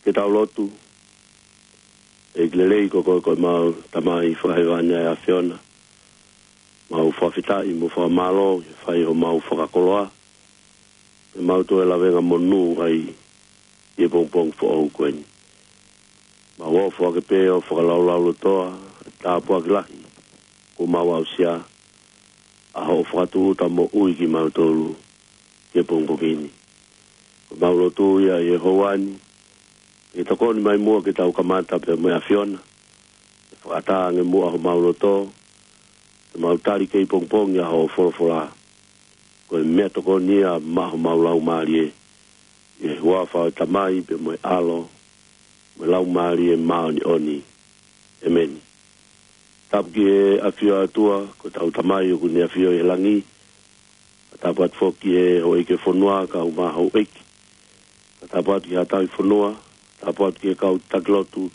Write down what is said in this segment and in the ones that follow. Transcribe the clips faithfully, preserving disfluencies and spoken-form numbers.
Ke tau lotu. ʻEiki lelei, ko koe ko ʻemau Tamai fakahēvani ʻa e ʻAfiona. Mau fakafetaʻi mo fakamālō ʻi he fai homau fakakoloa, pea mau toe lavengamonū ai ʻi he pongipongi foʻou ko eni. Mau ofo ake pē ʻo fakalaulaulotoa ʻa e tāpuaki lahi kuo mau aʻusia, ʻa hoʻo fakatūʻuta moʻui kimautolu ki he pongipongi ni. Ko ʻemau lotu ia ʻi he houa ni, ke tokoni mai muʻa ke tau kamata pea mo e ʻAfiona, ke fakaʻatā ange muʻa homau loto, ke mau tali kei pongipongi ʻa hoʻo folofola. Ko e meʻatokoni ia maʻa homau laumālie, ʻi he huafa ʻo e Tamai pea mo e ʻAlo, mo e Laumālie Māʻoniʻoni. ʻEmeni. Tapu ki he ʻafio ʻa e ʻOtua, ko hotau Tamai ʻoku ne ʻafio ʻi he langi. Tapu atu foki ki he houʻeiki ʻo e fonua, kae ʻumaʻā houʻeiki. Tapu atu ki haʻa tauhi fonua, tapu atu ki he kau taki lotu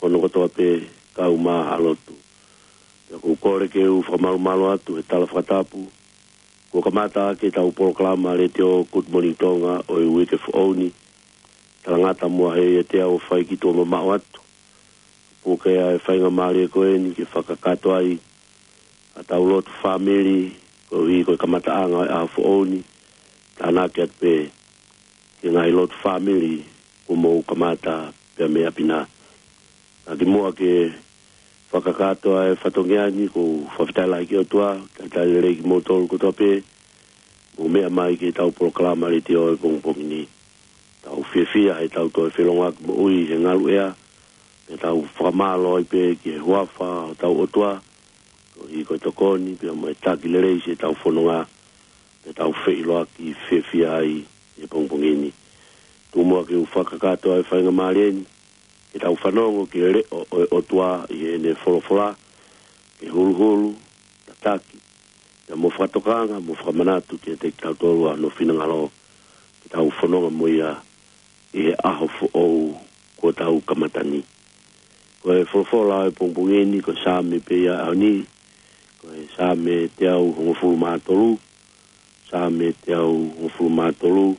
hono kotoa pē, kae ʻumaʻā Haʻa Lotu. Pea ʻoku ou kole ke u fakamalumalu atu he tala fakatapu kuo kamata ʻaki ʻetau polokalama letiō Good Morning Tonga ʻo e uike foʻou ni. Talangata muʻa heʻikai te u fai ki tuʻa mamaʻo atu. Puke ʻa e faingamālie ko eni ke fakakakato ai ʻa ʻetau lotu fāmili, koeʻuhi ko e kamataʻanga ʻo e ʻaho foʻou ni. Tānaki atu pē ki he ngaahi lotu fāmili kuo mou kamata pea mei ʻapi na. Ka kimuʻa ke fakakakato ʻa e fatongia ni, ʻoku ou fakafetaʻi lahi ki he ʻOtua, talitali lelei kimoutolu kotoa pē, mou meʻa mai ki heʻetau polokalama letiō he pongipongi ni. Tau fiefia heʻetau toe felōngoaki moʻui he ngaluʻea, pea tau fakamālō ai pē ki he huafa ʻo hotau ʻOtua, koeʻuhi ko e tokoni pea mo e taki lelei siʻetau fononga, pea tau feʻiloaki fiefia ai he pongipongi ni. Tuku muʻa ke u fakakakato ʻa e faingamālie ni, ke tau fanongo ki he leʻo ʻo e ʻOtua ʻi heʻene folofola, ke huluhulu, tataki, pea mo fakatokanga, mo fakamanatu kiate kitautolu ʻa hono finangalo, ke tau fononga mo ia ʻi he ʻaho foʻou kuo tau kamata ni. Ko e folofola ʻo e pongipongi ni, ko e Saame pē ia ʻaho ni, ko e Saame teau hongofulu mā tolu, Saame teau hongofulu mā tolu,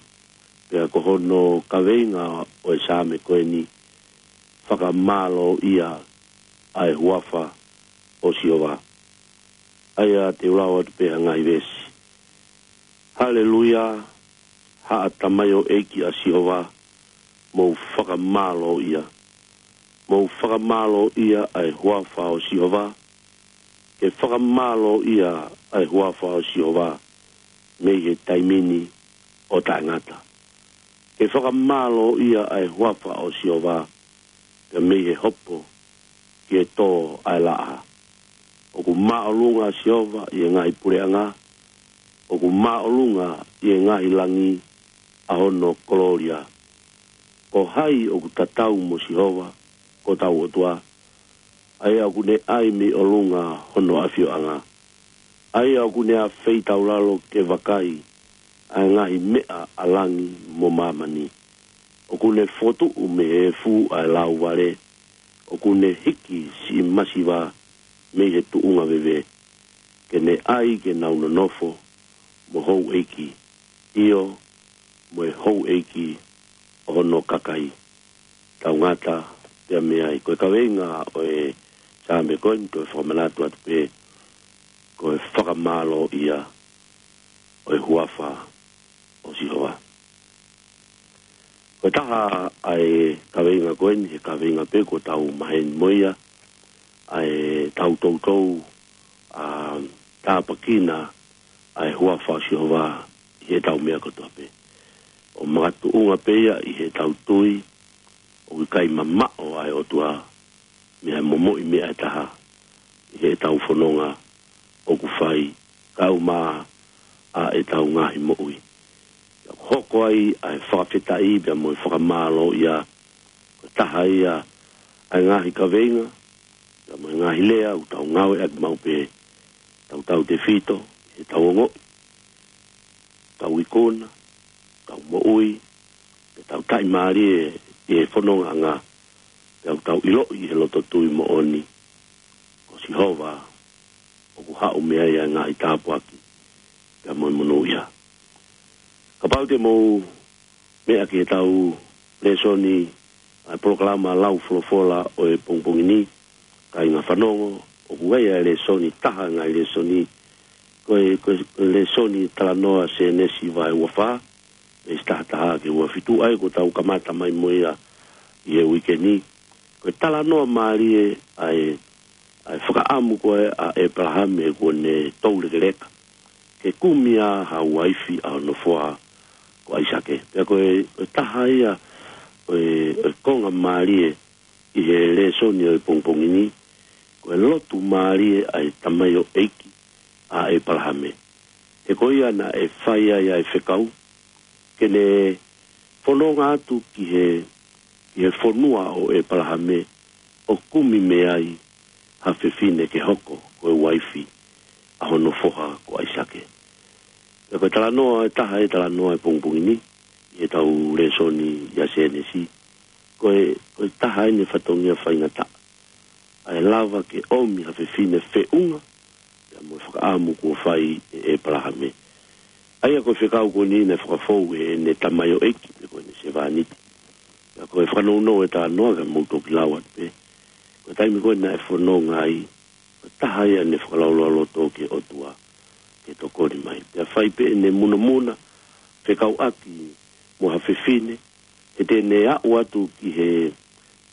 pea ko hono kaveinga ʻo e Saame ko eni, Fakamālōʻia ʻa e huafa ʻo Sihova. ʻA ia te u lau atu pē ha ngaahi veesi. Haleluia, haʻa tamaioʻeiki ʻa Sihova, mou fakamālōʻia. Mou fakamālōʻia ʻa e huafa ʻo Sihova. Ke fakamālōʻia ʻa e huafa ʻo Sihova mei he taimi ni ʻo taʻengata. Ke fakamālōʻia ʻa e huafa ʻo Sihova, pea mei he hopo ki he tō ʻa e laʻā. ʻOku māʻolunga ʻa Sihova ʻi he ngaahi puleʻanga, ʻoku māʻolunga ʻi he ngaahi langi ʻa hono kolōlia. Ko hai ʻoku tatau mo Sihova, ko hotau ʻOtua, ʻa ia ʻoku ne ʻai mei ʻolunga hono ʻafioʻanga, ʻa ia ʻoku ne afeitaulalo ke vakai ʻa e ngaahi meʻa ʻa langi mo māmani. ʻOku ne fokotuʻu mei he efu ʻa e lauvale, ʻoku ne hiki siʻi masiva mei he tuʻunga veve, ke ne ʻai ke nau nonofo mo houʻeiki, ʻio, mo e houʻeiki ʻo hono kakai. Tau ngata pea mei ai. Ko e kaveinga ʻo e Saame ko eni, ko e fakamanatu atu pē, ko e fakamālōʻia ʻo e huafa ʻo Sihova. Ko e taha ʻa e kaveinga ko eni, he kaveinga pē kuo tau maheni mo ia, ʻa e tau toutou ʻa tāpuekina ʻa e huafa ʻo Sihova ʻi heʻetau meʻa kotoa pē. ʻO makatuʻunga pē ia ʻi heʻetau tui ʻoku ʻikai mamaʻo ʻa e ʻOtua mei he momoʻi meʻa ʻe taha ʻi heʻetau fononga ʻoku fai kae ʻumaʻā ʻetau ngaahi moʻui. Pea hoko ai ʻa e fakafetaʻi pea mo e fakamālō ia, ko e taha ia ʻa e ngaahi kaveinga pea mo e ngaahi lea ʻoku tau ngāueʻaki maʻu pē, tautautefito heʻetau ongoʻi, tau ikuna, tau moʻui, pea tau taʻimālie ʻi he fonongaʻanga, pea ʻoku tau ʻiloʻi ʻi he loto tui moʻoni, ko Sihova ʻoku haʻu mei ai ʻa e ngaahi tāpuaki pea mo e monūʻia. Kapau te mou meʻa ki heʻetau lēsoni ʻa e polokalama lau folofola ʻo e pongipongi ni, kāinga fanongo, ʻoku ʻi ai ʻa e lēsoni, taha ʻa e ngaahi lēsoni, ko e, ko e, ko e lēsoni talanoa Sēnesi vahe ua fā, veesi taha taha ki he ua fitu, ʻa ia kuo tau kamata mai mo ia ʻi he uike ni. Ko e talanoa mālie ʻa e, ʻa e fakaʻamu ko ē ʻa ʻĒpalahame kuo ne toulekeleka ke kumi ʻa ha uaifi ʻa hono foha ko ʻAisake. Pea ko e, ko e taha ia ʻo e, ʻo e konga mālie ʻi he lēsoni ʻo e pongipongi ni, ko e lotu mālie ʻa e tamaioʻeiki ʻa ʻĒpalahame. He ko ia naʻe fai ai ʻa e fekau ke ne fononga atu ki he, ki he fonua ʻo ʻĒpalahame ʻo kumi mei ai ha fefine ke hoko ko e uaifi ʻa hono foha ko ʻAisake. Pea ko e talanoa ʻe taha ʻa e talanoa ʻo e pongipongi ni, ʻi heʻetau lēsoni ʻia Sēnesi, ko e, ko e taha ʻeni e fatongia faingataʻa ʻa e lava ke ʻomi ha fefine feʻunga pea mo e fakaʻamu kuo fai ʻe ʻĒpalahame. ʻA ia ko e fekau ko eni naʻe fakafou ʻe heʻene tamaioʻeiki pe ko ʻene sevāniti. Pea ko e fakanounou ʻo e talanoa, ka mou toki lau atu pē, ko e taimi ko ē naʻe fononga ai, ko e taha ia ʻene fakalaulauloto ki he ʻOtua ke tokoni mai. Pea fai pē ʻene munamuna fekauʻaki mo ha fefine, he te ne aʻu atu ki he,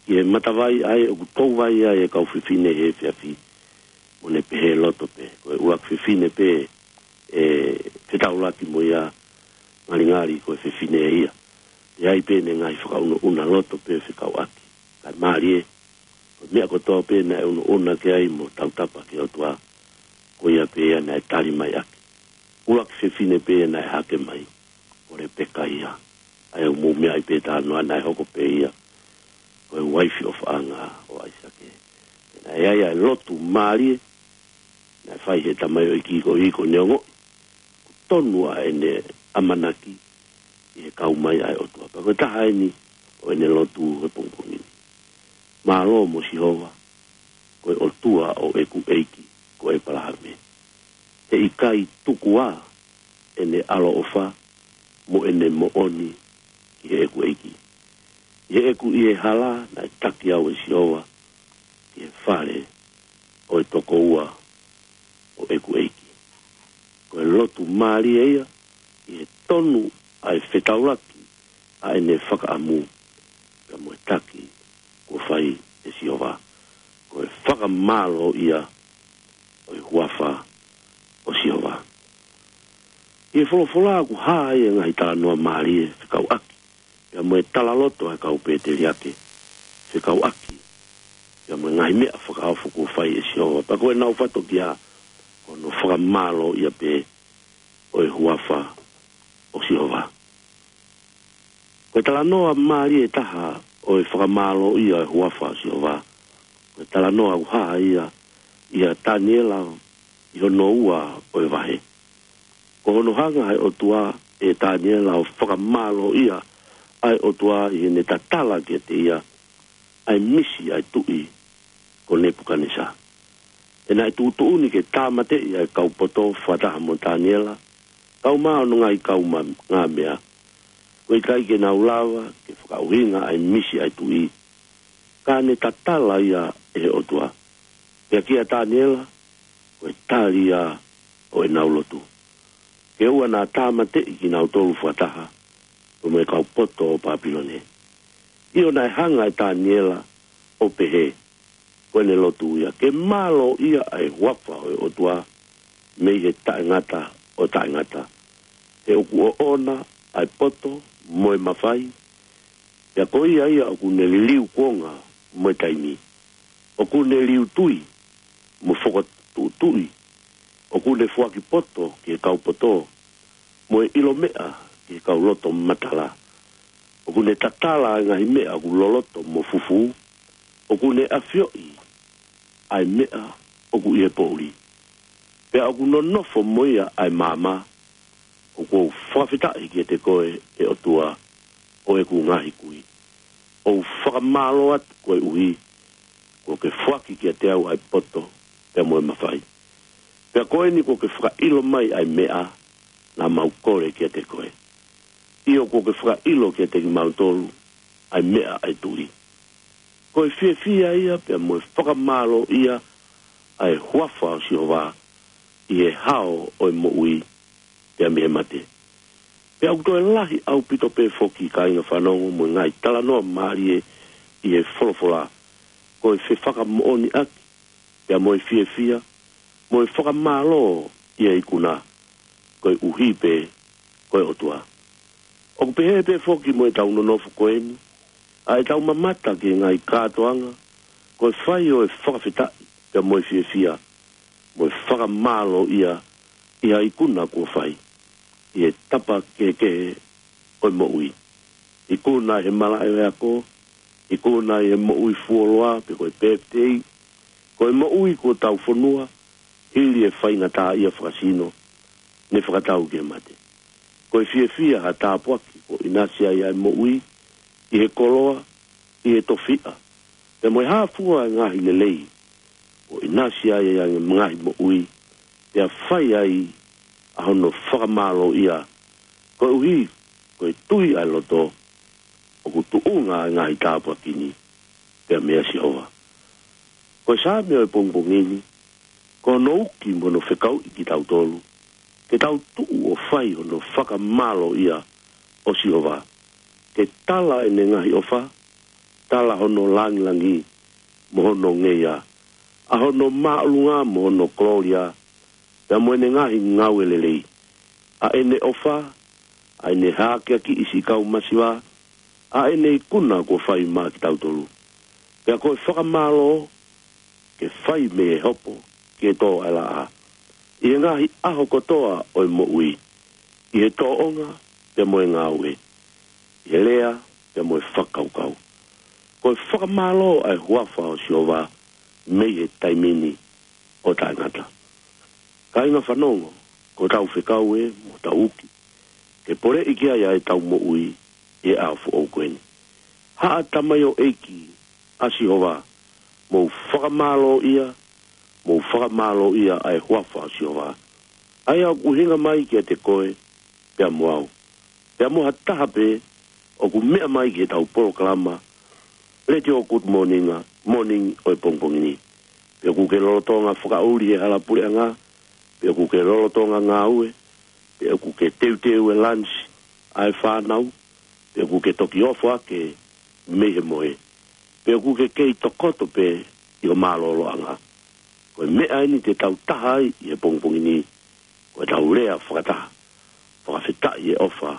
ki he matavai ʻa ē ʻoku touvai ai e kau fefine he efiafi, mo ne pehē loto pē, ko e ʻuluaki fefine pē ʻe fetaulaki mo ia, ngalingali ko e fefine ʻe ia. ʻE ʻi ai pē ʻene ngaahi fakaunuʻuna loto pē fekauʻaki. Kae mālie, ko e meʻa kotoa pē naʻe unuʻuna ki ai mo tautapa ki he ʻOtua, ko ia pē ia naʻe tali mai ʻaki. ʻUluaki fefine pē ia naʻe hake mai, ko Lepeka ia. ʻA ia ʻoku mou meaʻi pē talanoa naʻe hoko pē ia ko e uaifi ʻofaʻanga ʻo ʻAisake. Pea naʻe ʻi ai ʻa e lotu mālie naʻe fai ʻe he tamaioʻeiki ko ē, ko ʻene ongoʻi ʻoku tonu ʻa ʻene ʻamanaki ʻi he kau mai ʻa e ʻOtua. Pea ko e taha ʻeni ʻo ʻene lotu he pongipongi ni. Mālō mo Sihova, ko e ʻOtua ʻo ʻeku ʻeiki ko ʻĒpalahame. He ʻikai tuku ā ʻene ʻaloʻofa mo ʻene moʻoni ki heʻeku ʻeiki. ʻI heʻeku ʻi he hala naʻe taki au ʻe Sihova ki he fale ʻo e tokoua ʻo ʻeku ʻeiki. Ko e lotu mālie ia ʻi he tonu ʻa e fetaulaki ʻa ʻene fakaʻamu pea mo e taki kuo fai ʻe Sihova. Ko e fakamālō ia ʻo e huafa ʻo Sihova. ʻI he folofola ʻoku hā ai e ngaahi talanoa mālie fekauʻaki pea mo e talaloto ʻa e kau pēteliake fekauʻaki pea mo e ngaahi meʻa fakaofo kuo fai ʻe Sihova. Pea ko ʻenau fatokiʻa ko hono fakamālō ia pē ʻo e huafa ʻo Sihova. Ko e talanoa mālie ʻe taha ʻo e fakamālō ia ʻo e huafa ʻo Sihova, ko e talanoa ʻoku hā ia ʻia Taniela ʻi hono ua ʻo e vahe. Ko hono hanga ʻe he ʻOtua ʻe Taniela ʻo fakamālō ia ʻa e ʻOtua ʻi heʻene tatala kiate ia ʻa e misi ʻa e tuʻi ko Nepukanesa. He naʻe tuʻutuʻuni ke tāmateʻi ʻa e kau poto fakataha mo Taniela, kau mo hono ngaahi kau ma-, ngā meʻa. Ko e ʻikai ke nau lava ke fakaʻuhinga ʻa e misi ʻa e tuʻi, ka ne tatala ia ʻe he ʻOtua. Pea kia Taniela, ko e tali ia ʻo ʻenau lotu. Ke ʻoua naʻa tāmateʻi kinautolu fakataha, pea mo e kau poto ʻo Papilone. ʻIo, naʻe hanga ʻe Taniela ʻo pehē, ko ʻene lotu ia, ke mālōʻia ʻa e huafa ʻo e ʻOtua mei he taʻengata ʻo taʻengata. He ʻoku ʻoʻona ʻa e poto mo e mafai, pea ko ia ia ʻoku ne liliu kuonga mo e taimi. ʻOku ne liu tui mo fokotuʻutuʻu. ʻOku ne foaki poto ki he kau poto, mo e ʻilo meʻa ki he kau loto matala. ʻOku ne tatala ʻa e ngaahi meʻa ʻoku loloto mo fufū. ʻOku ne ʻafioʻi ʻa e meʻa ʻoku ʻi he poʻuli. Pea ʻoku nonofo mo ia ʻa e maama. ʻOku ou fakafetaʻi kiate koe, ʻe ʻOtua ʻo ʻeku ngaahi kui. ʻOku ou fakamālō atu koeʻuhi kuo ke foaki kiate au ʻa e poto pea mo e mafai. Pea ko eni kuo ke fakaʻilo mai ʻa e meʻa naʻa mau kole kiate koe. ʻIo, kuo ke fakaʻilo kiate kimautolu ʻa e meʻa ʻa e tui. Ko e fiefia ia pea mo e fakamālōʻia ʻa e huafa ʻo Sihova ʻi he hao ʻo e moʻui pea mei he mate. Pea ʻoku toe lahi ʻaupito pē foki, kāinga fanongo, mo e ngaahi talanoa mālie ʻi he folofola. Ko e fefakamoʻoniʻaki pea mo e fiefia mo e fakamālō ʻi he ikuna, koeʻuhi pē ko e ʻOtua. ʻOku pehē pē foki mo ʻetau nonofo ko eni, ʻa ʻetau mamata ki he ngaahi kātoanga, ko e fai ʻo e fakafetaʻi pea mo e fiefia mo e fakamālōʻia ʻi ha ikuna kuo fai ʻi he tapa kehekehe ʻo e moʻui. Ikuna ʻi he malaʻe ʻo e ako, ikuna ʻi he moʻui fuoloa pe ko e pēpitei, ko e moʻui kuo tau fonua hili e faingataʻaʻia fakasino ne fakatau ki he mate. Ko e fiefia ha tāpuaki kuo ʻinasi ai ʻa e moʻui ʻi he koloa, ʻi he tofiʻa, pea mo e hā fua e ngaahi lelei kuo ʻinasi ai ʻa e ngaahi moʻui, pea fai ai ʻa hono fakamālōʻia, koeʻuhi ko e tui ʻa e loto ʻoku tuʻunga ʻa e ngaahi tāpuaki ni pea meia Sihova. Ko e Saame ʻo e pongipongi ni, ko hono uki mo hono fekauʻi kitautolu ke tau tuʻu ʻo fai hono fakamālōʻia ʻo Sihova, ke tala ʻene ngaahi ʻofa, tala hono langilangi mo hono ngeia, ʻa hono māʻolunga mo hono kolōlia, pea mo ʻene ngaahi ngāue lelei, ʻa ʻene ʻofa, ʻa ʻene hākeakiʻi siʻi kau masiva, ʻa ʻene ikuna kuo fai maʻa kitautolu. Pea ko e fakamālō ke fai mei he hopo ki he tō ʻa e laʻā, ʻi he ngaahi ʻaho kotoa ʻo e moʻui, ʻi he tōʻonga pea mo e ngāue, ʻi he lea pea mo e fakakaukau. Ko e fakamālō ʻa e huafa ʻo Sihova mei he taimi ni ʻo taʻengata. Kāinga fanongo, ko ʻetau fekau ē mo ʻetau uki ke poleʻi ki ai ʻa ʻetau moʻui ʻi he ʻaho foʻou ko eni. Haʻa tamaioʻeiki ʻa Sihova, mou fakamālōʻia, mou fakamālōʻia ʻa e huafa ʻo Sihova, ʻa ia ʻoku ʻuhinga mai kiate koe pea mo au, pea mo ha taha pē ʻoku meʻa mai ki heʻetau polokalama Letiō Good Morning, Morning ʻo e pongipongi ni. Pe ʻoku ke lolotonga fakaʻuli he hala puleʻanga, pe ʻoku ke lolotonga ngāue, pe ʻoku ke teuteu e lunch ʻa e fānau, pe ʻoku ke toki ofo hake mei he mohe, pe ʻoku ke kei tokoto pē ʻi ho mālōlōʻanga. Ko e meʻa eni te tau taha ai ʻi he pongipongi ni, ko ʻetau lea fakataha, fakafetaʻi e ʻofa,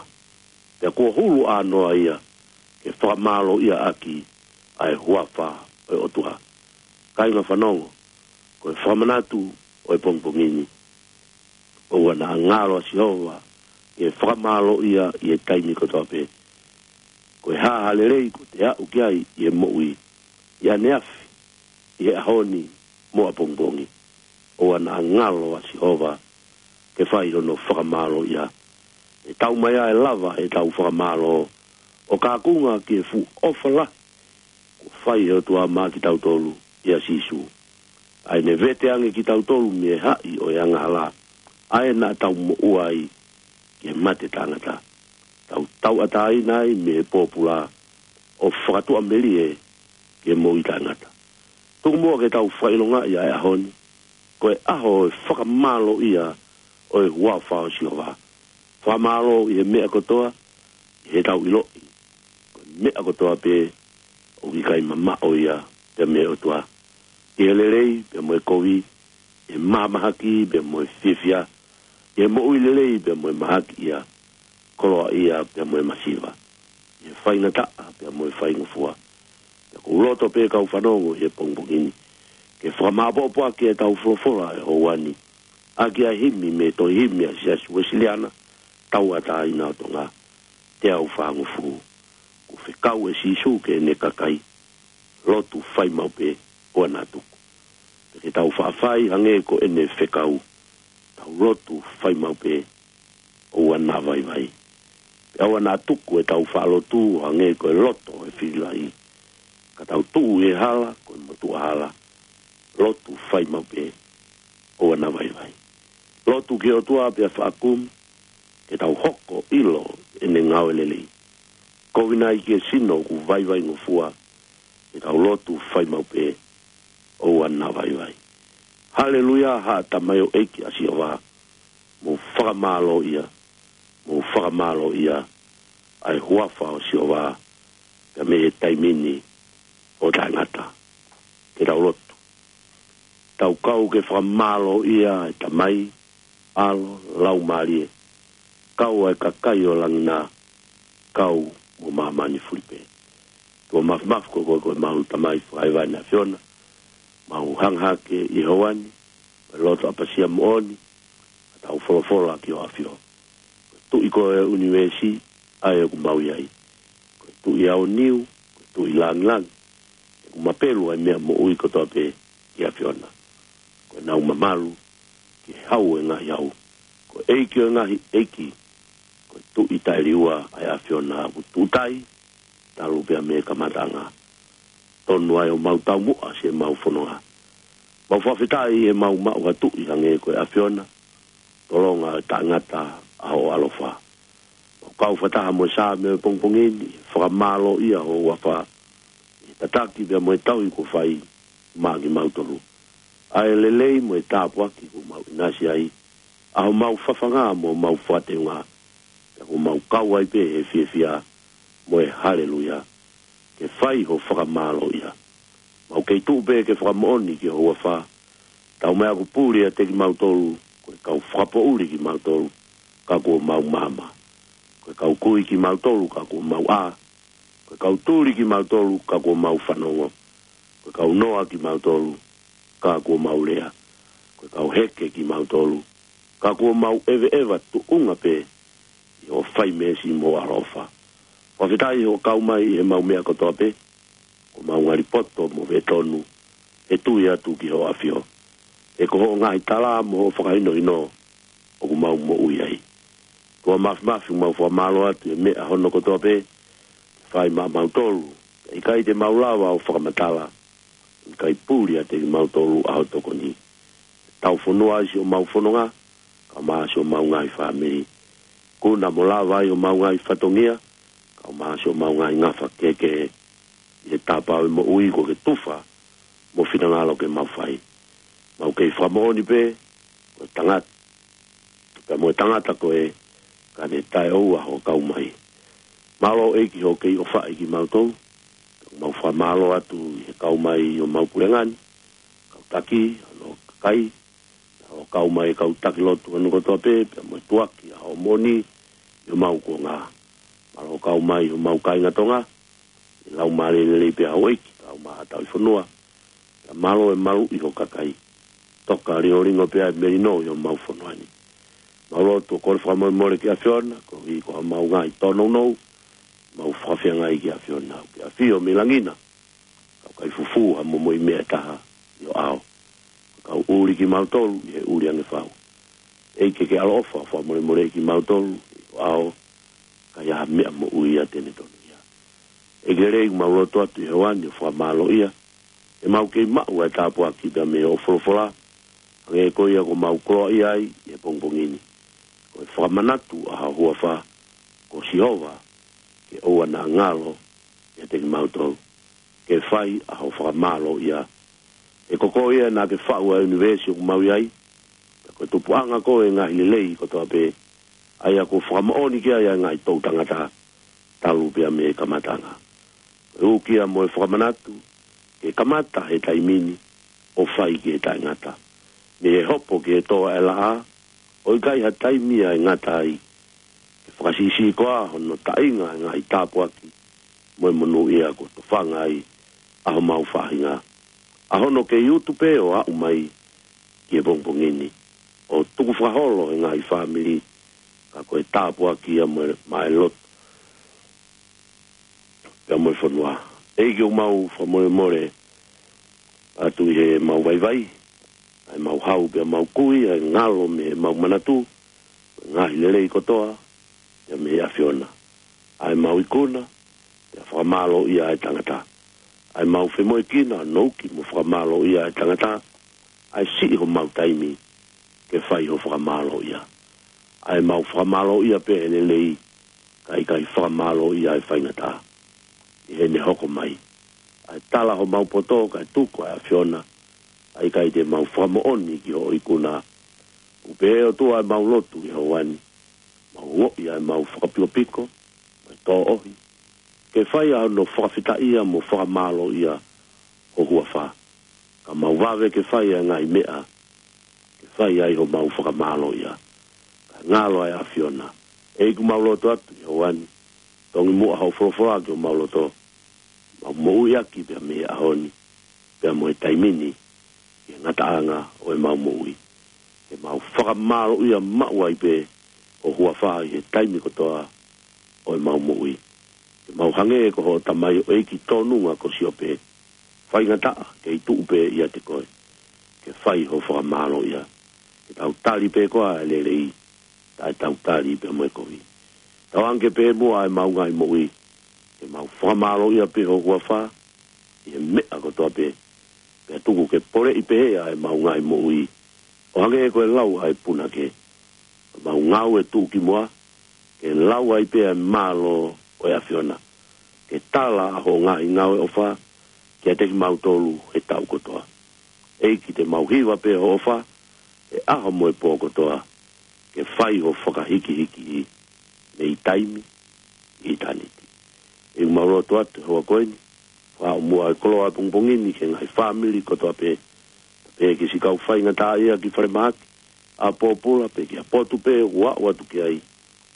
pea kuo hulu ʻānoa ia ke fakamālōʻia ʻaki ʻa e huafa ʻo e ʻOtua. Kāinga fanongo, ko e fakamanatu ʻo e pongipongi ni, ʻoua naʻa ngalo ʻa Sihova ke fakamālōʻia ʻi he taimi kotoa pē. Ko e hā ha lelei kuo te aʻu ki ai ʻi he moʻui, ʻi ʻaneafi, ʻi he ʻaho ni mo ʻapongipongi, ʻoua naʻa ngalo ʻa Sihova ke fai hono fakamālōʻia. ʻE tau mai ʻa e lava ʻetau fakamālō ʻo kaunga ki he fuʻu ʻofa lahi kuo fai ʻe he ʻOtua maʻa kitautolu ʻia Sīsū, ʻa ia ne vete ange kitautolu mei he haʻi ʻo e angahala, ʻa ia naʻa tau moʻua ai ki he mate taʻengata, tau tauʻatāina ai mei he pōpula, ʻo fakatuʻamelie ki he moʻui taʻengata. Tuku muʻa ke tau fakaʻilongaʻi ʻa e ʻaho ni ko e ʻaho ʻo e fakamālōʻia ʻo e huafa ʻo Sihova. Fakamālō ʻi he meʻa kotoa, ʻi heʻetau ʻiloʻi ko e meʻa kotoa pē ʻoku ʻikai mamaʻo ia pea mei he ʻOtua. ʻI he lelei pea mo e kovi, ʻi he mahamahaki pea mo e fiefia, ʻi he moʻui lelei pea mo e mahakiʻia, koloaʻia pea mo e masiva, ʻi he faingataʻa pea mo e faingofua. Pea ʻoku ou loto pē kau fanongo ʻi he pongipongi ni ke fakamāʻopoʻopo ʻaki ʻetau folofola ʻi he houa ni ʻaki ʻa e himi mei he tohi himi ʻa e Siasi Uēsiliana Tauʻatāina ʻo Tonga, teau fāngofulu. Kuo fekau ʻe Sīsū ki heʻene kakai, lotu fai maʻu pē ʻoua naʻa tuku. Pea ke tau faʻa fai hangē ko ʻene fekau, tau lotu fai maʻu pē ʻoua naʻa vaivai. Pea ʻoua naʻa tuku ʻetau faʻa lotu ʻo hangē ko e loto ʻo e fili lahi, ka tau tuʻu ʻi he hala ko e motuʻa hala, lotu fai maʻu pē ʻoua naʻa vaivai. Lotu ki he ʻOtua pea faʻa kumi ke tau hoko ʻo ʻilo ʻene ngāue lelei. Kovi nai ki he sino ʻoku vaivaingofua, ke tau lotu fai maʻu pē ʻoua naʻa vaivai. Haleluia, haʻa tamaioʻeiki ʻa Sihova, mou fakamālōʻia, mou fakamālōʻia ʻa e huafa ʻo Sihova, pea mei he taimi ni ʻo taʻengata. Ke tau lotu. Tau kau ke fakamālōʻia ʻa e Tamai, ʻAlo, Laumālie, kau ʻa e kakai ʻo langi na, kau mo māmani fulipē. ʻOtua Māfimafi, ko koe ko ʻemau Tamai fakahēvani ʻAfiona, mau hanga hake ʻi he houa ni, mo e loto ʻapasia moʻoni, ka tau folofola ki hoʻo ʻAfio. Ko e Tuʻi koe ʻo e ʻunivēsi, ʻa ē ʻoku mau ʻi ai. Ko e Tuʻi aoniu, ko e Tuʻi langilangi, ʻoku mapelu ʻa e meʻa moʻui kotoa pē ki he ʻAfiona. Ko ʻenau mamalu ki he hau ʻo e ngaahi hau, ko e ʻEiki ʻo e ngaahi ʻeiki, ko e Tuʻi taʻeliua ʻa e ʻAfiona, ʻoku tuʻutai talu pea mei he kamataʻanga. Tonu ai ʻo mau taumuʻa siʻemau fononga. Mau fakafetaʻi ʻi heʻemau maʻu ha tuʻi hangē ko e ʻAfiona, tolonga ʻo e taʻengata ʻa hoʻo ʻaloʻofa. Mau kau fakataha mo e Saame ʻo e pongipongi ni, fakamālōʻia ho huafa, ʻi he tataki pea mo e tauhi kuo fai maʻa kimautolu, ʻa e lelei mo e tāpuaki kuo mau ʻinasi ai, ʻa homau fafanga mo homau fakateunga, pea kuo mau kau ai pē he fiefia mo e haleluia, ke fai ho fakamālōʻia. Mau kei tuʻu pē ke fakamoʻoni ki ho huafa, taumaiā kuo puli ʻiate kimautolu, ko e kau fakapoʻuli kimautolu, ka kuo mau maama. Ko e kau kui kimautolu, ka kuo mau ʻā. Ko e kau tuli kimautolu, ka kuo mau fanongo. Ko e kau noa kimautolu, ka kuo mau lea. Ko e kau heke kimautolu, ka kuo mau ʻeveʻeva tuʻunga pē ʻi hoʻo fai meesi mo hoʻo ʻaloʻofa. Fakafetaʻi hoʻo kau mai ʻi heʻemau meʻa kotoa pē, kuo mau ngali poto mo fetonu he tui atu ki hoʻo ʻAfio. He ko hoʻo ngaahi tala mo hoʻo fakahinohino ʻoku mau moʻui ai. ʻOtua Māfimafi, mau fakamālō atu he meʻa hono kotoa pē ke fai maʻamautolu, ka ʻikai te mau lava ʻo fakamatala, ʻikai puli ʻiate kimautolu ʻa ho tokoni. Tau fonua ai siʻomau fononga, kae ʻumaʻā siʻomau ngaahi fāmili. Kuna mo lava ai homau ngaahi fatongia, kae ʻumaʻā siʻomau ngaahi ngafa kehekehe, ʻi he tāpau ʻe moʻui kuo ke tufa mo finangalo ke mau fai. Mau kei fakamoʻoni pē, ko e tangata, pea mo e tangata ko ē, ka ne taʻeʻoua hoʻo kau mai. Mālō ʻEiki hoʻo kei ʻofaʻi kimautolu, mau fakamālō atu ʻi he kau mai ʻo homau puleʻanga ni, kau taki, hono kakai, ʻo kau mai kau taki lotu hono kotoa pē, pea mo e tuʻuaki ʻa hoʻo moʻoni ʻi homau kuonga. Mālō kau mai homau kāinga Tonga, ʻi he laumālie lelei pē ʻa houʻeiki, kae ʻumaʻā ʻa e tauhi fonua, pea mālō e maluʻi ho kakai. Toka lingolingo pē ʻa e melino ʻi homau fonua ni. Mau lotu ʻo kole fakamolemole ki he ʻAfiona, koeʻuhi ko homau ngaahi tōnounou, mau fakafeangai ki he ʻAfiona, ke ʻafio mei langi na, kae ʻikai fufū ha momoʻi meʻa ʻe taha ʻi ho ʻao. Kau ʻuli kimautolu ʻi he ʻuli ange fau. ʻEiki ke ʻaloʻofa, fakamolemoleʻi kimautolu ʻi ho ʻao, ka ʻi ai ha meʻa moʻui ia te ne tonuhia. ʻEiki lelei, mau lotu atu ʻi he houa ni ʻo fakamālōʻia, he mau kei maʻu ʻa e tāpuaki pea mei hoʻo folofola, hangē ko ia kuo mau koloaʻia ai ʻi he pongipongi ni. Ko e fakamanatu ʻa ho huafa, ko Sihova, ke ʻoua naʻa ngalo ʻiate kimautolu, ke fai ʻa ho fakamālōʻia. He ko koe ia naʻa ke faʻu ʻa e ʻunivēsi ʻoku mau ʻi ai, pea ko e tupuʻanga koe ʻo e ngaahi lelei kotoa pē, ʻa ia kuo fakamoʻoni ki ai ʻa e ngaahi toʻu tangata, talu pea mei he kamatanga. Ko e ukia mo e fakamanatu, ke kamata he taimi ni, ʻo fai ki he taʻengata. Mei he hopo ki he toa ʻe laʻā, ʻo ʻikai ha taimi ia ʻe ngata ai. Ke fakasiʻisiʻi koā hono taʻinga e ngaahi tāpuaki, mo e monūʻia kuo tofanga ai ʻa homau faʻahinga. ʻA hono kei utu pē ʻo aʻu mai ki he pongipongi ni, ʻo tukufakaholo he ngaahi fāmili, ka ko e tāpuaki ia mo e, maʻa e lotu pea mo e fonua. ʻEiki ʻoku mau fakamolemole atu ʻi heʻemau vaivai, ʻa ʻemau hau pea mau kui, ʻa e ngalo mei heʻemau manatu, ngaahi lelei kotoa, pea mei he ʻAfiona. ʻA ʻemau ikuna, pea fakamālōʻia ʻa e tangata. ʻA ʻemau femoʻuekina, nounou mo fakamālōʻia ʻa e tangata, ʻa e siʻi homau taimi, ke fai ho fakamālōʻia. ʻA ʻemau fakamālōʻia pē he lelei, ka ʻikai fakamālōʻia ʻa e faingataʻa. ʻI heʻene hoko mai. ʻA e tala homau poto, kae tuku ʻa e ʻAfiona, ʻa ʻikai te mau fakamoʻoni ki hoʻo ikuna. Kuo pehē ʻOtua ʻemau lotu ʻi he ʻaho ni. Mau ongoʻi ʻa ʻemau fakapikopiko, mo e tōʻohi. Ke fai ʻa hono fakafetaʻia mo fakamālōʻia ho huafa. Ka mau vave ke fai ʻa e ngaahi meʻa, ke fai ai homau fakamālōʻia. Ka ngalo ʻa e ʻAfiona. ʻEiki ʻoku mau lotu atu ʻi he ʻaho ni. Tongi muʻa hoʻo folofola ki homau loto. Mau moʻui ʻaki pea mei he ʻaho ni. Pea mo e taimi ni. Ki he ngataʻanga ʻo ʻemau moʻui. Ke mau fakamālōʻia maʻu ai pē ho huafa ʻi he taimi kotoa ʻo ʻemau moʻui. Ke mau hangē ko hoʻo tamaioʻeiki tōnunga ko Siope. Faingataʻa, kei tuʻu pē ʻiate koe. Ke fai ho fakamālōʻia. Ke tau tali pē koā ʻa e lelei. Taʻe tau tali pē mo e kovi. Tauange pē muʻa ʻemau ngaahi moʻui. Ke mau fakamālōʻia pē ho huafa. ʻI he meʻa kotoa pē. Pea tuku ke poleʻi pehē ʻa ʻemau ngaahi moʻui. ʻO hangē ko e lau ʻa e punake. Mau ngāue tuʻukimuʻa, ke lau ai pē ʻa e mālō ʻo e ʻAfiona. Ke tala ʻa hoʻo ngaahi ngāue ʻofa, kiate kimautolu he taʻu kotoa. ʻEiki te mau hiva pē ho ʻofa, he ʻaho mo e pō kotoa, ke fai ho fakahikihiki mei taimi, ʻitāniti. ʻEiki ʻoku mau lotu atu he houa ko eni, fakaʻamu ʻa e koloa pongipongi ni ki he ngaahi fāmili kotoa pē, pea pehē ki siʻi kau faingataʻaʻia ki falemahaki, ʻa pōpula pē ki ʻapotu pē ʻoku aʻu atu ki ai,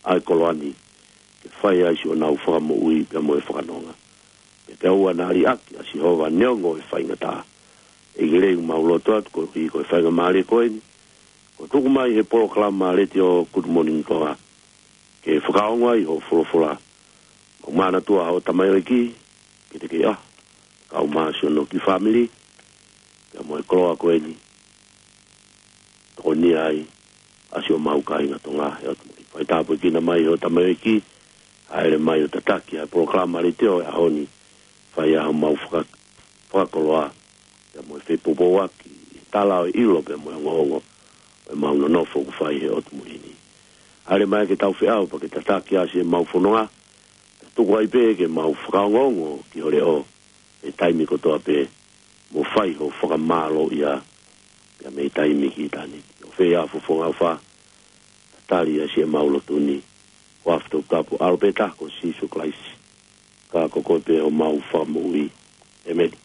ʻa e koloa ni, ke fai ai siʻonau fakamoʻui pea mo e fakanonga. Pea ke ʻoua naʻa liʻaki ʻa Sihova neongo e faingataʻa. ʻEiki ʻoku mau lotu atu koeʻuhi ko e faingamālie ko eni, kuo tuku mai he polokalama letiō Good Morning Tonga. Ke fakaongo ai hoʻo folofola. Mau manatua hoʻo tamaioʻeiki, ke te kei ʻa, kau mai siʻono kiʻi fāmili, pea mo e koloa ko eni. Tokonia ai, ʻa siʻomau kāinga Tonga he ʻotu muli. Fai tāpuekina mai hoʻo tamaioʻeiki, hāʻele mai ʻo tataki ʻa e polokalama letiō he ʻaho ni, fai ʻa homau faka-, fakakoloa, pea mo e fepoupouaki, ʻi he tala ʻo e ʻilo pea mo e ongoongo, ʻo ʻemau nonofo ʻoku fai he ʻotu muli ni. Hāʻele mai ke tau feʻao pea ke tataki ʻa siʻemau fononga, pea tuku ai pē ke mau fakaongoongo ki ho leʻo, he taimi kotoa pē, mo fai ho fakamālōʻia, pea mei taimi ki ʻitāniti. ʻO fai ʻa e fofonga ʻofa, tali ʻa siʻemau lotu ni, ʻi he huafa toputapu ʻo e ʻAlo pē taha ko Sīsū Kalaisi. Ka ko koe pē homau Fakamoʻui. ʻĒmeni.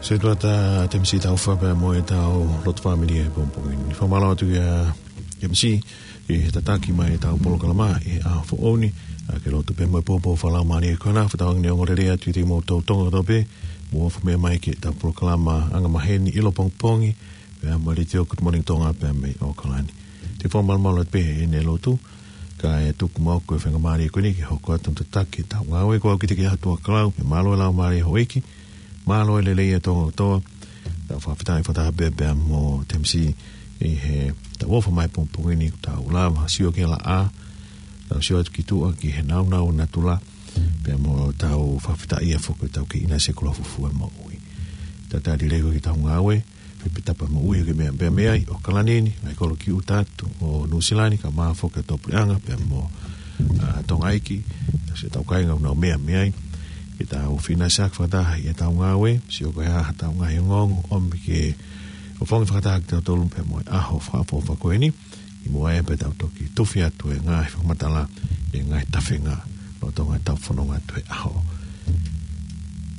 Sētuata Temisi Taufa pea mo ʻetau lotu fāmili he pongipongi ni. Fakamālō atu ia M C, ʻi he tataki mai ʻetau polokalama ʻi he ʻaho foʻou ni, ʻa ke lotu pē mo e pōpoaki fakalaumālie ko ena, fakatauange ʻe ongoongolelei atu kiate kimoutolu Tonga kotoa pē, mou ofi mai ki heʻetau polokalama angamaheni ʻilopongipongi, pea mo e Letiō Good Morning Tonga pea mei ʻAokalani. Te u fakamalumalu atu pē ʻi heʻene lotu, kae tuku muʻa ʻa e faingamālie ko eni ke hoko atu mo tataki ʻetau ngāue. Ko au ki he ʻOtua ʻa e kau, pea mālō e laumālie ʻo e ʻEiki, mālō e lelei ʻa Tonga kotoa. Tau fakafetaʻi fakataha pē pea mo Temisi ʻi heʻetau ofa mai pongipongi ni, tau lava sio ki he laʻā, tau sio atu ki tuʻa ki he nāunau ʻo natula, pea mo tau fakafetaʻi ʻa e foki ʻetau kei ʻinasi ʻi he koloa fufū ʻa e moʻui. Tau talitali lelei ki heʻetau ngāue, pea pē tapa moʻui ke meʻa pea mei ai ʻAokalani ni, ʻa e kolo ki ʻuta atu ʻo Nuʻusila ni, kae ʻumaʻā foki ʻa e tō puleʻanga, pea mo, ʻa, Tonga ʻEiki, tau sio ʻetau kāinga ʻoku nau meʻa mei ai, ke tau feinga ʻo sio fakataha ʻi heʻetau ngāue, sio ko e hā haʻatau ngaahi ongoongo, ʻomi ke ʻofongi fakataha kitautolu pea mo e ʻaho fakaʻofoʻofa ko eni, ʻi muʻa pea tau toki tufi atu e ngaahi fakamatala, e ngaahi tafenga, lolotonga ʻetau fononga atu he ʻaho.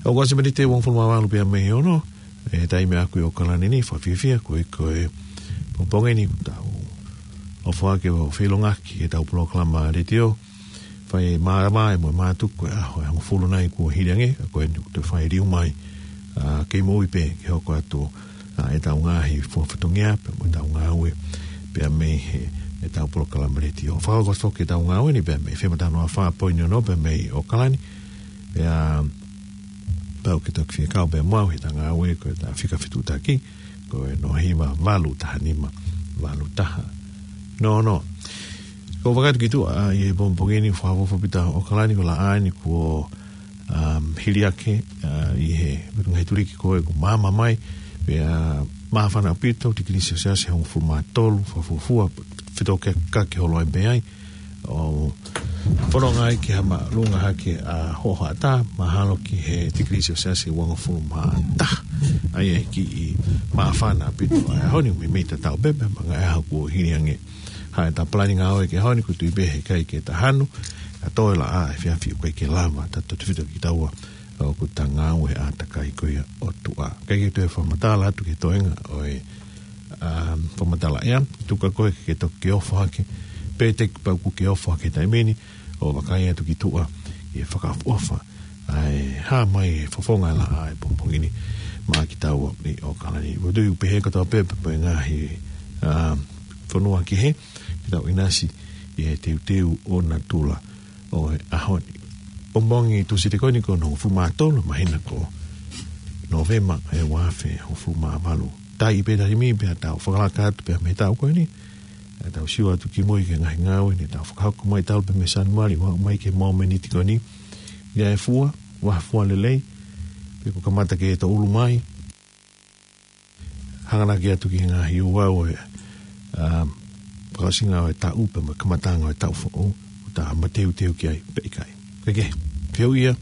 ʻOku ʻosi miniti ʻe uofulu mā valu pea mei he ono, ʻi he taimi ʻaʻaku ʻi ʻAokalani ni, fakafiefia koeʻuhi ko e pongipongi ni, tau ʻofa ke ʻo feilongaki ʻetau polokalama letiō, fai mālama ʻe mo e mātuku ʻa e ʻaho ʻe hongofulu nai kuo hili ange, ʻa ko eni ʻoku toe fai liu mai, ʻa, kei moʻui pē ke hoko atu, ʻa, ʻetau ngaahi fua fatongia, pea mo ʻetau ngāue, pea mei he, ʻetau polokalama letiō. Fakahoko foki ʻetau ngāue ni, pea mei he FM taha noa fā poini ono, pea mei ʻAokalani, pea pau ke toki fie kau pea mo au heʻeta ngāue ko ʻeta fika fetuʻutaki, ko e noa hiva valu taha nima valu taha noa noa. Ko e fakatu ki tuʻa, ʻa, ʻi he pongipongi ni fakaʻofoʻofa ʻaupito ʻAokalani, ko e laʻā eni kuo, um, hili hake, ʻa, ʻi he, ngaahi tuliki ko ē kuo maama mai, pea māfana ʻaupito, tikilī selesiasi ʻe hongofulu mā tolu, fakafuofua, fetokekake holo ai pē ai, ʻo fononga ai ki ha māʻolunga hake ʻa e hoʻatā, mahalo ki he tikilī selesiasi ʻe uangofulu mā taha. ʻA ia ʻe kiʻi māfana ʻaupito ʻa e ʻaho ni, meimei tatau pē pea mo e ngaahi ʻaho kuo hili ange. Hā ʻeta palani ngāue ki he ʻaho ni, ʻoku ou tui pē heʻikai ke ta hanu, ka toe laʻā he efiafi ʻoku ʻikai ke lava, tautautefito kitaua ʻoku ta ngāue he ʻātakai ko ia ʻo e ʻOtua. ʻIkai ke toe fakamatala atu ki he toenga ʻo e, um, fakamatala ʻea, tuku ā koe ke toki ʻofa hake, pe te ke pau kuo ke ʻofa hake he taimi ni, ʻo vakai atu ki tuʻa ʻi he fakaʻofoʻofa, ʻa e hā mai e fofonga laʻā he pongipongi ni maʻa kitaua ʻi ʻAokalani. ʻOku ou tui ʻoku pehē kotoa pē pea mo e ngaahi, um, fonua kehe, ke tau ʻinasi ʻi he teuteu ʻo natula ʻo e ʻaho ni. Pongipongi Tūsite ko eni ko hono hongofulu mā tolu māhina ko Nōvema ʻi he ua afe hongofulu mā valu. Taiʻi pē taimi pea tau fakalaka atu pea mei he taʻu ko eni, ʻa, tau sio atu ki mui ki he ngaahi ngāue ni, tau fakahoko mai talu pē mei Sānuali, ʻo aʻu mai ki he mōmeniti ko eni. ʻIa e fua, ʻoua ʻe fua lelei, pe kuo kamata ke tō ʻulu mai, hanganaki atu ki he ngaahi ouau ʻo e, um, fakaʻosinga ʻo e taʻu pea mo e kamataʻanga ʻo e taʻu foʻou, ʻoku ta mateuteu ki ai pe ʻikai. Kae kehe, fehuʻia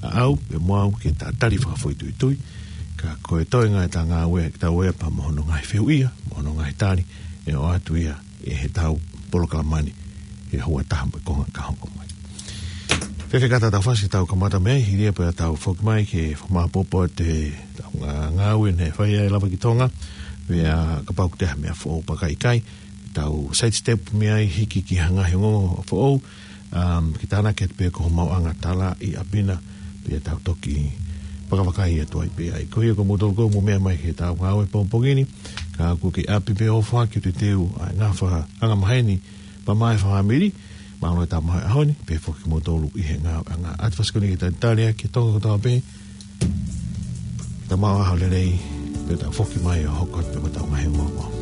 ʻa au, pea mo au ke ta tali fakafoʻituitui, ka ko e toenga ʻeta ngāue, ke tau ʻea pea mo hono ngaahi fehuʻia, mo hono ngaahi tali, ʻe ʻoatu ia ʻi heʻetau polokalama ni, ʻi he houa ʻe taha mo e konga ka hoko mai. Fēfē ka ta tau fasi, tau kamata mei ai, hili ia pea tau foki mai ke fakamāʻopoʻopo atu ʻetau ngā-, ngāue naʻe fai ai ʻa e Lava ki Tonga, pea kapau ʻoku toe ʻi ai ha meʻa foʻou pe ʻikai, tau sidestep mei ai hiki ki ha ngaahi ongoongo foʻou, um, ke tānaki atu pē ki hoʻo maʻuʻanga talaʻi ʻapi na, pea tau toki vakavakai atu ai pē ai. Ko ia ko moutolu ko ē mou meʻa mai ki heʻetau ngāue pongipongi ni, ka ʻoku ke ʻapi pē ʻo ʻofa ke teuteu ʻa e ngafa angamaheni pea mo e fāmili, mālō e tau maʻu e ʻaho ni, pehē foki kimoutolu ʻi he ngāueʻanga. ʻAtu fasi ko eni ke talitali ʻaki e Tonga kotoa pē, ta maʻu ha ʻaho lelei, pea tau foki mai ʻo hoko atu pē mo ʻetau ngaahi ongoongo.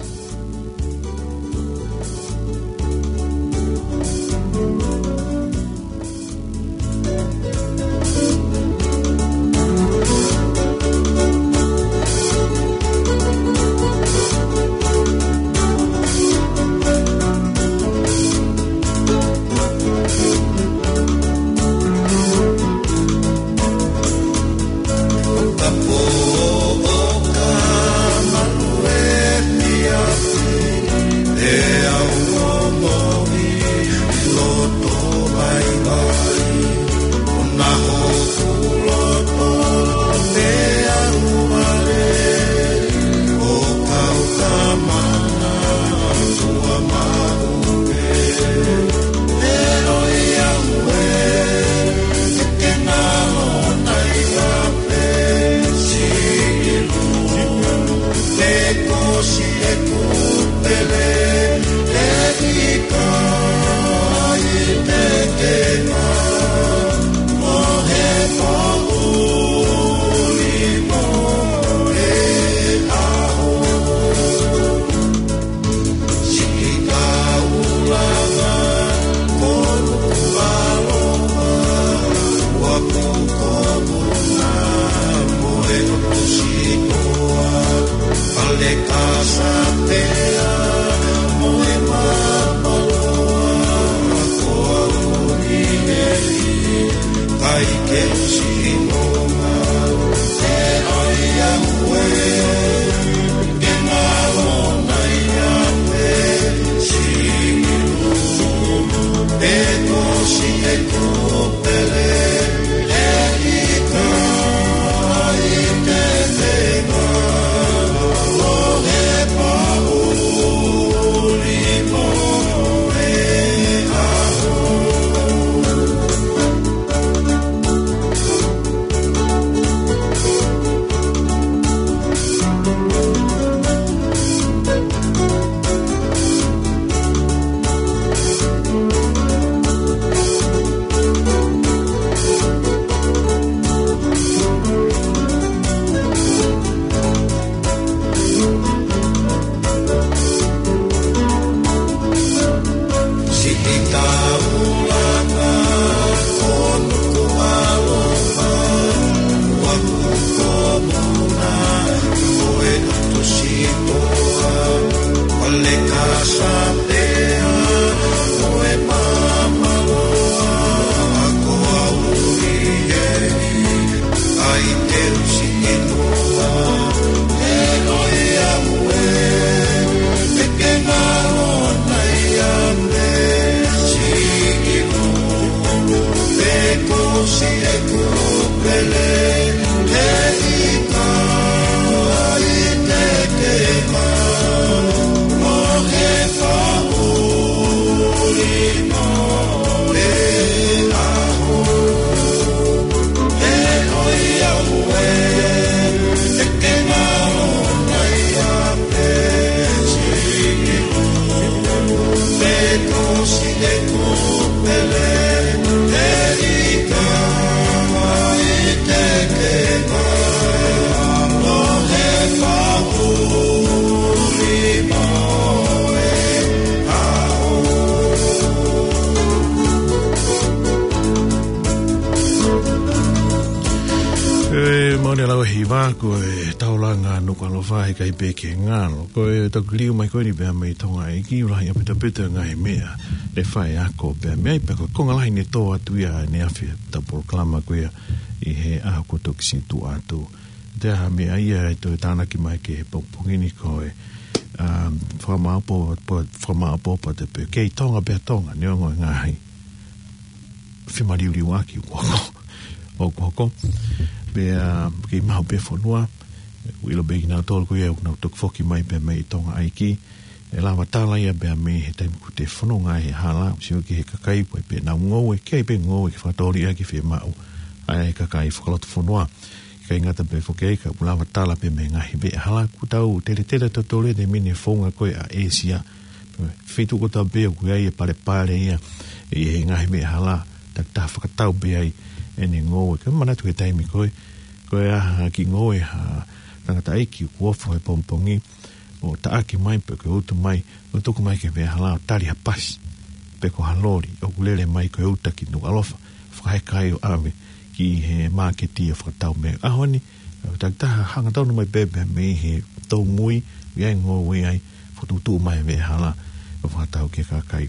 E, moʻoni ʻaupito e hiva, ko e taulanga Nukuʻalofa, ʻikai pē ke ngalo. Ko e toki liliu mai ko eni pea mei Tonga ʻEiki, ʻoku lahi ʻaupito ʻaupito e ngaahi meʻa ʻe fai ako pea mei ai, pea ko e konga lahi ne tō atu ia ʻaneafi ʻetau polokalama ko ia ʻi he ʻaho kuo toki situʻa atu. Te aha meʻa ia ʻe toe tānaki mai ki he pongipongi ni ko e, um, fakamāʻopoʻopo, fakamāʻopoʻopo atu pē. Kei Tonga pē ʻa Tonga, neongo e ngaahi femaliuliuaki ʻoku hoko. ʻOku hoko. Pea, um, kei maʻu pē fonua, ʻilo pē kinautolu ko ia ʻoku nau toki foki mai pea mei Tonga ʻEiki. ʻE lava tala ia pea mei he taimi ʻoku te fononga ai he hala, sio ki he kakai ko ē pea nau ngoue, kei pē ngoue ke fakatōliʻa ke fiemaʻu ʻa e kakai fakalotofonua. ʻIkai ngata pē foki ai ka ʻoku lava tala pē mei he ngaahi veʻe hala, ʻoku tau teletele tautolu he taimi ni he founga ko ē ʻa ʻĒsia. Feituʻu kotoa pē ʻoku ʻi ai e palepale ia ʻi he ngaahi veʻe hala, takitaha fakatau pē ai ʻene ngoue. Ka manatu he taimi ko ē, ko e ʻaho ʻe ngoue ha tangataʻeiki ʻoku ofo he pongipongi, ʻo taʻaki mai pe ko e utu mai, ʻo tuku mai ki he veʻe hala ʻo tali ha pasi, pe ko ha loli, ʻoku lele mai ko e uta ki Nukuʻalofa, fakaheka ai ʻo ʻave ki he māketi ʻo fakatau mei ai. ʻAho ni, takitaha hangatonu mai pē pea mei he toumui, ʻi ai ngoue ai, fakatuʻutuʻu mai veʻe hala, ʻo fakatau ki he kakai.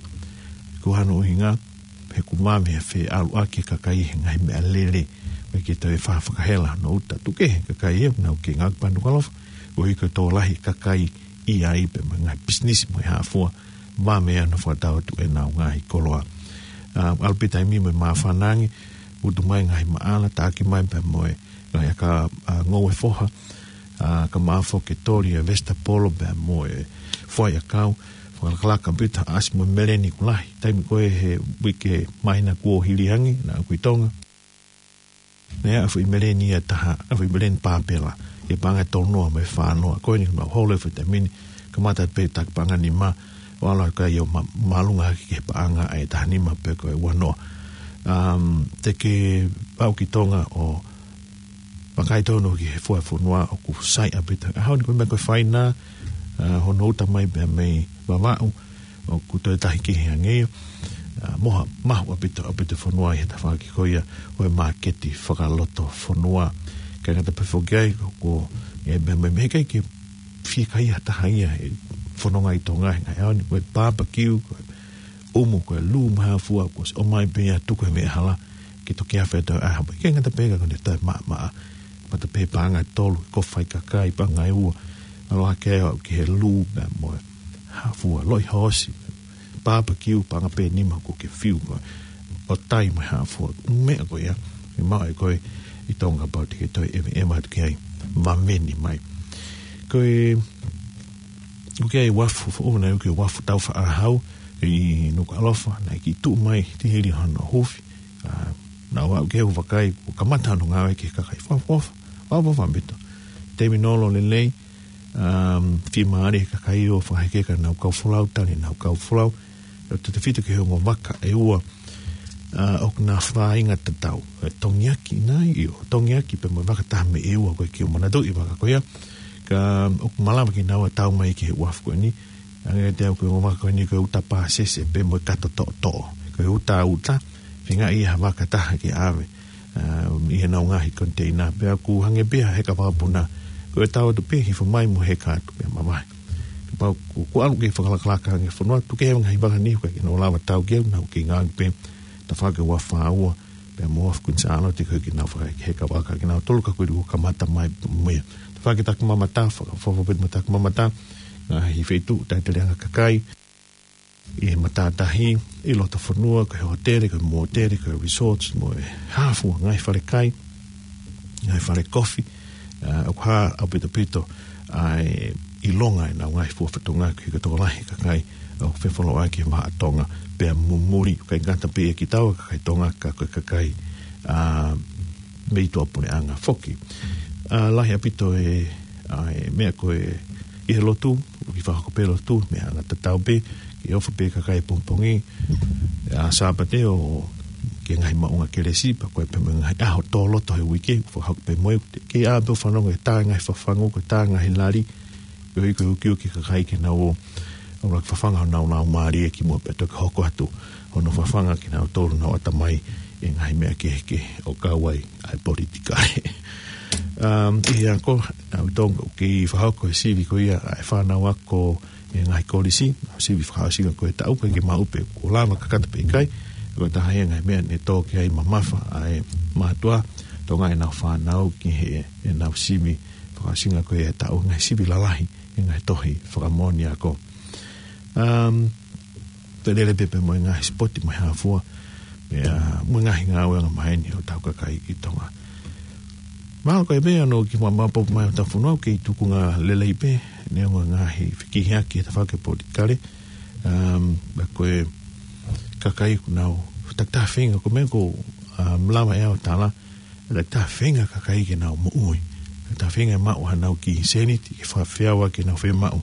Ko hono ʻuhinga, he ʻoku vave he feʻaluʻaki e kakai he ngaahi meʻalele, ʻikai ke toe fa-, fakahela hono uta. Tuku kehe e kakai ʻoku nau kei ngāue pē ʻi Nukuʻalofa, ʻo hiki tokolahi e kakai ʻi ai pea mo e ngaahi pisinisi mo e hā fua, vave hono fakatau atu ʻenau ngaahi koloa. ʻA, ʻalu pē taimi mo e māfana ange, utu mai ngaahi maʻala, taʻaki mai pea mo e ngaahi aka, ʻa, ngoue foha, ʻa, ka maʻa foki e toli e vesitapolo pea mo e foʻi ʻakau, fakalakalaka ʻaupito, ʻasi mo e meleni ʻoku lahi. Taimi ko ē he uike māhina kuo hili ange, naʻa ku ʻi Tonga. Naʻe ʻi ai e foʻi meleni ʻe taha, ʻa e foʻi meleni pāpela, ʻi he paʻanga ʻe tolu noa mo e fā noa. Ko eni mau holo he foʻi taimi ni, kamata pē taki paʻanga nima, ʻo ʻalu ʻa e kakai ʻo ma-, māʻolunga hake ki he paʻanga ʻe taha nima pe ko e ua noa. Um, te ke aʻu ki Tonga ʻo vakai tonu ki he fua fonua ʻoku sai ʻaupito. ʻAho ni ko e meʻa ko e faina, ʻa, hono uta mai pea mei Vavaʻu, ʻoku toe tahi kehe ange ia. ʻA, moha, mahu ʻaupito, ʻaupito fonua ʻi he tafaʻaki ko ia ʻo e māketi fakalotofonua. ʻIkai ngata pē foki ai, ko, ko e meʻa, meʻa, meʻa ʻikai ke fiekaia ha taha ia he fononga ʻi Tonga he ngaahi ʻaho ni, ko e barbecue, ko e ʻumu, ko e lū mo e hā fua, kuo ʻosi ʻomai pē ia tuku he veʻe hala, ke toki afe atu ʻa e ʻaho. ʻIkai ngata pē ka ko ʻene toe maʻamaʻa. Mata pē paʻanga ʻe tolu, ko e fai kakai, paʻanga ʻe ua. ʻAlu hake ʻo aʻu ki he lū pea mo e hā fua, loʻi hoosi, barbecue, paʻanga pē nima kuo ke fiu ko ē. ʻO tai mo e hā fua, meʻa ko ia, ʻe maʻu ʻe koe ʻi Tonga pau te ke toe ʻeveʻeva atu ki ai, vaveni mai. Ko e, ʻoku ʻi ai e uafu foʻou, naʻe ʻoku ʻi ai e uafu taufaʻāhau ʻi Nukuʻalofa, naʻe kiʻi tuʻu mai, tihili hono hufi, ʻa, naʻa ku aʻu ki ai ʻo vakai, kuo kamata hono ngāue ki he kakai, fakaʻofoʻofa, fakaʻofoʻofa ʻaupito. Taimi nolo lelei, um, fiemālie he kakai ʻo fakahekeka ʻenau kau folau, tali ʻenau kau folau, ʻo tautefito ki he ongo vaka ʻe ua, ʻa, ʻoku na fāinga tatau. ʻE tongiaki nai, ʻio, tongiaki pea mo e vaka taha mei ʻEua, ko e kiʻi manatuʻi vaka ko ia. Ka ʻoku malava kinaua ʻo tau mai ki he uafu ko eni. Hangē te u ʻoku ʻi ai e ongo vaka ko eni ko e uta pāsese pea mo e kato toʻotoʻo. Ko e uta uta, feingaʻi ha vaka taha ke ʻave, ʻa, ʻi heʻenau ngaahi koniteina, pea ʻoku hangē pē ha heka vakapuna, ko e tau atu pē, hifo mai mo heka atu pē mavahe. Kapau ʻoku, ʻoku ʻalu ke fakalakalaka ange fonua, tuku kehe ngaahi vaka ni, ʻoku ʻikai ke nau lava ʻo tau ki ai, nau kei ngāue pē, tafaʻaki ua fā ua, pea mo e uafu Kuini Sālote, ko e kiʻi nau fakaheka vaka kinautolu ka ko e ʻoku kamata mai mo ia. Tafaʻaki takimamata, fakaʻofoʻofa ʻaupito mo takimamata, ngaahi feituʻu taʻeteleʻanga kakai, ʻi he matātahi, ʻi loto fonua, ko e hōtele, ko e mōtele, ko e resorts, mo e hā fua, ngaahi fale kai, ngaahi fale kofi, ʻa, ʻoku hā ʻaupito ʻaupito ʻa e ʻilonga ʻenau ngaahi fua fatongia ki he tokolahi e kakai ʻoku fefolauʻaki he vahaʻa Tonga, pea mumuli, ʻikai ngata pē ʻia kitaua kakai Tonga, ka ko e kakai, ʻa, mei tuʻapuleʻanga foki. ʻA, lahi ʻaupito e, ʻa, e meʻa ko e ʻi he lotu, ʻoku kiʻi fakahoko pē lotu, meʻa anga tatau pē, ke ʻofa pē kakai pongipongi, ʻa, Sāpate ʻo ki he ngaahi maʻunga kelesi, pea ko e pē mo e ngaahi ʻaho tō loto he uike, fakahoko pē mo e, ke ʻā pē ʻo fanongo ki he tā e ngaahi fafangu, ko e tā e ngaahi lali, koeʻuhi ko e ukiuki e kakai ke nau ō, ʻo laka fafanga honau laumālie kimuʻa pea toki hoko atu hono fafanga kinautolu honau ʻatamai ʻi he ngaahi meʻa kehekehe ʻo kau ai ʻa e politikale. Um, ʻi he ako, ʻa, ʻoku totonu ke fakahoko e sivi ko ia ʻa e fānau ako ʻi he ngaahi kolisi, sivi fakaʻosinga ko e taʻu, ʻikai ke maʻu pē kuo lava kakato pe ʻikai, ko e taha ia e ngaahi meʻa ne tō ki ai mamafa ʻa e mātuʻa Tonga ʻenau fānau ki he, ʻenau sivi fakaʻosinga ko ia e taʻu, ngaahi sivi lalahi, ʻi he ngaahi tohi fakamoʻoni ako. Um, toe lele pē pea mo e ngaahi sipoti mo e hā fua, pea mo e ngaahi ngāue angamaheni ʻo hotau kakai ʻi Tonga. Mahalo ko e meʻa ʻoku kiʻi maʻumaʻu pē mai ʻo hotau fonua, ʻoku kei tuʻunga lelei pē, neongo e ngaahi fekihiaki he tafaʻaki politikale, um, pea ko e kakai ʻoku nau takitaha feinga, ko e meʻa ʻoku, um, lava ʻe au ʻo tala, takitaha feinga e kakai ke nau moʻui. Takitaha feinga ʻo maʻu haʻanau kiʻi sēniti ke fakafeʻao ʻaki ʻenau fiemaʻu,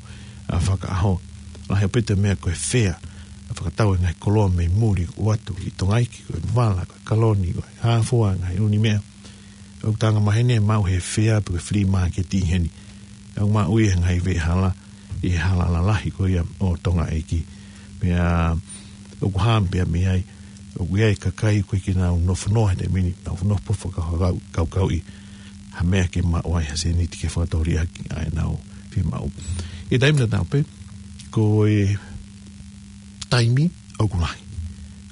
ʻa, fakaʻaho. Lahi ʻaupito e meʻa ko e fea, ʻa, fakatau e ngaahi koloa mei muli ʻo ʻoatu ki Tonga ʻEiki, ko e vala, ko e kaloni, ko e hā fua e ngaahi ʻū meʻa. ʻOku angamaheni e maʻu he fea pe ko e flea market ʻi heni. ʻOku maʻu ia he ngaahi veʻehala, ʻi he hala lalahi ko ia ʻo Tonga ʻEiki. Pea ʻoku hā pē ia mei ai, ʻoku ʻi ai e kakai ʻoku ʻikai ke nau nofo noa he taimi ni, nau nofo fakakaukauʻi ha meʻa ke maʻu ai ha sēniti ke fakatōliʻaki ʻa ʻenau fiemaʻu. ʻI he taimi tatau pē, ko e taimi ʻoku lahi.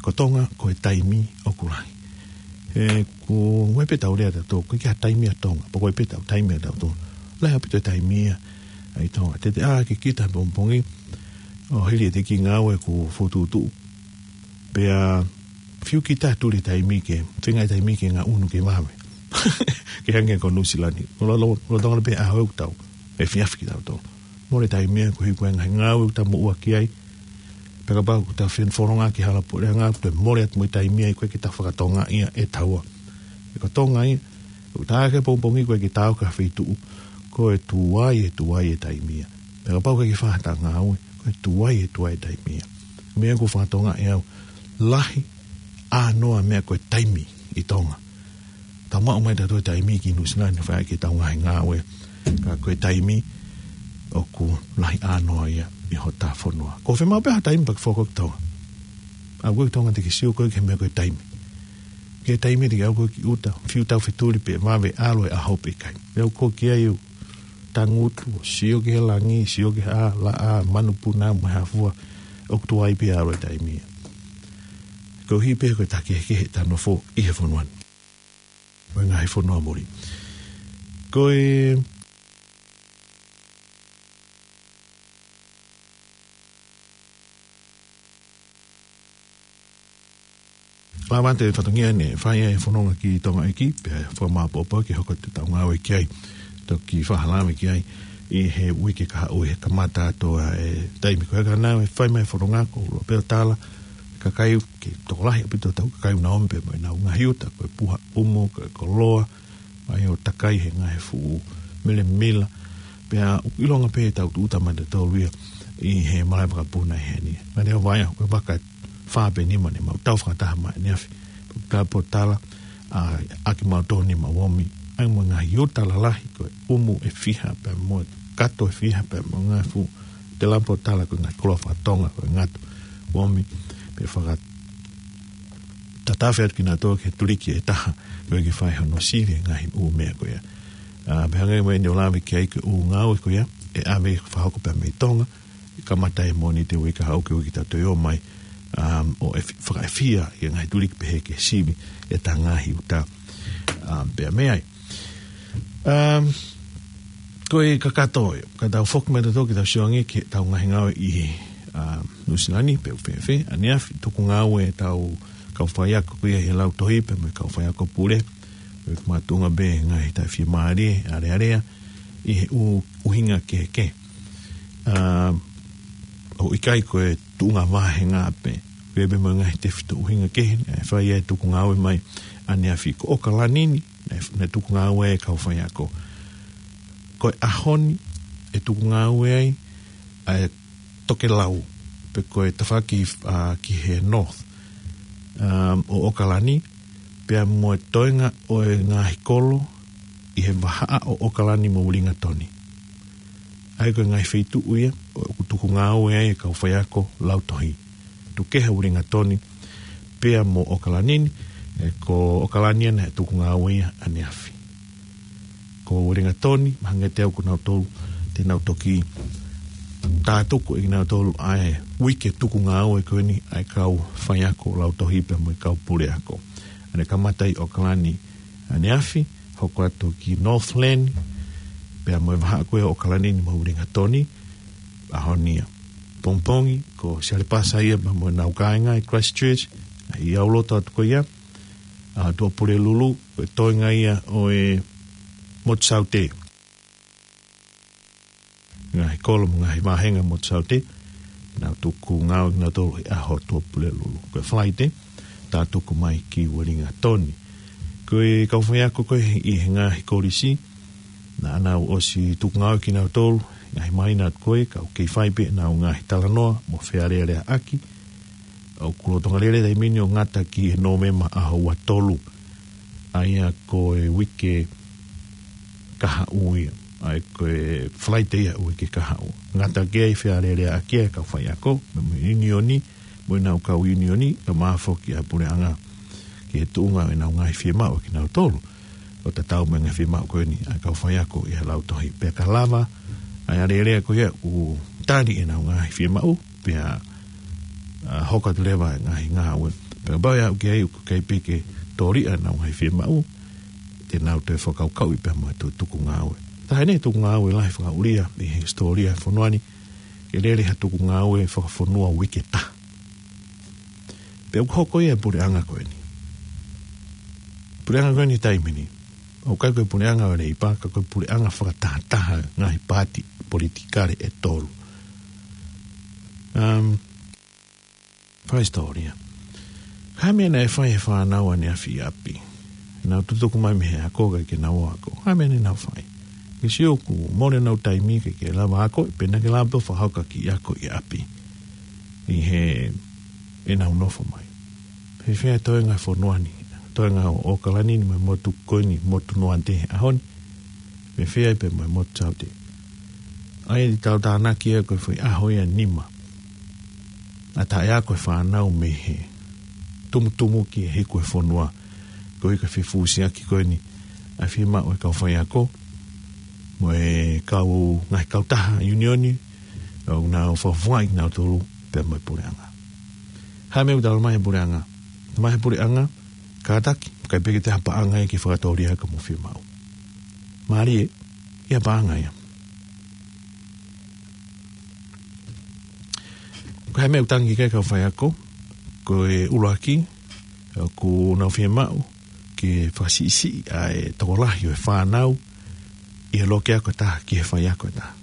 Ko Tonga, ko e taimi ʻoku lahi. ʻE, ko e meʻa pē ʻoku tau lea ʻatautolu, ʻoku ʻikai ha taimi ʻa Tonga, pea ko e pē ʻetau taimi ʻatautolu. Lahi ʻaupito e taimi ia ʻi Tonga. Teʻeki ai ke kita he pongipongi, ʻo hili ʻete kiʻi ngāue kuo fokotuʻutuʻu. Pea fiu kita tuli taimi ke, feinga e taimi ke ngaʻunu ke vave. Ke hangē ko Nuʻusila ni. Ko lo-, lo-, lolotonga pē ʻaho ʻoku tau efiafi kitautolu. Mole taimi ia koeʻuhi ko e ngaahi ngāue ʻoku tau moʻua ki ai. Pea kapau ʻoku tau fenofononga ki he hala puleʻanga, toe mole atu mo e taimi ia ʻoku ʻikai ke tau fakatokangaʻi ia ʻe taua. He ko Tonga ia, ʻoku tā hake pongipongi ʻoku ʻikai ke tā ʻo ka feituʻu, ko e tuai, e tuai e taimi ia. Pea kapau ʻoku ʻikai ke fai ha ngāue, ko e tuai, e tuai e taimi ia. Meʻa ʻoku fakatokangaʻi ʻe au, lahi ʻānoa e meʻa ko e taimi ʻi Tonga. Tau maʻu mai ʻe tautolu e taimi ki Nuʻusila ni ʻo fai ʻaki ʻetau ngaahi ngāue. Ka ko e taimi ʻoku lahi ʻānoa ia ʻi hotau fonua. Ko e fiemaʻu pē ha taimi pea ke foki ki Tonga. ʻAlu koe ki Tonga teʻeki ke sio koe ki he meʻa ko e taimi. Ki he taimi teʻeki ʻalu koe ki ʻuta, fiu tau fetuli pe vave, ʻalu e ʻaho pe ʻikai. Meʻa ʻoku ʻikai ke ʻi ai ʻa e tangutu, sio ki he langi, sio ki he ʻā, laʻā, manupuna, mo e hā fua, ʻoku tuai pē ʻalu e taimi ia. Koeʻuhi pē ko e taha kehekehe ʻeta nofo ʻi he fonua ni. Mo e ngaahi fonua muli. Ko e lava atu e fatongia ne fai ai e fononga ki Tonga ʻEiki, pea fakamāʻopoʻopo ke hoko atu ʻetau ngāue ki ai. Toki fakalave ki ai ʻi he uike kahaʻu he kamata atu ʻa e taimi ko ē ka nau fai mai e fononga ko Lopeo Tala, kakai ke tokolahi ʻaupito ʻetau kakai ʻoku nau omi pē mo ʻenau ngaahi uta, ko e puha ʻumu, ko e koloa, mai ʻo takai he ngaahi fuʻu melemila, pea ʻoku ʻilonga pē ʻetau tuʻuta mai ʻatautolu ia ʻi he malaʻe vakapuna ʻi heni. Ngaahi ʻo vai, ko e vaka fā pe nima ne mau tau fakataha mai ʻaneafi. Tala pō tala, ʻa, ʻaki mautolu ni mau omi. ʻAi mo e ngaahi uta lalahi, ko e ʻumu ʻe fiha pea mo e kato ʻe fiha pea mo e ngaahi fuʻu, tala pō tala ko e ngaahi koloa fakatonga, ko e ngatu omi, pea faka- tatafe atu kinautolu ki he tuliki ʻe taha, ko e ke fai hono sivi e ngaahi ʻū meʻa ko ia. ʻA, pea hangē ko ʻene ʻo lave ki ai ko e ʻū ngāue ko ia, ʻe ʻave fakahoko pē mei Tonga, ʻe kamata he Mōnite uike kahaʻu ki he uike taʻu toe ō mai, um, ʻo e fi-, fakaʻefia ʻi he ngaahi tuliki pehē ke sivi ʻeta ngaahi uta, um, pea mei ai. Um, ko e kakato ē, ka tau foki mai ʻatautolu ke tau sio ange ki heʻetau ngaahi ngāue ʻi he ʻa Nuʻusila ni, pe ʻoku fēfē, ʻaneafi, tuku ngāue ʻetau kau faiako ko ia he lautohi pea mo e kau faiako pule, ʻoku makatuʻunga pē he ngaahi taʻefiemālie, alealea, ʻi he ʻu-, ʻuhinga kehekehe. ʻA, ʻoku ʻikai ko e tuʻunga vāhenga pē, pea pē mo e ngaahi tefitoʻi ʻuhinga kehe, ʻe fai ai e tuku ngāue mai ʻaneafi. Ko ʻOkalani ni, naʻe, naʻe tuku ngāue ai e kau faiako. Ko e ʻaho ni, ʻe tuku ngāue ai ʻa e tokelau, pe ko e tafaʻaki, ʻa, ki he North, um, ʻo ʻOkalani, pea mo e toenga ʻo e ngaahi kolo ʻi he vahaʻa ʻo ʻOkalani mo Uelingatoni. ʻA ia ko e ngaahi feituʻu ia ʻoku tuku ngāue ai e kau faiako lautohi. Tukeha, Uelingatoni, pea mo ʻOkalani ni, ē, ko ʻOkalani ia naʻe tuku ngāue ia ʻaneafi. Ko Uelingatoni, mahalo te u ʻoku nau tolu, te nau toki tātuku ʻe kinautolu ʻa e uike tuku ngāue ko eni ʻa e kau faiako lautohi pea mo e kau puleako. ʻA ia kamata ʻi ʻOkalani ʻaneafi, hoko atu ki Northland, pea mo e vahaʻa ko ia ʻo ʻOkalani ni mo Uelingatoni, ʻaho ni ia. Pongipongi, ko Sialepasa ia pea mo ʻenau kāinga ʻi Christchurch, ʻi he ʻaho lotu atu ko ia, ʻa Tuʻapulelulu, ko e toenga ia ʻo e Motu Saute. Ngaahi kolo mo e ngaahi vāhenga Motu Saute, nau tuku ngāue kinautolu he ʻaho Tuʻapulelulu. Ko e Falaite, tātuku mai ki Uelingatoni. Ko e kau faiako ko ē ʻi he ngaahi kolisi, naʻa nau ʻosi tuku ngāue kinautolu, ngaahi māhina atu ko ē, ka ʻoku kei fai pē ʻenau ngaahi talanoa mo fealēleaʻaki, ʻoku lolotonga lele e taimi ni ʻo ngata ki he Nōvema ʻaho ua tolu. ʻA ia ko e uike kahaʻu ia. ʻA ia ko e Falaite ia uike kahaʻu. Ngata ki ai e fealēleaʻaki ʻa e kau faiako, mo e ʻiunioni, mo ʻenau kau ʻiunioni, kae ʻumaʻā foki ʻa e puleʻanga ki he tuʻunga ʻenau ngaahi fiemaʻu kinautolu. ʻO tatau mo e ngaahi fiemaʻu ko eni ʻa e kau faiako ʻi he lautohi. Pea ka lava ʻa e alēlea ko ia ʻoku tali ʻenau ngaahi fiemaʻu, pea, ʻa, hoko atu leva e ngaahi ngāue. Pea kapau ʻe aʻu ki ai ʻoku ʻikai pē ke tōliʻa ʻenau ngaahi fiemaʻu, te nau toe fakakaukauʻi pea mo e tuku ngāue. Taha eni e tuku ngāue lahi fakaʻulia ʻi he hisitōlia e fonua ni, ke lele ha tuku ngāue fakafonua uike ʻe taha. Pea ʻoku hoko ia e puleʻanga ko eni. Puleʻanga ko eni taimi ni, ʻoku ʻikai ko e puleʻanga ʻo e Leipa, ka ko e puleʻanga fakatahataha ngaahi paati politikale ʻe tolu. Um, Fakahisitōlia. Ko e hā e meʻa naʻe fai he fānau ʻaneafi ʻi ʻapi? Nau tutuku mai mei he ako kae ʻikai ke nau ako. Ko e hā e meʻa naʻa nau fai? Ke sio ʻoku mole ʻenau taimi ke ke lava ako, pea naʻa ke lava pē ʻo fakahoko e kiʻi ako ʻi ʻapi. ʻI he ʻenau nofo mai. Fēfē e toenga e fonua ni, toenga ʻo ʻOkalani ni mo e motu ko eni, motu noa ʻi he ʻaho ni. Fēfē ai pē mo e Motu Saute. ʻA ia ʻi he tau tānaki ia ko e foʻi ʻaho ia ʻe nima. ʻA e taʻeako e fānau mei he tumutumu ki he hiku e fonua. Ko e hā e fefusiaki ko eni ʻa e fiemaʻu e kau faiako mo e kau ngaahi kautaha ʻiunioni, ʻo nau fakafofongaʻi kinautolu pea mo e puleʻanga. Hā e meʻa ʻoku talamai ʻe he puleʻanga? Talamai ʻe he puleʻanga, kātaki, ʻikai pē ke toe ʻi ai ha paʻanga ia ke fakatōliʻa ʻaki hoʻomou fiemaʻu. Mālie, ʻi ai ha paʻanga ia. Ko e hā e meʻa ʻoku tangi ki ai e kau faiako? Ko e ʻuluaki, ʻoku nau fiemaʻu ke fakasiʻisiʻi ʻa e tokolahi ʻo e fānau ʻi he loki ako ʻe taha ki he faiako ʻe taha.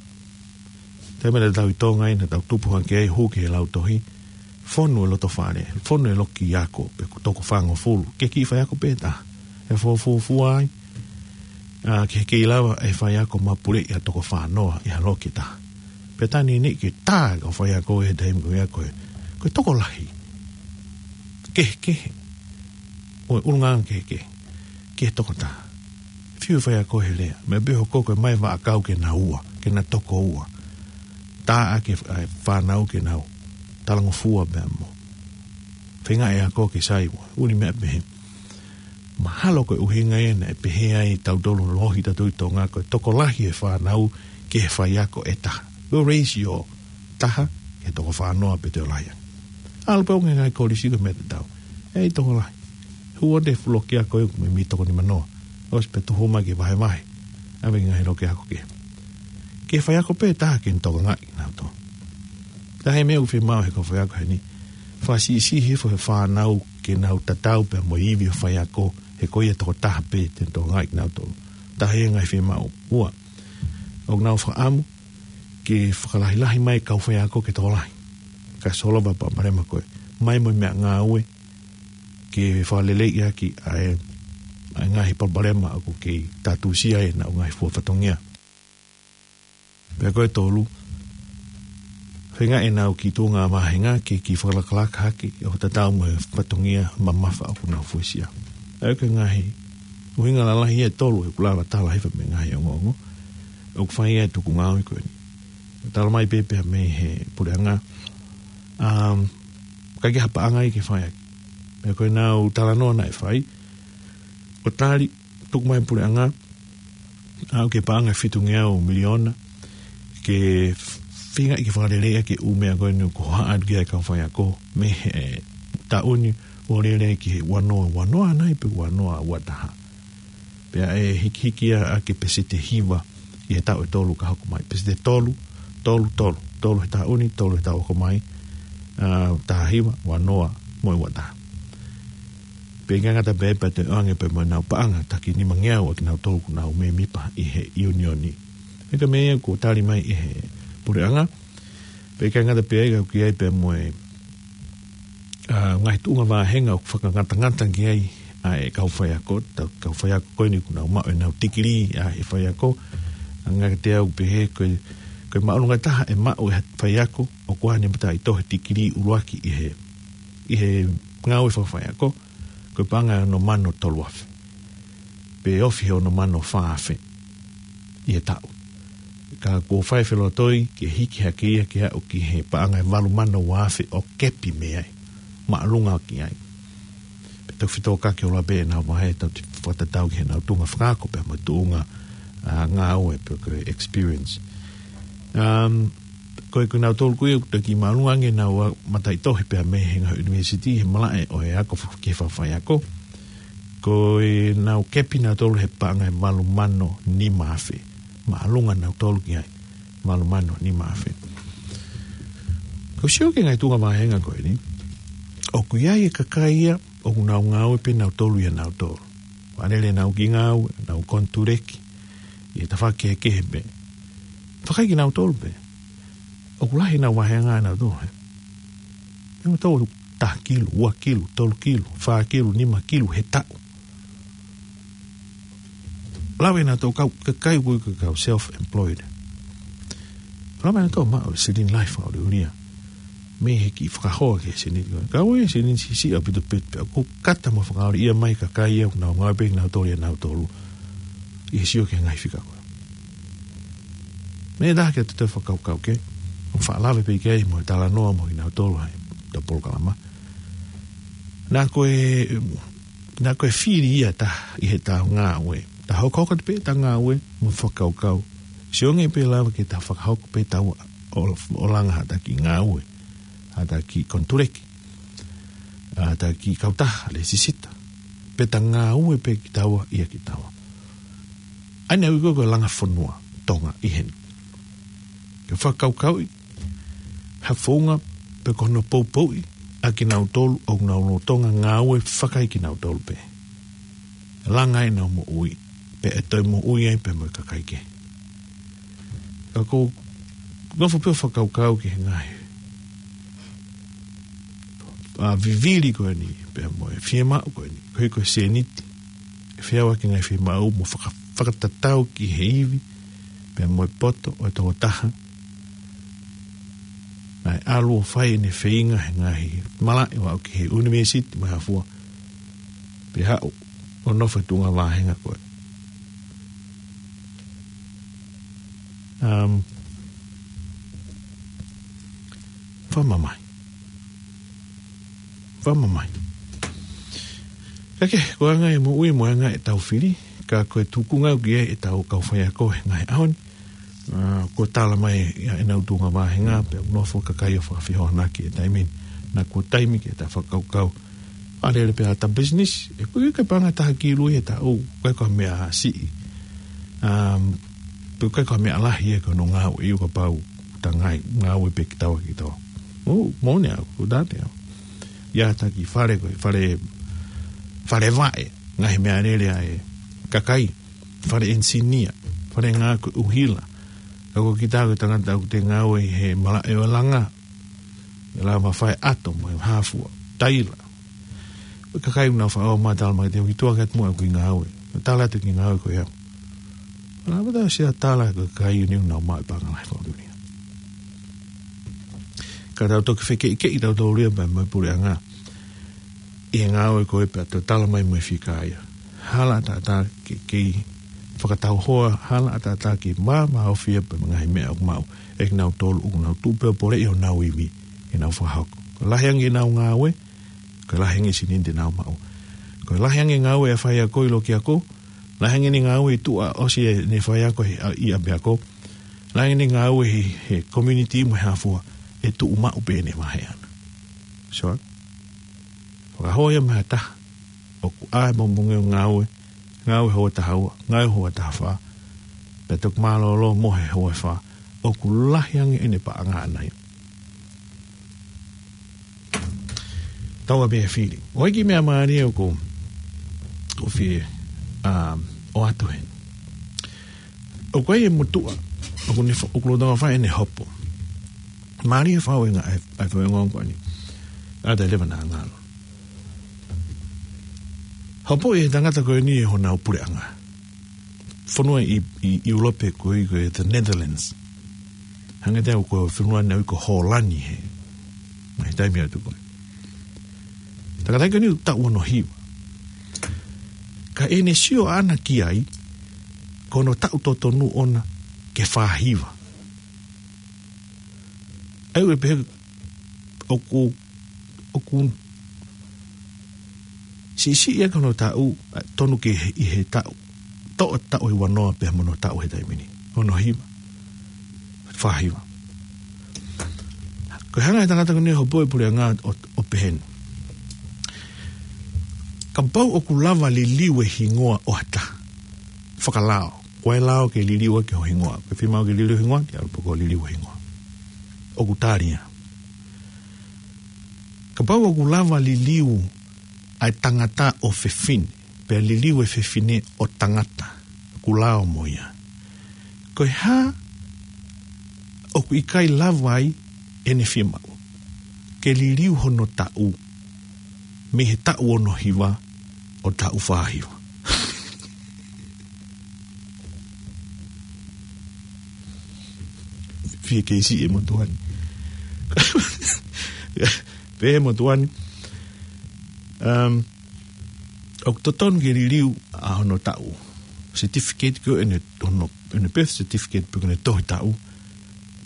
Taimi naʻa tau ʻi Tonga ai, naʻa tau tupu hake ai, hū ki he lautohi, fonu e lotofale, fonu e loki ako, pe ʻoku toko fāngofulu, ki he kiʻi faiako pē ʻe taha. ʻE fuofua ai, ʻa, ke kei lava e faiako ʻo mapuleʻi ʻa e toko fānoa ʻi ha loki ʻe taha. Pea tā ni ni ke tā e kau faiako he taimi ko ia ko e, ko e tokolahi kehekehe, ʻo e ʻulungaanga kehekehe, ki he toko taha. Fiu e faiako he lea, meʻa pē hoko ko e ʻomai e vaʻakau ke nau ua, ke nau toko ua. Tā ʻa e, ʻa e fānau ke nau talangofua pea mo feinga e ako ke sai ua, ʻuli meʻa pehē. Mahalo ko e ʻuhinga ia naʻe pehē ai ʻe tautolu lohi tautolu ʻi Tonga ko e tokolahi e fānau ki he faiako ʻe taha. Ko e ratio taha ki he toko fānoa pe toe lahi ange. ʻAlu pē ʻo ngaahi kolisi ko e meʻa tatau. ʻEi tokolahi. Hū ʻo te fuʻu loki ako ʻe ʻoku meimei toko nimanoa. ʻOsi pē tuhu mai ke vahevahe. ʻAve ki he ngaahi loki ako kehe. Ki he faiako pē ʻe taha ke ne tokangaʻi kinautolu. Taha e meʻa ʻoku fiemaʻu he kau faiako heni, fakasiʻisiʻi hifo he fānau ke nau tatau pea mo e ivi ʻo e faiako, he ko ia tokotaha pē te ne tokangaʻi kinautolu. Taha e ngaahi fiemaʻu. Ua, ʻoku nau fakaʻamu ke fakalahilahi mai e kau faiako ke tokolahi. Ka solova e palopalema ko ē, mai mo e meʻangāue ke fakaleleiʻaki ʻa e, ʻa e ngaahi palopalema ʻoku kei tātūsia ai ʻenau ngaahi fua fatongia. Pea ko e tolu, feinga ʻenau kiʻi tuʻunga vāhenga ke kiʻi fakalakalaka hake ʻo tatau mo e fatongia mamafa ʻoku nau fuesia. ʻA ia ko e ngaahi ʻuhinga lalahi ia ʻe tolu ʻeku lava tala hifo mei he ngaahi ongoongo ʻoku fai ai e tuku ngāue ko eni. Tala mai pē pea mei he puleʻanga, um, ʻikai ke ha paʻanga ia ke fai ʻaki. Pea ko ʻenau talanoa naʻe fai, ʻo tali, tuku mai e puleʻanga, ʻalu ki he paʻanga ʻe fitungeau miliona, ke feinga ke fakaleleiʻi ʻaki e ʻū meʻa ko eni ʻoku hohaʻa atu ki ai e kau faiako, mei he taʻu ni ʻo lele ki he ua noa ua noa nai pe ua noa ua taha. Pea ʻe hikihiki ia ʻaki e peseti hiva ʻi he taʻu ʻe tolu ka hoko mai. Peseti tolu, tolu, tolu, tolu he taʻu ni, tolu he taʻu hoko mai, ʻa, taha hiva, ua noa, mo e ua taha. Pea ʻikai ngata pē, pea toe ʻoange pē mo ʻenau paʻanga taki nimangeau ʻa kinautolu ʻoku nau mēmipa ʻi he ʻiunioni. ʻA ia ko e meʻa ia kuo tali mai ʻe he puleʻanga. Pea ʻikai ngata pē ai ka ʻoku ʻi ai pē mo e, ʻa, ngaahi tuʻunga vāhenga ʻoku fakangatangata ki ai ʻa e kau faiako, ta-, kau faiako ko eni ʻoku nau maʻu ʻenau tikilī ʻa e faiako. ʻA, ngaahi kiate au pehē ko e, ko e māʻolunga taha ʻe maʻu ʻe he faiako ʻoku ʻi ai ʻene mataʻitohi tikilī ʻuluaki ʻi he, ʻi he ngāue fakafaiako, ko e paʻanga ʻe ono mano tolu afe. Pe ofi he ono mano fā afe ʻi he taʻu. Ka kuo fai felotoi ke hiki hake ia ke aʻu ki he paʻanga ʻe valu mano ua afe ʻo kepi mei ai. Māʻolunga ki ai. Pea toki fetōkaki ʻo lava pē ʻenau vahe, tau toe fakatatau ki heʻenau tuʻunga fakaako pea mo e tuʻunga, ʻa, ngāue pe ko e experience. Um, ko e, ko kinautolu ko ia ʻoku toki māʻolunga ange ʻenau mataʻitohi pea mei he ngaahi university he malaʻe ʻo e ako fa-, ki he fakafaiako. Ko ʻenau kepi nautolu he paʻanga ʻe valu mano nima afe. Māʻolunga nautolu ki ai. Valu mano nima afe. Ko e sio ki he ngaahi tuʻunga vāhenga ko eni, ʻoku ʻi ai e kakai ia ʻoku nau ngāue pē nautolu ʻia nautolu. Fakalele ʻenau kiʻi ngāue, ʻenau konituleki ʻi he tafaʻaki kehekehe pē. Fakaʻikinautolu pē. ʻOku lahi ʻenau vāhenga ʻanautolu, he. Nautolu taha kilu, ua kilu, tolu kilu, fā kilu, nima kilu he taʻu. Lava ʻenautolu kau, kakai ko ē kau self-employed. Lava ʻenautolu maʻu e silini lahi fakaʻuliʻulia mei he kiʻi fakahoa ki he seniti. Ka ʻoku ʻi ai e seniti siʻisiʻi ʻaupito pē, pea ʻoku kata mo fakaʻuliʻia mai e kakai ia ʻoku nau ngāue pē nautolu ʻia nautolu. ʻI he sio ki he ngaahi fika ko ē. Meʻa ʻe taha ke te toe fakakaukau ki ai, ʻoku faʻa lave pē ki ai mo e talanoa mo kinautolu ʻi heʻetau polokalama. Naʻa ko e, naʻa ko e fili ia ʻe taha ʻi heʻetau ngāue. Tau hokohoko atu pē ʻetau ngāue mo fakakaukau. Sio ange pē lava ke tau fakahoko pē ʻetau ʻo, ʻo langa ha taki ngāue, ha taki konituleki, ha taki kautaha, lēsisita. Pe tau ngāue pē kitaua ʻia kitaua. ʻA ia naʻe ui ko ē ko e langa fonua Tonga ʻi heni. Ke fakakaukauʻi ha founga pe ko hono poupouʻi ʻa kinautolu ʻoku nau lolotonga ngāue fakaʻikinautolu pē. Langa ai ʻenau moʻui, pea ʻe toe moʻui ai pē mo e kakai kehe. Ka ʻoku ou nofo pē ʻo fakakaukau ki he ngaahi, ʻa, vivili ko eni, pea mo e fiemaʻu ko eni, ko e, ko e seniti. ʻE feau ʻaki e ngaahi fiemaʻu mo faka-, fakatatau ki he ivi, pea mo e poto ʻo e tokotaha. Naʻe ʻalu ʻo fai ʻene feinga he ngaahi malaʻe ʻo aʻu ki he university mo e hā fua. Pea haʻu ʻo nofo he tuʻunga vāhenga ko ē. Um, fakamamahi. Fakamamahi. Ka ke, ko e anga e moʻui mo e anga ʻetau fili, ka ko e tuʻunga ʻoku ʻi ai ʻetau kau faiako he ngaahi ʻaho ni. ʻA, kuo tala mai ʻa ʻenau tuʻunga vāhenga, pea ʻoku nofo e kakai ʻo fakafehoanaki he taimi ni. Naʻa kuo taimi ke ta fakakaukau. Fakalele pē ʻa ʻeta business, ʻe ʻikai ke paʻanga ʻe taha kilu ʻi he taʻu, ʻikai ko ha meʻa siʻi. Um, pe ʻikai ko ha meʻa lahi ia ko hono ngāue, ʻio kapau ta ngāue pē kitaua kitaua. Mou, mou ne au, ko tane au. ʻIa taki fale ko, fale, fale vaʻe, ngaahi meʻalele ʻa e kakai, fale enisinia, fale ngāue ko e ʻuhila. Ka ko kita ko e tangata ʻoku te ngāue he malaʻe ʻo e langa. ʻE lava fai ʻato mo e hāfua, taila. Ko e kakai ʻoku nau faʻa ō mai tala mai te u ki tuʻa ke atu mo au ki ngāue. Tala atu ki ngāue ko e au. Lava ta sia tala ko e kakai ʻoku nau maʻu e paʻanga lahi fakaʻulia. Ka tau toki fekeʻikeʻi tau tō lia pea mo e puleʻanga. ʻI he ngāue ko e pea tau tala mai mo e fika ia. Hala ʻataʻatā ke kei fakatau hoa, hala ʻataʻatā ke mā, mā ofia pea mo e ngaahi meʻa ʻoku maʻu. ʻE kinautolu ʻoku nau tuʻu pē ʻo poleʻi honau ivi, ke nau fakahoko. Ko e lahi ange ʻenau ngāue, ko e lahi ange e seniti te nau maʻu. Ko e lahi ange e ngāue ʻa e faiako ʻi loki ako, lahi ange ʻene ngāue ʻi tuʻa ʻosi ʻene faiako he, ʻi ʻapiako, lahi ange ʻene ngāue he, he community mo e hāfua, ʻe tuʻu maʻu pē ʻene vahe ʻana. So, fakahoa ia mei ha taha ʻoku ʻai mo monge ngāue, ngāue houa taha ua, ngāue houa taha fā, pea toki mālōlō mo he houa fā, ʻoku lahi ange ʻene paʻanga ʻana ia. Tau a pē fili. ʻOku ʻi ai e kiʻi meʻa mālie ʻoku, ʻoku fie, um, ʻoatu heni. ʻOku ʻi ai e motuʻa, ʻoku ne fo-, ʻoku lolotonga fai ʻene hopo. Mālie fau e ngā, ʻa e, ʻa e fau e ngāue ko eni. ʻA e leva naʻa ngalo. Hopoʻi ʻe he tangata ko eni ʻe honau puleʻanga. Fonua ʻi, ʻi, ʻi ʻIulope ko e, ko e the Netherlands. Hangē te au ko e fonua naʻe ui ko Hōlani he. Mai taimi atu ko e. Tangata ko eni taʻu ono hiva. Ka ʻene sio ʻana ki ai, ko hono taʻu totonu ʻona ke fā hiva. ʻA ia ʻoku pehē ʻoku, ʻoku siʻisiʻi ʻa hono taʻu, ʻa, tonu ke he, ʻi he taʻu. Toʻo taʻu ʻe uanoa pea mo hono taʻu he taimi ni. Ono hiva. Fā hiva. Ko e hanga ʻe he tangata ko eni ʻo hopo e puleʻanga ʻo, ʻo pehē ni. Kapau ʻoku lava liliu e hingoa ʻo ha taha. Fakalao. Ko e lao ke liliu ʻaki ho hingoa. Ke fiemaʻu ke liliu hingoa, ke ʻalu pē ʻo liliu hingoa. ʻOku tali ia. Kapau ʻoku lava liliu ʻa e tangata ʻo fefine, pea liliu e fefine ʻo tangata, ʻoku lao mo ia. Ko e hā ʻoku ʻikai lava ai ʻene fiemaʻu ke liliu hono taʻu, mei he taʻu ono hiva ʻo taʻu fā hiva. Fie kei siʻi e motuʻa ni. Pehē e motuʻa ni. Um, ʻoku totonu ke liliu ʻa hono taʻu. Certificate ko ʻene, hono, ʻene birth certificate pe ko ʻene tohi taʻu.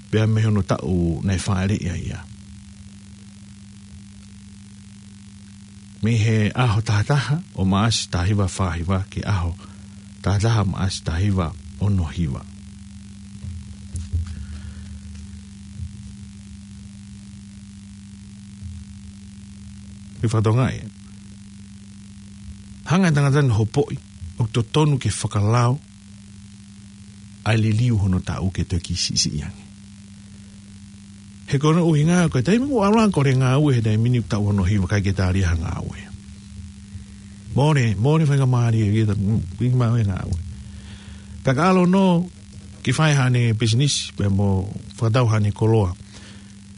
Pea mei hono taʻu naʻe fāʻeleʻi ai ia. Mei he ʻaho taha taha ʻo Maʻasi taha hiva fā hiva ki he ʻaho taha taha Maʻasi taha hiva ono hiva. Ke fakatokangaʻi. Hanga ʻe he tangata ni ʻo hopoʻi, ʻoku totonu ke fakalao ʻa e liliu hono taʻu ke toki siʻisiʻi ange. He ko hono ʻuhinga, ko e taimi ʻoku ʻalu ange ko e ngāue he taimi ni taʻu ono hiva ʻikai ke tali ha ngāue. Mole, mole faingamālie ke ta, mm, ʻi ma e ngāue. Pea ka ʻalu ʻo ke fai haʻane business, pea mo fakatau haʻane koloa.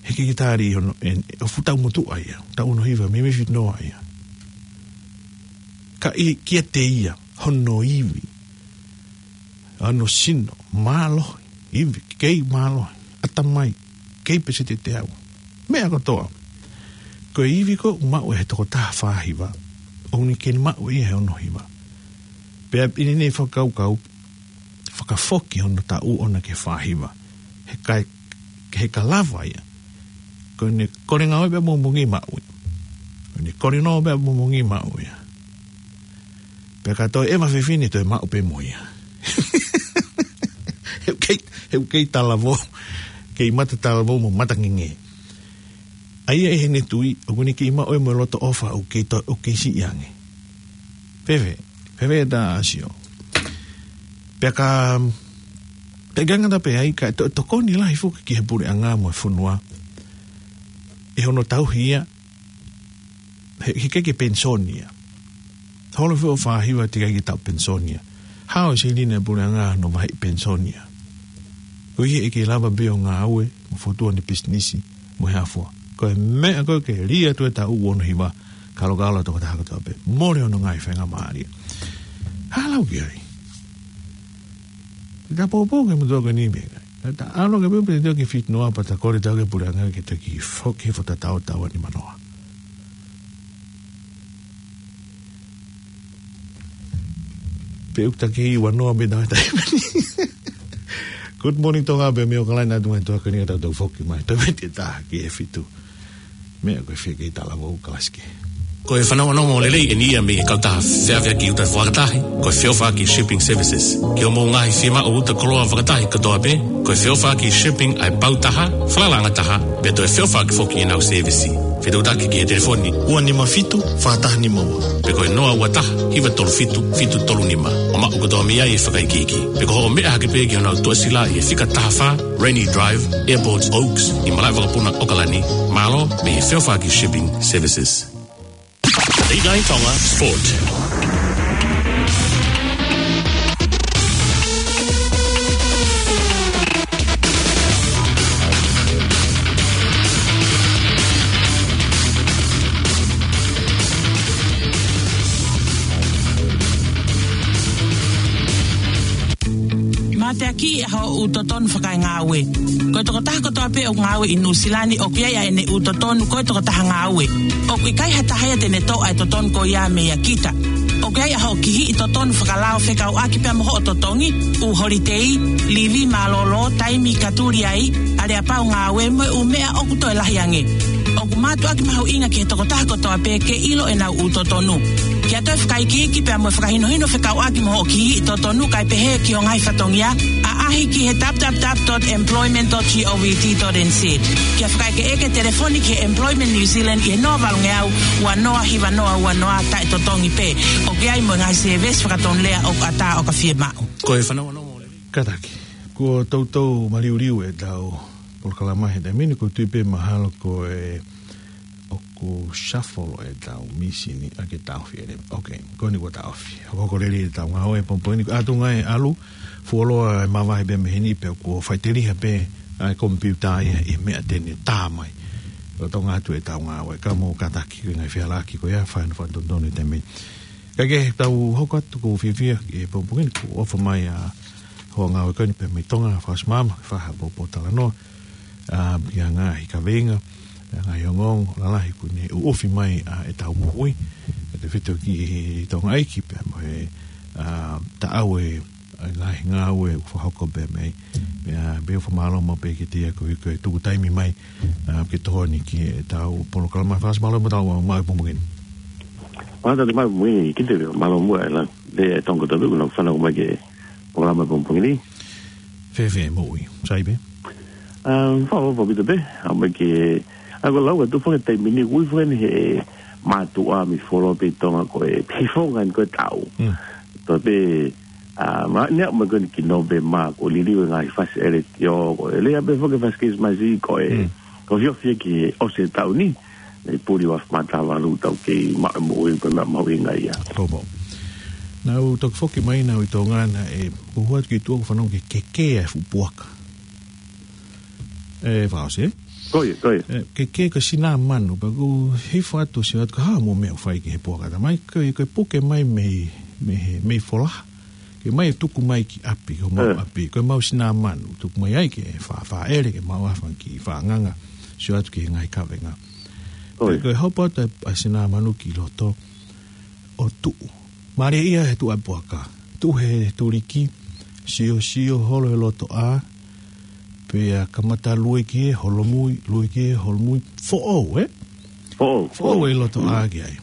He ʻikai ke tali hono, ʻe, ʻo fuʻu taʻu motuʻa ia, taʻu ono hiva, meimei fitu noa ia. Ka ʻi, kiate ia, hono ivi. Hono sino, mālohi, ivi, kei mālohi, ʻatamai, kei peseti ʻe teau. Meʻa kotoa. Ko e ivi ko ē ʻoku maʻu ʻe he tokotaha fā hiva, ʻoku ne kei maʻu ia he ono hiva. Pea ʻi heʻene fakakaukau, fakafoki hono taʻu ʻona ki he fā hiva. He kai, he ka lava ia. Ko ʻene kole ngāue pea mo mongi maʻu ia. Ko ʻene kole nō pea mo mongi maʻu ia. Pea ka toe ʻeva fefine toe maʻu pē mo ia. He ʻoku kei, he ʻoku kei talavou. Kei mata talavou mo mata ngenge. ʻA ia ʻi heʻene tui, ʻoku ne kei maʻu ia mo e loto ʻofa ʻoku kei to-, ʻoku kei siʻi ange. Fēfē, fēfē ʻeta sio. Pea ka, pea ʻikai ngata pē ai ka to-, tokoni lahi foki ki he puleʻanga mo e fonua. ʻi hono tauhi ia, he, he ʻikai ke penisoni ia. Holo fio fāhiva teʻeki ai ke taʻu penisoni ia. Hao e silini ʻa e puleʻanga ʻi hono vaheʻi penisoni ia. Ko ia ʻe ʻikai lava pē ʻo ngāue, mo fokotuʻu ʻene pisinisi, mo e hā fua. Ko e meʻa ko ē ke lī atu e taʻu ʻe ono hiva, kalokalo tokotaha kotoa pē. Mole hono ngaahi faingamālie. Hā lau ki ai. Te ta poupou ki he motuʻa ko eni meʻa. Te ta ʻalu ki he pē te ke fitinoa pea ta kole atu ki he puleʻanga ke ta kiʻi foki he fo tatau tau ani manoa. Pe ʻoku ta kiʻi ua noa mei he taimi ni. Good morning, Tonga, pea mei ʻAokalani atu mai tuʻa ko eni ka tau tau foki mai. Tau mei te ta ki he fitu. Meʻa ko e fie kei talavou kalasi kehe. Ko e fanongonongo lelei eni ia mei he kautaha feʻaveʻaki uta fakatahi, ko e Feʻofaʻaki Shipping Services. Ki hoʻomou ngaahi fiemaʻu uta koloa fakatahi kotoa pē, ko e Feʻofaʻaki Shipping ʻa e pau taha, falalaʻanga taha, pea toe feʻofaʻaki foki ʻenau sēvisi. Fetuʻutaki ki he telefoni ua nima fitu, fā taha nima ua. Pe ko e noa ua taha, hiva tolu fitu, fitu tolu nima. ʻO maʻu kotoa mei ai e fakaikiiki. Pe ko hoʻo meʻa hake pē ki honau tuʻasila ʻi he fika taha fā, Rainy Drive, Airport Oaks, ʻi Malaʻevakapuna, ʻAokalani. Mālō mei he Feʻofaʻaki Shipping Services. Late Night Tonga Sport. Mateakiʻi ʻa hoʻo ʻū totonu fakaengāue. Ko e tokotaha kotoa pē ʻoku ngāue ʻi Nuʻusila ni ʻoku ʻi ai ʻene ʻū totonu ko e tokotaha ngāue. ʻOku ʻikai ha taha ia te ne toʻo ʻa e totonu ko ia meia kita. ʻOku ʻi ai ʻa hoʻo kihiʻi totonu fakalao fekauʻaki pea mo hoʻo totongi, ʻū holitei, livi mālōlō, taimi ka tuli ai, aleapau ngāue mo e ʻū meʻa ʻoku toe lahi ange. ʻOku mātuʻaki mahuʻinga ki he tokotaha kotoa pē ke ʻilo ʻenau ʻū totonu. Kia toe fakaikiiki pea mo e fakahinohino fekauʻaki mo hoʻo kihiʻi totonu kae pehē ki ho ngaahi fatongia, ʻaʻahi ki he w w w dot employment dot govt dot n z. Kia fakaʻekeʻeke telefoni ki he Employment New Zealand ʻi he noa valungeau, ua noa hiva noa ua noa taʻetotongi pē. ʻOku ʻi ai mo e ngaahi sēvesi fakatonulea ʻoku ʻatā ʻo ka fiemaʻu. Ko e fanongonongo lelei. Kātaki. Kuo toutou maliuliu ʻetau polokalama he taimi ni, ʻoku ou tui pē mahalo ko e ʻoku shuffle ʻetau mīsini ʻa ke taʻofi ʻeni. Ok, ko eni kuo taʻofi. Hokohoko lelei ʻetau ngāue he pongipongi ni, ʻa tuʻunga e ʻalu, fuoloa e mavahe pē mei heni pea kuo faʻiteliha pē ʻa e komipiuta ia ʻi he meʻa te ne tā mai. Lolotonga atu ʻetau ngāue, ka mou kātaki ko e ngaahi fehālaaki ko ia, fai hono fakatonutonu he taimi ni. Ka ke tau hoko atu, ʻoku ou fiefia he pongipongi ni kuo ʻofa mai ʻa e hoa ngāue ko eni pea mei Tonga, Fakaʻosi Maama, ke fai ha pōtalanoa, ʻa, ki ha ngaahi kaveinga, ʻa, ngaahi ongoongo lalahi kuo ne ʻuʻufi mai ʻa ʻetau moʻui, ʻa e tefito ki he Tonga ʻeiki pea mo e, ʻa, taʻau e, ʻa e ngaahi ngāue ʻoku fakahoko pea mei, pea, pea ʻoku fakamālō maʻu pē kiate ia koeʻuhi ko e tuku taimi mai, ʻa, ke tokoni ki heʻetau polokalama. Fakaʻosi mālō mo tau maʻu he pongipongi ni. Mālō ʻetau maʻu he pongipongi ni, kiate pē, mālō muʻa e la, le e tonga tabu, kuna fanau mai ki he polokalama he pongipongi ni. Fēfē moʻui, sai pē? Um, fakaʻofoʻofa ʻaupito pē, ʻa mai ke, ʻa ko e lau atu faka taimi ni, ui faka ni he mātuʻa mei fuoloa pē ʻi Tonga ko e, he fonga ni ko e taʻu. Mm. Toe pē, ʻa, ma, ne aʻu mai ko eni ki Nōvema kuo liliu e ngaahi fasi ʻeletiō, ko e lea pē faka fasi Kilisimasi ko e, mm, ko e fiefia ki he ʻosi e taʻu ni, ne puli ua fā mā taha valu tau kei maʻu e moʻui ko e meʻa mahuʻinga ia. Ko mo. Naʻa ku toki foki mai naʻa ku ʻi Tonga naʻe, ʻoku ou ʻoatu ki tuʻa ʻoku fanongo ke kekē ʻa e fuʻu puaka. ʻE, Fakaʻosi, ē? Ko ia, ko ia. ʻE, kekē ko e sinamanu, pea ʻoku ou hifo atu ʻo sio atu ko e hā mo e meʻa ʻoku fai ki he puaka. Talamai ko e, ko e puke mai mei, mei he, mei Folaha. Ke mai ʻo tuku mai ki ʻapi, ko mau, ē, ʻapi, ko e mau sinamanu, tuku mai ai ke fa, fāʻele, ke mau afa ki Faʻanganga, sio atu ki he ngaahi kavenga. Ko ia. Ko e hopo atu ʻa e sinamanu ki loto, ʻo tuʻu. Mālie ia he tuʻu ʻa e puaka. Tuʻu he tuliki, siosio holo he loto ʻā, pea kamata lue ki he holomui, lue ki he holomui, foʻou, ē? Foʻou, foʻou foʻou. ʻI loto ʻā ki ai.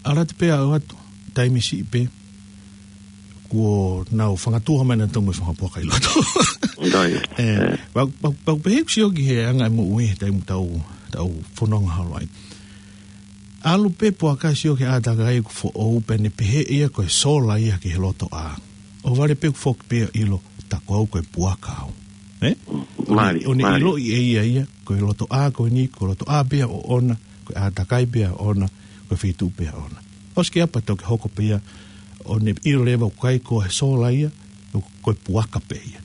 ʻAlu atu pē ʻo ʻoatu, taimi siʻi pē, kuo nau fanga tuʻu mai naʻa nau toʻo mai e fanga puaka ʻi loto. Ko ia. ʻE, ē. Pau, pau, pau pehē ʻeku sio ki he anga e moʻui he taimi tau, tau fononga holo ai. ʻAlu pē puaka sio ki he ʻātakai ʻoku foʻou pea ne pehē ia ko e sola ia ki he loto ʻā. ʻOhovale pē ʻoku foki pē ʻo ʻilo, tā ko au ko e puaka au. Ē? ʻo ne, ʻo ne ʻiloʻi ʻe ia ia, ko e lotoʻā ko eni, ko e lotoʻā pē ʻoʻona, ko e ʻātakai pē ʻoʻona, ko e feituʻu pē ʻoʻona. ʻOsi ke apa toki hoko pē ia, ʻo ne ʻilo leva ʻoku ʻikai ko e sola ia, ko e puaka pē ia.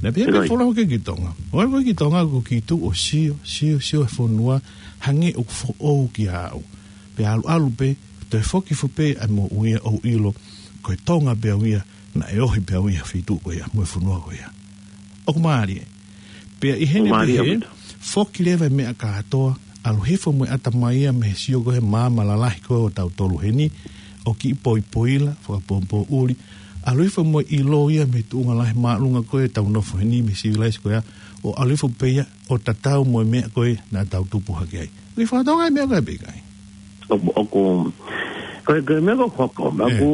Naʻe pehē pē folau ki Tonga. ʻO aʻu ki Tonga ʻoku kei tuʻu ʻo sio, sio, sio e fonua, hangē ʻoku foʻou kiate au. Pea ʻalu ʻalu pē, toe foki foki pē ʻa e moʻui ia ʻo ʻilo, ko e Tonga pē au ia, naʻe ohi pē au ia feituʻu ko ia, mo e fonua ko ia. ʻOku mālie. Pea ʻi heʻene pehē, foki leva e meʻa kātoa, ʻalu hifo mo e ʻatamai ia mei he sio ko ē he maama lalahi ko ē ʻo tautolu heni, ʻo kiʻi poipoila, fakapōpōʻuli, ʻalu hifo mo e ʻilo ia mei he tuʻunga lahi māʻolunga ko ē ʻetau nofo heni mei he sivilaise ko ia, ʻo ʻalu hifo pē ia ʻo tatau mo e meʻa ko ē naʻa tau tupu hake ai. ʻOku ke fakatokangaʻi e meʻa ko ē pe ʻikai? ʻOku, ʻoku, ko e, ko e meʻa ko ē ʻoku hoko, ʻoku,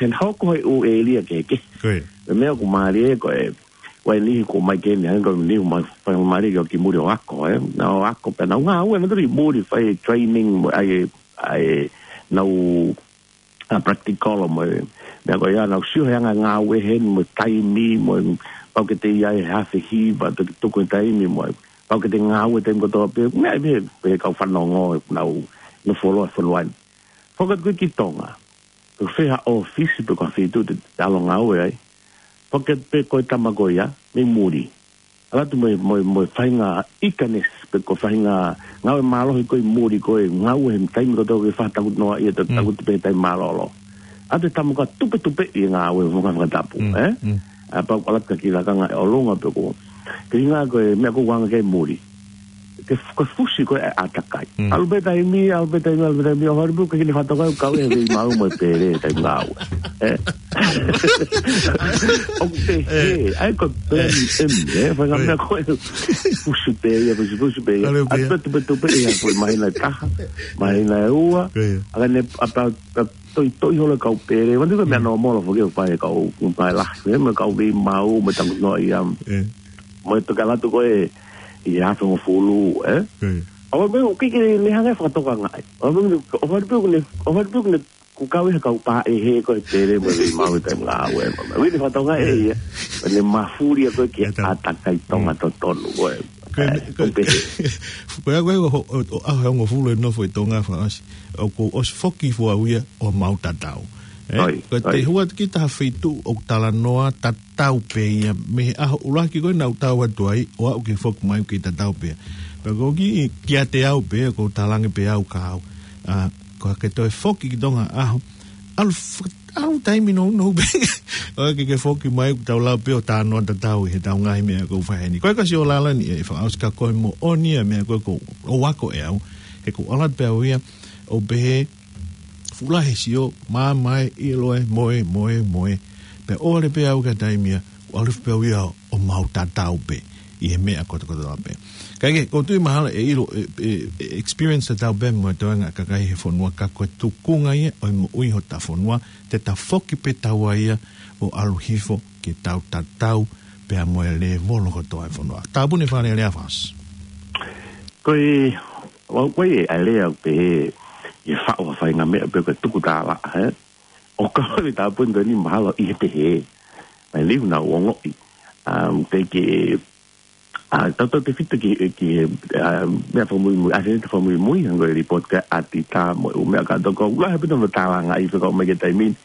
ʻene hoko he ʻū ʻēlia kehekehe. Ko e meʻa ʻoku mālie ko e, ʻoku ʻi ai e niʻihi ʻoku ʻomai ki heni, hangē ko e niʻihi ʻoku ʻomai, fai mai ki, ki muli ʻo ako, ē. Nau ako pē, nau ngāue, nau tuli muli fai training, mo e, ʻai, ʻai, nau, ʻa, practical mo e, meʻa ko ia, nau sio he anga e ngāue heni, mo e taimi, mo e, pau ke te ʻi ai he afe hiva, toki tuku e taimi, mo e, pau ke te ngāue taimi kotoa pē, meʻa pē, pē kau fanongo, nau, nau foloa, foloa. Foki atu ko ē ki Tonga. Ko e fē ha ʻōfisi pe ko ha feituʻu te, te ʻalu ʻo ngāue ai. Foki atu pē ko e tama ko ia, mei muli. ʻAlu atu mo e, mo e, mo e faʻahinga ikanes, pe ko e faʻahinga ngāue mālohi ko ē muli ko ē, ngāue he taimi kotoa ke fakataku noa ia, ta-, takuti pē taimi mālōlō. ʻAlu atu e tama ko ē tupetupeʻi e ngāue mo e ngaahi fakatapu, ē? ʻA pau ʻalu atu ki he lakanga ʻi ʻolunga pe ko. Ke hinga ko e meʻa ko ē ʻoku anga ki ai muli. Ke f-, ko e fusi ko ē ʻa e ʻātakai. ʻAlu pē taimi, ʻalu pē taimi, ʻalu pē taimi, ʻo hori pē ke ne fakatoka ʻoku kau e vei mau mo e pele taimi ngāue. Ē? ʻOku te he, ʻai ko e pele ni em, ē? Faʻahinga meʻa ko ē fusi pē ia, fusi, fusi pē ia. ʻAlu pē ia. ʻAlu pē tupetupeʻi ia, ko e māhina ʻe taha, māhina ʻe ua, ʻa ka ne, ʻa pau, ʻa toitoi holo kau pele, manu ka meʻa nōmolo foki ʻoku fai kau, ʻoku fai lahi, ē, mo e kau vei mau, mo e takuti noa ia. Mo e toki ʻalu atu ko ē ʻi he afe hongofulu, ē? ʻAua meʻa, ʻoku ʻikai ke ne hanga ʻo fakatokangaʻi. ʻAua meʻa, ʻo fai pē ʻoku ne, ʻo fai pē ʻoku ne, ʻoku kau ʻi he kau pā ʻe he ko e pele mo e vei mau ʻi he taimi ngāue, mo e. ʻOku ʻikai ke ne fakatokangaʻi ē ia. ʻOku ne mafulia ko ē ki he ʻātakai Tonga totonu, ko e. Ko e, ē, ko e, ʻoku pehē. Ko e, ko e, ʻo, ʻo, ʻo, ʻaho ʻe hongofulu e nofo ʻi Tonga fakaʻosi. ʻOku ou ʻosi foki fua ia ʻo mau tatau. Ē, ko e te hua ki ha feituʻu ʻoku talanoa tatau pē ia mei he ʻaho ʻuluaki ko ē naʻa ku tau atu ai ʻo aʻu ki he foki mai ʻoku tatau pē. Pea ko e kiʻi kiate au pē, ʻoku ou talaange pē au ka au. ʻA, ko e ke toe foki ki Tonga ʻaho. ʻAlu f-, ʻalu taimi nounou pē. ʻOua ke ke foki mai ʻoku tau lau pē ʻo talanoa tatau ʻi heʻetau ngaahi meʻa ʻoku fai heni. Ko e ka sio lala ni e fakaʻosi ka ko e moʻoni e meʻa ko ē ʻoku ou ako ʻe au. He ʻoku ou ʻalu atu pē au ia, ʻo pehē, fuʻu lahi e sio, māmā e, ʻilo e, moe, moe, moe. Pea ʻoua leva pē au ki ha taimi ia, ʻalu pē au ia ʻo mau tatau pē ʻi he meʻa kotokotoa pē. Kae kehe, ʻoku ou tui mahalo ʻe ʻilo, ʻe, ʻe, ʻe experience tatau pē mo e toenga kakai he fonua ka ko e tukunga ia ʻo e moʻui hotau fonua, te ta foki pē taua ia ʻo ʻalu hifo ke tau tatau pea mo e lēvolo kotoa e fonua. Tāpuni e fakalea lea fakaʻosi. Ko e, ʻoku ʻi ai e lea ʻoku pehē, ʻe faʻo ha faʻahinga meʻa pe ko e tuku tālaʻa, ē? ʻOku kau e tāpuni ko eni mahalo ʻi he pehē. Mai liu naʻa ku ongoʻi. Um, te ke, ʻa, tautautefito ki, ki, ʻa, meʻa fakamuimui, ʻa, te fakamuimui, hangē ko e report ko ē ʻa ʻAtita mo e ʻū meʻa kātoa, ʻoku lahi pē ʻetau tālanga ʻi he fekau mai ki he taimi ni,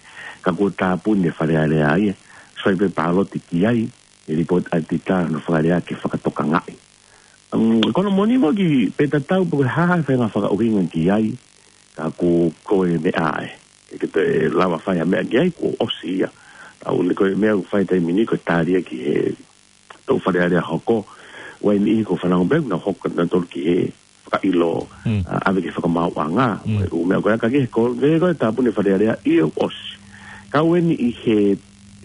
ka kuo tāpuni e Fale Alea ia. Sai pē pāloti ki ai, e report ʻa ʻAtita hono fakalea ke fakatokangaʻi. Um, ko hono moʻoni mo ki pe tatau pe ko e hā ha faʻahinga fakaʻuhinga ki ai, ka ko, ko e meʻa ē. Ke, ke te lava fai ha meʻa ki ai, kuo ʻosi ia. ʻA, ʻoku ne ko e meʻa ʻoku fai taimi ni ko e tali ia ki he toʻu Fale Alea hoko, ʻoku ʻi ai e niʻihi ʻoku fanongo pē, naʻa nau hoko nautolu ki he fakaʻilo, ʻa, ʻave ki he fakamaauʻanga, ʻū meʻa ko ia ka ke ko, ke ko e tāpuni e Fale Alea ia ʻoku ʻosi. Ka ʻoku ʻi ai e niʻihi,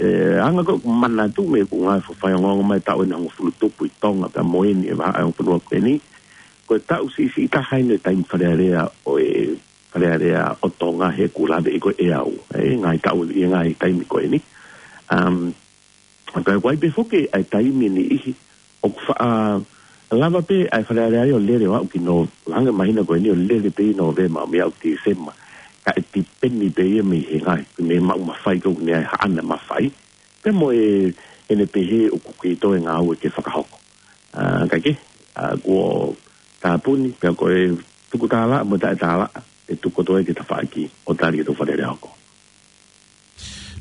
ē, anga ko ē ʻoku manatu mo ʻeku ngaahi faʻahinga ongoongo mai taʻu ʻe hongofulu tupu ʻi Tonga pea mo eni e vahaʻa e ongo fonua ko eni. Ko e taʻu siʻisiʻi taha eni e taimi Fale Alea ʻo e Fale Alea ʻo Tonga he ʻoku laveʻi ko ē ʻe au. ʻE, ngaahi taʻu ʻi he ngaahi taimi ko eni. Um, ka ʻoku ʻi ai pē foki ʻa e taimi ʻe niʻihi, ʻoku faʻa lava pē ʻa e Fale Alea ia ʻo lele ʻo aʻu ki Nō-, hangē māhina ko eni ʻo lele pē ʻi Nōvema ʻo mei aʻu ki Tīsema. Ka ʻe tipeni pē ia mei he ngaahi, mei he maʻu mafai ko ē ʻoku ne ʻi ai haʻane mafai. Pea mo e, ʻene pehē ʻoku kei toe ngāue ke fakahoko. ʻA, kae kehe, ʻa, kuo tāpuni, pea ko e tuku tālaʻa mo taʻe tālaʻa, ʻe tuku atu ai ki he tafaʻaki ʻo tali ki he tau Fale Alea hoko.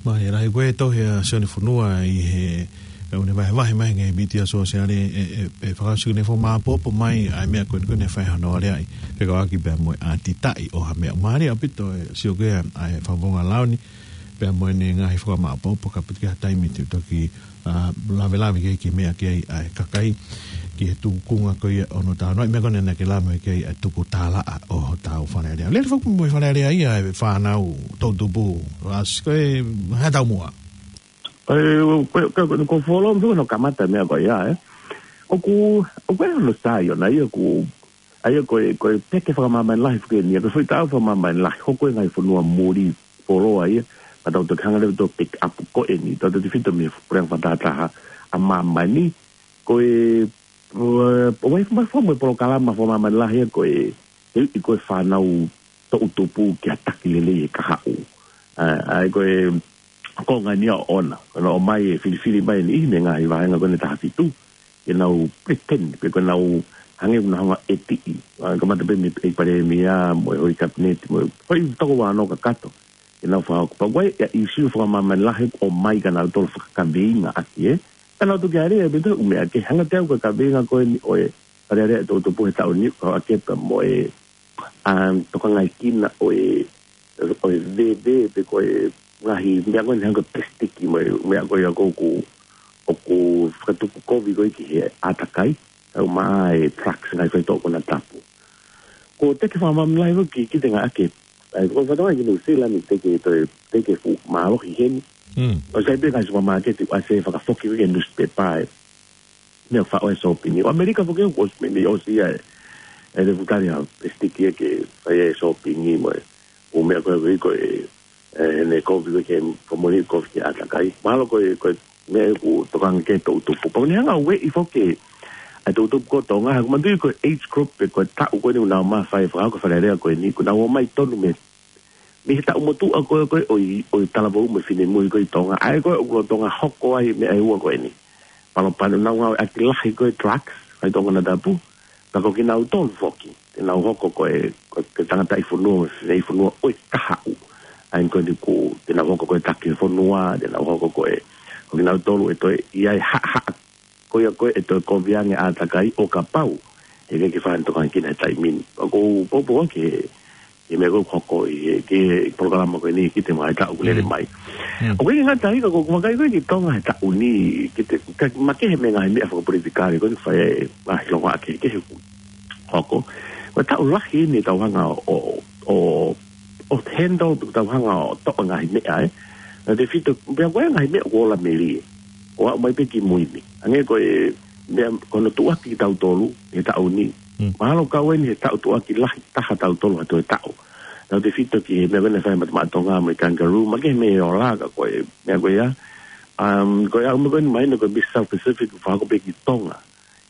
Mālie lahi. Ko e tohi ʻa Sione Fonua ʻi he, ʻe, ʻoku ne vahevahe mai he ngaahi mītia sōsiale, ʻe, ʻe, ʻe fakaʻosi ʻoku ne fakamāʻopoʻopo mai ʻa e meʻa ko eni ʻoku ne fai hono aleaʻi fekauʻaki pea mo e ʻatitaʻi ʻo ha meʻa. Mālie ʻaupito e sio ko ia ʻa e Fakafofonga Lao ni, pea mo ʻene ngaahi fakamāʻopoʻopo, kapau ʻoku ʻi ai ha taimi te u toki, ʻa, lavelave ki he, ki he meʻa ki ai ʻa e kakai, ki he tuʻunga ko ia ʻo hono talanoa, ʻi he meʻa ko eni naʻa ke lave mai ki ai ʻa e tuku tālaʻa ʻo hotau Fale Alea. Lele foki mo e Fale Alea ia ʻa e fānau toʻutupu, ʻa, ko e hā e taumuʻa? ʻE, ko, ko, ko, ko e follow up hono kamata meʻa ko ia, ē. ʻOku, ʻoku ʻi ai hono sai ʻona ia ʻoku, ʻa ia ko e, ko e peke fakamāmani lahi foki eni, ko e foʻi taʻu fakamāmani lahi, hoko e ngaahi fonua muli, follow up ia, ka tau toki hanga leva ʻo pick up ko eni, tau toki fito mei he puleʻanga fakatahataha ʻa māmani, ko e, ʻo, ʻo, ʻo, ʻo, ʻo, ʻo, ʻo, ʻo e polokalama fakamāmani lahi ia ko e, ʻe, ʻe ko e fānau toʻutupu ki ha taki lelei he kahaʻu. ʻA, ʻa ia ko e konga eni ia ʻoʻona, ko ʻenau ō mai ʻo filifili mai eni ʻi he ngaahi vāhenga ko eni ʻe taha fitu, ke nau pretend, pe ko ʻenau hangē ʻoku nau hanga ʻo ʻetiʻi. ʻA, kamata pē mei he palēmia, mo e houʻeiki kapineti, mo e houʻeiki toko vano kakato. Ke nau fakahoko. Pea ko e, ʻa e ʻīsiu fakamāmani lahi ʻoku ʻomai kia nautolu fakakaveinga ʻaki, ē. Ka nau toki ʻai leva pē ʻū meʻa ke hanga teu ko e kaveinga ko eni ʻo e Fale Alea ʻo e toʻutupu he taʻu ni, ko e ake pea mo e, um, tokangaekina ʻo e, ʻo e veve pe ko e ngaahi meʻa ko eni hangē ko e pesitiki mo e meʻa ko ia ʻoku, ʻoku fakatupu kovi ko ē ki he ʻātakai, ʻa ia ʻoku maʻa e trucks ngaahi faitoʻo konatapu. Ko e teke fakamāmani lahi foki ki he ngaahi ake. ʻA ia, ko e fatongia ki Nuʻu Sila ni teke, toe teke fuʻu mālohi heni. Mm. ʻOku sai pē ngaahi supermarket ʻoku ʻasi e fakafoki ko ē ki he newspaper ē. Meʻa faʻo e shopping. ʻO ʻAmelika foki ʻoku ʻosi meimei ʻosi ia e, e levutali ha pesitiki ia ke fai e shopping mo e ʻū meʻa ko ē ko e, e, ne kovi ko ē ke fakamoʻoni kovi ki he ʻātakai. Mahalo ko e, ko e meʻa ʻoku tokanga ki ai e toʻutupu. Pea ʻoku ne hanga ʻo ueʻi foki ʻa e toʻutupu ko Tonga, he ʻoku manatuʻi ko e age group pe ko e taʻu ko eni ʻoku nau mafai fakahoko e Fale Alea ko eni, ʻoku nau ō mai tonu mei, mei he taʻu motuʻa ko ē, ko ē ʻo e, ʻo e talavou mo e finemui ko ē ʻi Tonga. ʻA ia ko ē ʻoku lolotonga hoko ai e meʻa ʻe ua ko eni. Palopalema ʻoku nau ngāueʻaki lahi ko ē e trucks, faitoʻo konatapu, ka ko kinautolu foki, te nau hoko ko e, ko e tangataʻi fonua, mo e fineʻeiki fonua ʻo e kahaʻu. ʻA ia ko eni ʻoku, te nau hoko ko e taki fonua, te nau hoko ko e, ko kinautolu ʻe toe ʻi ai e haʻahaʻa ko ia ko ē ʻe toe kovi ange ʻātakai ʻo kapau ʻe ʻikai ke fai ha tokanga ki he taimi ni. Pea ʻoku ou poupou ki he, ki he meʻa ko ē ʻoku hoko ʻi he, ki he polokalama ko eni ki he ngaahi taʻu ʻoku lele mai. Mm. ʻOku ʻikai ke ngata ai ka ʻoku ou vakai ko ē ki Tonga he taʻu ni, ki he, ka makehe mei he ngaahi meʻa fakapolitikale ko eni, fai e ngaahi longoaʻa kehekehe ʻoku hoko. Ko e taʻu lahi eni ʻetau hanga ʻo, ʻo, ʻo handle, ʻetau hanga ʻo toʻo e ngaahi meʻa, ē. Naʻe fito, pea ko e ngaahi meʻa ʻoku ola melie. ʻO aʻu mai pē ki mui ni. Hangē ko e meʻa ko hono tuʻuaki kitautolu he taʻu ni. Mm. Mahalo ʻoku kau eni he taʻu tuʻuaki lahi taha ʻa tautolu ha toe taʻu. Naʻe fito ki he meʻa ko ē naʻe fai ʻe he Matamata Tonga mo e kangaroo, makehe mei he ola ka ko e meʻa ko ia. Um, ko e ʻū meʻa ko eni mahino ko e Miss South Pacific ʻoku fakahoko pē ki Tonga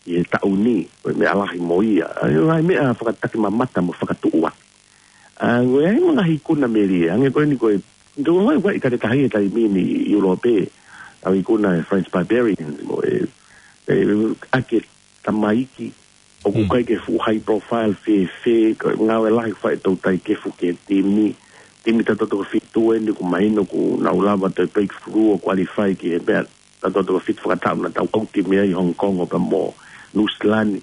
ʻi he taʻu ni, ko e meʻa lahi mo ia. ʻA ia, ngaahi meʻa fakatakimamata mo fakatuʻuaki. ʻA, ko e ngaahi ikuna melie, hangē ko eni ko e, tau ʻilo ʻoku ʻi ai e kale tahi he taimi ni ʻi ʻIulope, ʻa e ikuna e French Barbarians, mo e, e, ʻa e tamaiki, ʻoku Mm. ʻikai ke fuʻu high profile fēfē, ko e ngāue lahi fai ʻe he toutai kefu ki he timi, timi tautolu toko fitu eni ʻoku mahino ʻoku nau lava toe breakthrough ʻo qualify ki he meʻa, tautolu toko fitu fakataʻu naʻa tau ʻauti mei ai ʻi Hong Kong ʻo pea mo Nuʻusila ni,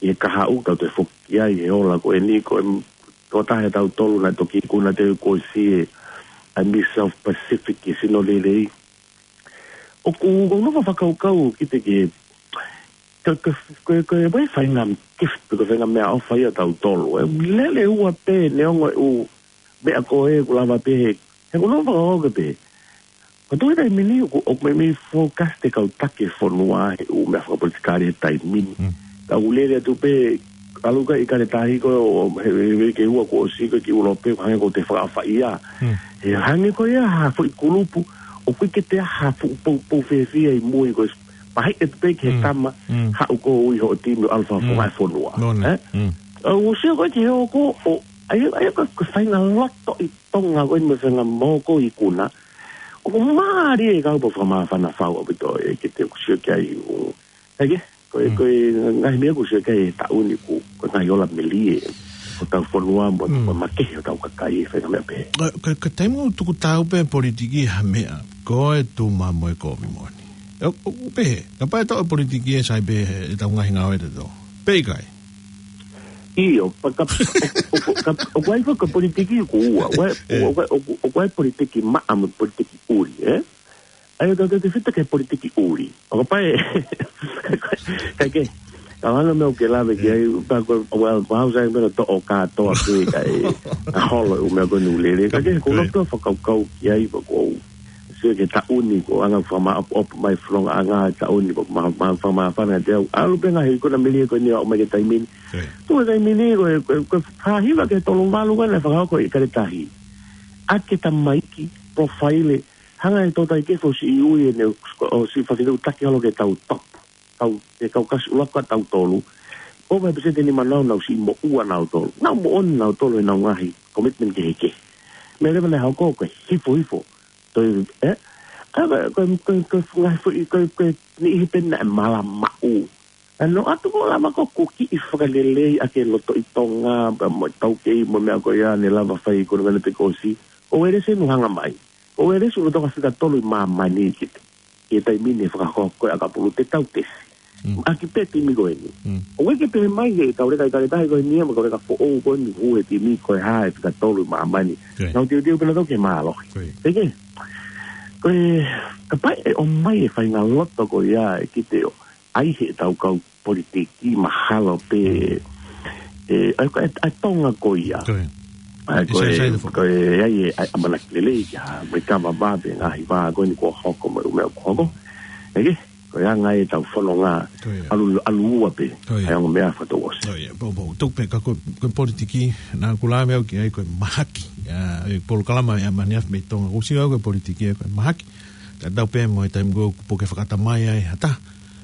ʻi he kahaʻu tau toe foki ai he ola ko eni ko e, ko e taha ʻe tautolu naʻe toki ikuna atu ko e siʻi, ʻa e Miss South Pacific ʻi he sino lelei. ʻOku ou nofo fakakaukau ki he, ki he, ko e, ko e, ko e, ko e faʻahinga gift, ko e faʻahinga meʻaʻofa ia ʻa tautolu. ʻE lele ua pē, neongo e ʻū meʻa ko ē ʻoku lava pē he, he ʻoku ou nofo fakakaukau pē. Ko e taimi ni ʻoku, ʻoku meimei focus ʻa e kau taki e fonua he ʻū meʻa fakapolitikale he taimi ni. Mm. Ka ʻoku lele atu pē, ʻalu ka ʻi he kale tahi ko ē ʻo, he, he, he, ke ua kuo ʻosi ko ē ki ʻIulope, hangē ʻoku te fakaʻapaʻapa ia. Mm. He hangē ko ia ha foʻi kulupu, ʻoku ʻikai ke toe ʻi ai ha fuʻu poupou fēfē ʻi mui ko e, pehē atu pē ki he Mm. tama, Mm. haʻu koe ʻi hoʻo timi ʻo ʻalu fakafofonga Mm. e fonua. No, no. Ē? Mm. ʻOku ou sio ko ē ki he ʻoku, ʻo, ʻa ia, ʻa ia ko e, ko e faʻahinga loto ʻi Tonga ko eni mo e faʻahinga moʻoni ko e ikuna. ʻOku mālie e kau pau fakamāfana fau ʻaupito ē ke te ʻoku sio ki ai ʻo. Eke? Ko e, ko e ngaahi meʻa ʻoku sio ki ai he taʻu ni ʻoku, ko e ngaahi ola melie ʻo hotau fonua mo, mo makehe hotau kakai he faʻahinga meʻa pehē. Ko, ko, ko e taimi ʻoku tuku taau pē politiki ha meʻa, ko e tuma mo e kovi moʻoni. ʻO, ʻo, pehē, kapau ʻe toʻo politiki ʻe sai pē he, ʻetau ngaahi ngāue ʻe tō. Pea ʻikai. ʻIo, pea ka, ʻo, ʻo, ka, ʻoku ʻi ai foki ko e politiki ʻoku ua, ʻoku ʻi ai, ʻoku ʻi ai, ʻoku ʻi ai politiki maʻa mo politiki ʻuli, ē? ʻA ia, tau te fita ki he politiki ʻuli. ʻO kapau ʻe, ka ke, ka hanga meʻa ke lave ki ai, pea ko, well, pea hau sai meʻa toʻo kātoa ke, ka e, ka holo ʻū meʻa ko eni ʻoku lele. Ka ke, ko e loto fakakaukau ki ai, pea ko sio ki he taʻu ni, ko e anga fakamaʻopoʻopo mai fononga ʻanga he taʻu ni, ko e ma, ma, fakamāfana te au. ʻAlu pē ngaahi ikuna melie ko eni ʻo aʻu mai ki he taimi ni. Ko e taimi ni, ko e, ko e, ko e fahiva ki he tolu valu ko eni, fakahoko ʻi Kaletahi. ʻAki e tamaiki, polofaile, hanga ʻe he tōtā ʻi ke fo si ui ʻene, ʻo si fafitu taki holo ke tau top. Kau, e kau kasi ʻuluaki ʻa tautolu. ʻO vai peseti ni manau nau si mo ua nautolu. Nau moʻoni nautolu ʻenau ngaahi commitment kehekehe. Meʻa leva naʻe hoko ko e hifo hifo. Toi, ē? Ka ko e, ko e, ko e, ko e ngaahi foʻi, ko e, ko e niʻihi pē naʻe malamaʻu. ʻA ia ʻoatu ko e lava ko e kiʻi fakalelei ʻa e lotoʻi Tonga, pea mo e taukei mo e meʻa ko ia ne lava fai ko e ngana te kosi. Ko Uelesi ʻoku hanga mai. Ko Uelesi ʻoku lolotonga fika tolu ʻi māmani ki he, ki he taimi ni fakahoko ko e ʻakapulu te tau tesi. ʻAki pē timi ko eni. ʻOku ʻikai ke pehē mai he kau leka ʻi Kaletahi ko eni ia, mo e kau leka foʻou ko eni hū he timi ko e hā e fika tolu ʻi māmani. Nau teuteu pē nautolu ke mālohi. Peke. Ko e, kapau ʻe ʻomai e faʻahinga loto ko ia ʻe kite ʻo ʻai he tau kau politiki mahalo pē, ʻe, ʻa e, ʻa e Tonga ko ia. ʻA e, ko e, ko e, ʻa e, ʻa e ʻamanaki lelei kia, mo e kava vave ngaahi vā ko eni kuo hoko mo e ʻū meʻa kuo hoko. ʻEke, ko e anga e tau fononga ʻalu, ʻalu ua pē, ʻa e ongo meʻa fato ʻosi. Ko ia, pau, pau, tuku pē ka ko, ko e politiki, naʻa ku lave au ki ai ko e mahaki, ʻa e polokalama ʻa e Mani Afi mei Tonga, ʻoku sio au ko e politiki, ko e mahaki, ka tau pē mo e taimi ko ē ʻoku puke fakatamai ai ha taha,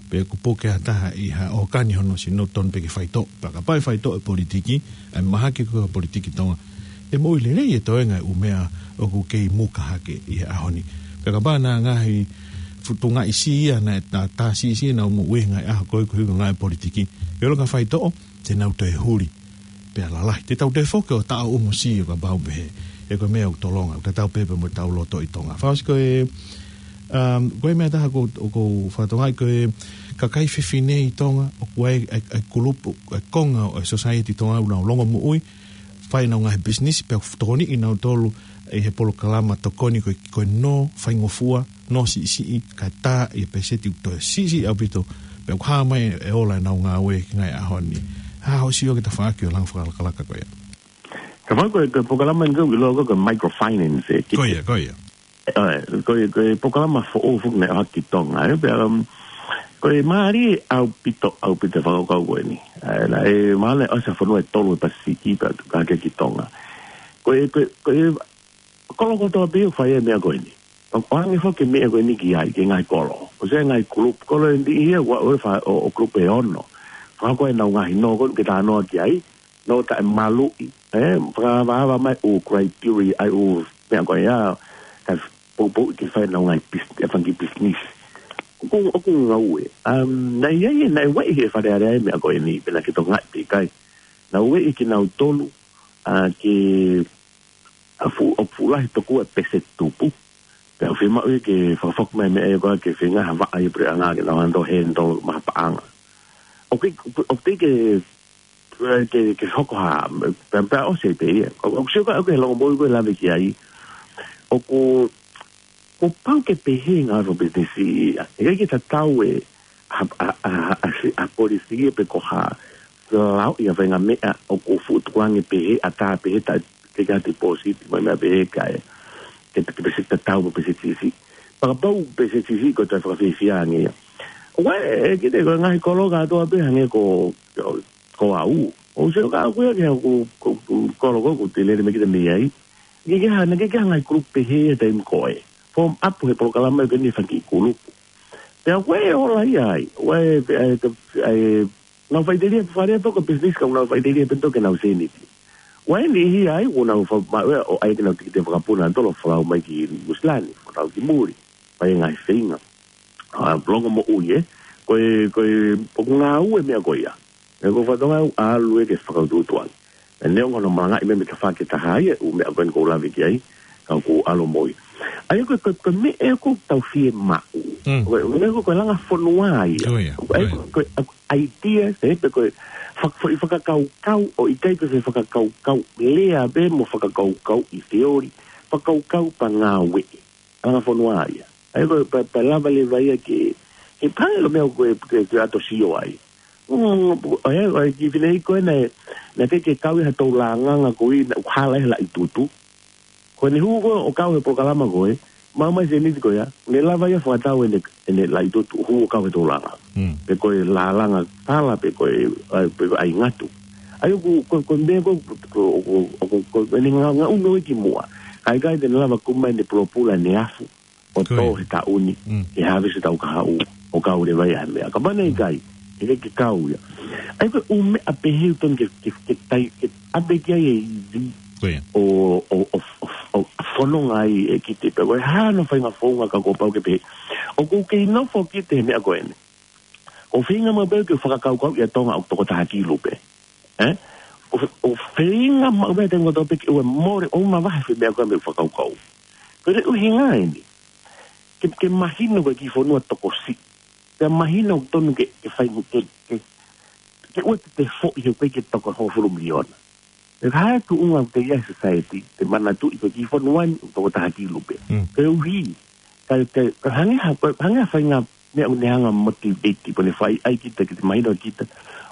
pe ʻoku puke ha taha ʻi ha ʻokani hono sino tonu pē ke faitoʻo. Pea kapau ʻe faitoʻo e politiki, ʻa e mahaki ko e politiki Tonga. ʻE moʻui lelei e toenga ʻū meʻa ʻoku kei muka hake ʻi he ʻaho ni. Pea kapau naʻe ngaahi futungaʻi si ia, naʻe tā, tā si si naʻa mo ui ngaahi ʻaho ko ē ko e ngaahi politiki. ʻE ʻolunga faitoʻo, te nau toe huli. Pea lalahi. Te tau toe foki ʻo taʻo ʻumu si ʻo kapau pehē. ʻE ko e meʻa ʻoku tolonga. Ka tau pē pē mo tau lotoʻi Tonga. Fausi ko e, um, ko e meʻa taha ko, ko Fatonga ko e kakai fefine ʻi Tonga, ʻoku ʻi ai, ʻa e, ʻa e kulupu, ʻa e konga ʻo e society Tonga ʻoku nau longomoʻui, fai ʻenau ngaahi business, pea ʻoku tokoniʻi nautolu ʻi he polokalama tokoni ko e, ko e nō faingofua, nō siʻisiʻi, kae tā ʻi he peseti ʻoku toe siʻisiʻi ʻaupito, pea ʻoku hā mai e ola ʻenau ngāue ki he ngaahi ʻaho ni. Hā hoʻo sio ki he tafaʻaki ʻo e langa fakalakalaka ko ia? Ka fai ko e, ko e polokalama ni ko e ʻiloa ko e microfinance, ē, ki Ko ia, ko ia. ʻAe, ko e, ko e polokalama foʻou foki naʻe ʻohake ki Tonga, ē, pea, um, ko e mālie ʻaupito, ʻaupito e fakakaukau ko eni. ʻAe, naʻe, mahalo ʻosi ha fonua ʻe tolu he Pasifiki pea tuku hake ki Tonga. Ko e, ko e, ko e kolo kotoa pē ʻoku fai e meʻa ko eni. ʻO, ʻoange foki e meʻa ko eni ki ai, ki he ngaahi kolo. ʻOsi e ngaahi kulupu, kolo ʻe niʻihi ʻoku ʻi ai e fa-, ʻo, ʻo kulupu ʻe ono. Fakahoko ʻenau ngaahi nō ko eni ke talanoa ki ai, nō taʻemaluʻi, ē, fakaavaava mai ʻū criteria, ʻa e ʻū meʻa ko ia, kae poupouʻi ke fai ʻenau ngaahi pis-, e fanga kiʻi business. ʻOku, ʻoku ngāue. Um, naʻe ʻi ai, naʻe ueʻi he Fale Alea e meʻa ko eni, pe naʻe ke tokangaʻi pe ʻikai. Naʻe ueʻi kinautolu, ʻa, ke, ʻa, fuʻu, ʻoku fuʻu lahi tokua e peseti tupu. Pea ʻoku fiemaʻu ia ke fakafoki mai e meʻa ia ko ē ke feinga ha vaʻa ʻi he puleʻanga ke nau hanga ʻo handle mai ha paʻanga. ʻOku, ʻoku teʻeki ke, ke, ke hoko ha, pea, pea ʻosi pē ia. ʻOku, ʻoku sio ko ē ʻoku ke longomoʻui ko e lave ki ai. ʻOku, kuo pau ke pehē ngaahi fakapisinisi ia. ʻE ʻikai ke tatau e, ha, ha, ha, ha, ha, ha polisi ia pe ko ha, lao ia faʻahinga meʻa ʻoku fuʻu tukuange pehē, ʻatā pehē, tā, ke ka deposit, mo e meʻa pehē kae, ke, ke peseti tatau mo e peseti siʻisiʻi. Pea kapau peseti siʻisiʻi ko e toe fakafiefia ange ia. ʻOku ʻi ai, ʻe, kite ko e ngaahi kolo kātoa pē hangē ko, ko, ko au. ʻOku sio ka ʻoku ʻi ai ke ʻoku, ko, ko, kolo ko ē ʻoku te lele mai kita mei ai. Ke ke hanga, ke ke hanga ʻi kulupu pehē he taimi ko ē. Form up he polokalama ʻoku ʻi ai e fanga kiʻi kulupu. Pea ʻoku ʻi ai e ola ia ai. ʻOku ʻi ai, ʻi ai, ʻi ai, nau faʻiteliha pē fale pē ko e business ka nau faʻiteliha pē toki nau seniti. ʻOku ʻi ai e niʻihi ai, ʻoku nau fa-, ma-, ʻo ʻai ke nau tikite fakapuna, tolo folau mai ki Nuʻusila ni, folau ki muli, fai e ngaahi feinga. ʻA, longomoʻui ē, Ko e, ko e, ʻoku ngāue meʻa ko ia. ʻE ko e fatongia ʻoku ʻalu ʻe ke fakautuutu ange. ʻE neongo hono malangaʻi meʻa mei tafaʻaki ʻe taha ia, ʻū meʻa ko eni ʻoku ou lave ki ai, ka ʻoku ʻalu mo ia. ʻA ia ko e, ko e, ko e meʻa ʻoku tau fiemaʻu. Mm. Ko e, meʻa ko e, ko e langa fonua ia. Ko ia, ko ia. Ko e, ko e, ʻa, idea, ē, pe ko e fak-, foʻi fakakaukau, ʻoku ʻikai ko e fakakaukau lea pē mo fakakaukau ʻi theory, fakakaukau pea ngāue. Langa fonua ia. ʻA ia ko e, pea, pea lava leva ia ke, ke pale lo meʻa ko e, ke, ke ʻato sio ai. Mm, ʻa ia, ʻa ia ki fine ko ē naʻe, naʻe ʻikai ke kau ʻi ha tau langanga ko ē naʻe hala ʻi he Laʻitutu. Ko ʻene hū ko ē ʻo kau he polokalama ko ē, maʻu mai Senisi ko ia, ne lava ia fakatau ʻene, ʻene Laʻitutu, hū ʻo kau he tau langanga. Mm. Pe ko e langa tala, pe ko e, ʻa, pe ko e ʻai ngatu. ʻA ia ko, ko, ko e meʻa ko, ko, ko, ko, ko, ko ʻene nga-, ngaʻunu ʻi ki muʻa. Kae ʻikai te ne lava kumi mai ʻene pulopula ʻene afu ʻo Ko ia. tō he taʻu ni, Mm. ke havesi tau kahaʻu, ʻo kau leva ia he meʻa. Kapau naʻe ʻikai, ʻe ʻikai ke kau ia. ʻA ia ko e ʻū meʻa pehē ʻoku totonu ke, ke, ke tai, ke ʻave ki ai e ivi Ko ia. ʻo, ʻo, ʻo, ʻo, ʻo fononga ai ʻe Kite pē. Ko e hā hono faʻahinga founga ka kuo pau ke pehē. ʻOku ou kei nofo ʻo Kite he meʻa ko eni. ʻOku ou feinga maʻu pē ke fakakaukauʻi ʻa Tonga ʻoku toko taha kilu pē. Ē? ʻOku, ʻoku ou feinga maʻu pē he taimi kotoa pē ke ʻoua mole, ʻoua mavahe e meʻa ko ē mei he fakakaukau. Ko e ʻuhinga eni. Ke, ke mahino ko e kiʻi fonua tokosiʻi. Ke mahino ʻoku totonu ke, ke fai, ke, ke, ke ʻoua te te foʻi he ʻoku ʻikai ke toko hongofulu miliona. ʻE hā e tuʻunga ʻoku te ʻi ai he society, te manatuʻi ko e kiʻi fonua ni ʻoku toko taha kilu pē. Mm. Koeʻuhi, ka, ka, ka hangē ha, ka hangē ha faʻahinga meʻa ʻoku ne hanga ʻo motivate, ʻoku ne fai ai kita, kita mahino kita.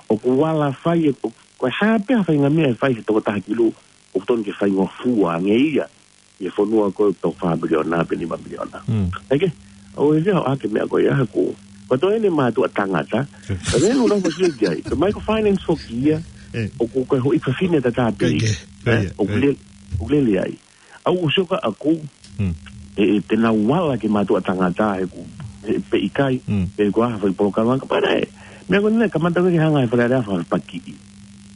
ʻOku ala fai, ʻoku, ko e hā pē ha faʻahinga meʻa ʻe fai he toko taha kilu, ʻoku totonu ke faingofua ange ia ʻi he fonua ko ē ʻoku toko fā miliona pe nima miliona. Mm. ʻA ia ke, ʻoku ʻi ai ʻa e meʻa ko ia ʻoku, ko e toe ʻene mātuʻa tangata, ka ʻoku ou nofo ʻo sio ki ai, ko e microfinance foki ia, Eh. ʻoku ko e houʻeiki fefine tatau pē, Ko ia, ko ia, ē, ʻoku ko ia. lele, ʻoku lele ai. ʻA ia ʻoku ou sio kia au, Mm. ʻe, ʻe te nau ala ke mātuʻa tangata he ʻoku, he pe ʻikai, Mm. pe ko e hā ha foʻi polokalama ka pare. Meʻa ko eni, kamata ke hanga ʻe he Fale Alea ʻo fakapakiʻi.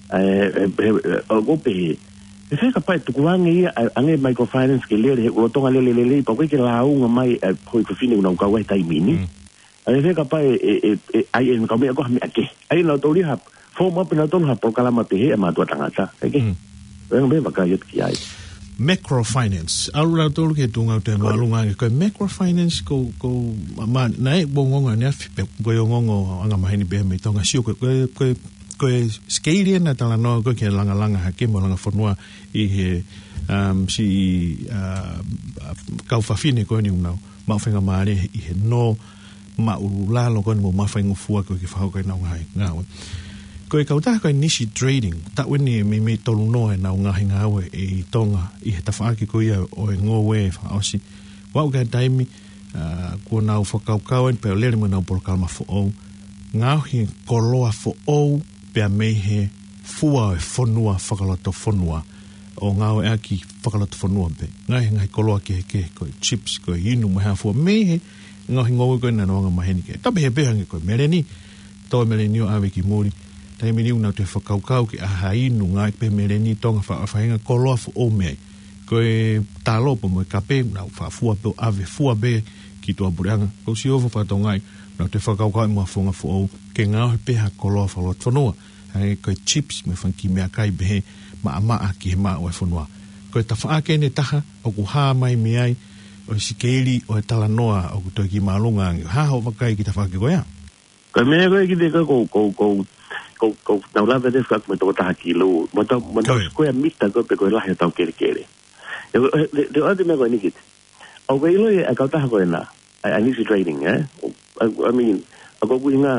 ʻE, ʻe, ʻe, ʻe, ʻoku ou pehē. ʻE fē kapau ʻe tukuange ia, ʻa, ange microfinance ke lele, he ʻoku lolotonga lele lelei, pea ʻoku ʻikai ke lāunga mai, ʻa e houʻeiki fefine ʻoku nau kau ai he taimi ni. Mm. ʻE fē kapau ʻe, ʻe, ʻe, ʻe, ʻai ʻe kau meʻa ko ha meʻa kehe. ʻAi nautolu ia ha, form up nautolu ha polokalama pehē ʻa e mātuʻa tangata. ʻEke. Mm. ʻE ngā meʻa vakai atu ki ai. Microfinance. ʻAlu nautolu ki he tuʻunga ʻoku te māʻolunga ange. Ko e microfinance ko, ko, ma, ma, naʻe ʻi ai e ongoongo ʻaneafi pe, ko e ongoongo anga maheni pē mei Tonga, sio ko, ko, ko, ko e skeili ena talanoa ko ē ke langalanga hake mo langa fonua ʻi he, um, siʻi, uh, kau fefine ko eni ʻoku nau maʻu faingamālie ʻi he nō māʻulalo ko eni mo mafaingofua ko ē ke fakahoko ʻenau ngaahi ngāue. Ko e kautaha ko e Nisi Trading, taʻu eni ʻe meimei tolu noa ʻenau ngaahi ngāue ʻi Tonga ʻi he tafaʻaki ko ia ʻo e ngoue fakaʻosi. Ua ʻo ka taimi, ʻa, kuo nau fakakaukau eni pea lele mo ʻenau polokalama foʻou. Ngaohi koloa foʻou pea mei he fua ʻo e fonua fakalotofonua. ʻO ngāueʻaki fakalotofonua pē. Ngaahi, ngaahi koloa kehekehe ko e chips, ko e inu, mo e hā fua mei he ngaohi ngoue ko ē naʻa nau anga maheni ki ai. Tapu pehē pē hangē ko e meleni, tō e meleni ʻo ʻave ki muli. Taimi ni ʻoku nau toe fakakaukau ke ʻai ha inu ngāueʻaki pē meleni Tonga fa-, faʻahinga koloa foʻou mei ai. Ko e talo pea mo e kape, nau faʻa fua pē ʻo ʻave fua pē ki tuʻapuleʻanga. Ko e sio fakatonga ai, nau toe fakakaukau mo ha founga foʻou, ke ngaohi pē ha koloa fakalotofonua. Hangē ko e chips mo e fanga kiʻi meʻakai pehē maʻamaʻa ki he maʻu ʻo e fonua. Ko e tafaʻaki eni ʻe taha, ʻoku hā mai mei ai, ʻo e skeili ʻo e talanoa ʻoku toe kiʻi māʻolunga ange. Hā hoʻo vakai ki he tafaʻaki ko ia? Ko e meʻa ko ē ki te ko, ko, ko, ko, ko, ko, nau lave te fak me toko taha kilu. Mo tau, mo tau Ko ia. square mita ko ē pe ko e lahi ʻo e tau kelekele. ʻE, ʻe, ʻe, ʻe, ʻa e meʻa ko eni ki te. ʻOku ke ʻilo ʻa e kautaha ko ena, ʻa e, ʻa e Nisi Trading, ē? ʻO, I, I mean, ʻoku ʻuhinga,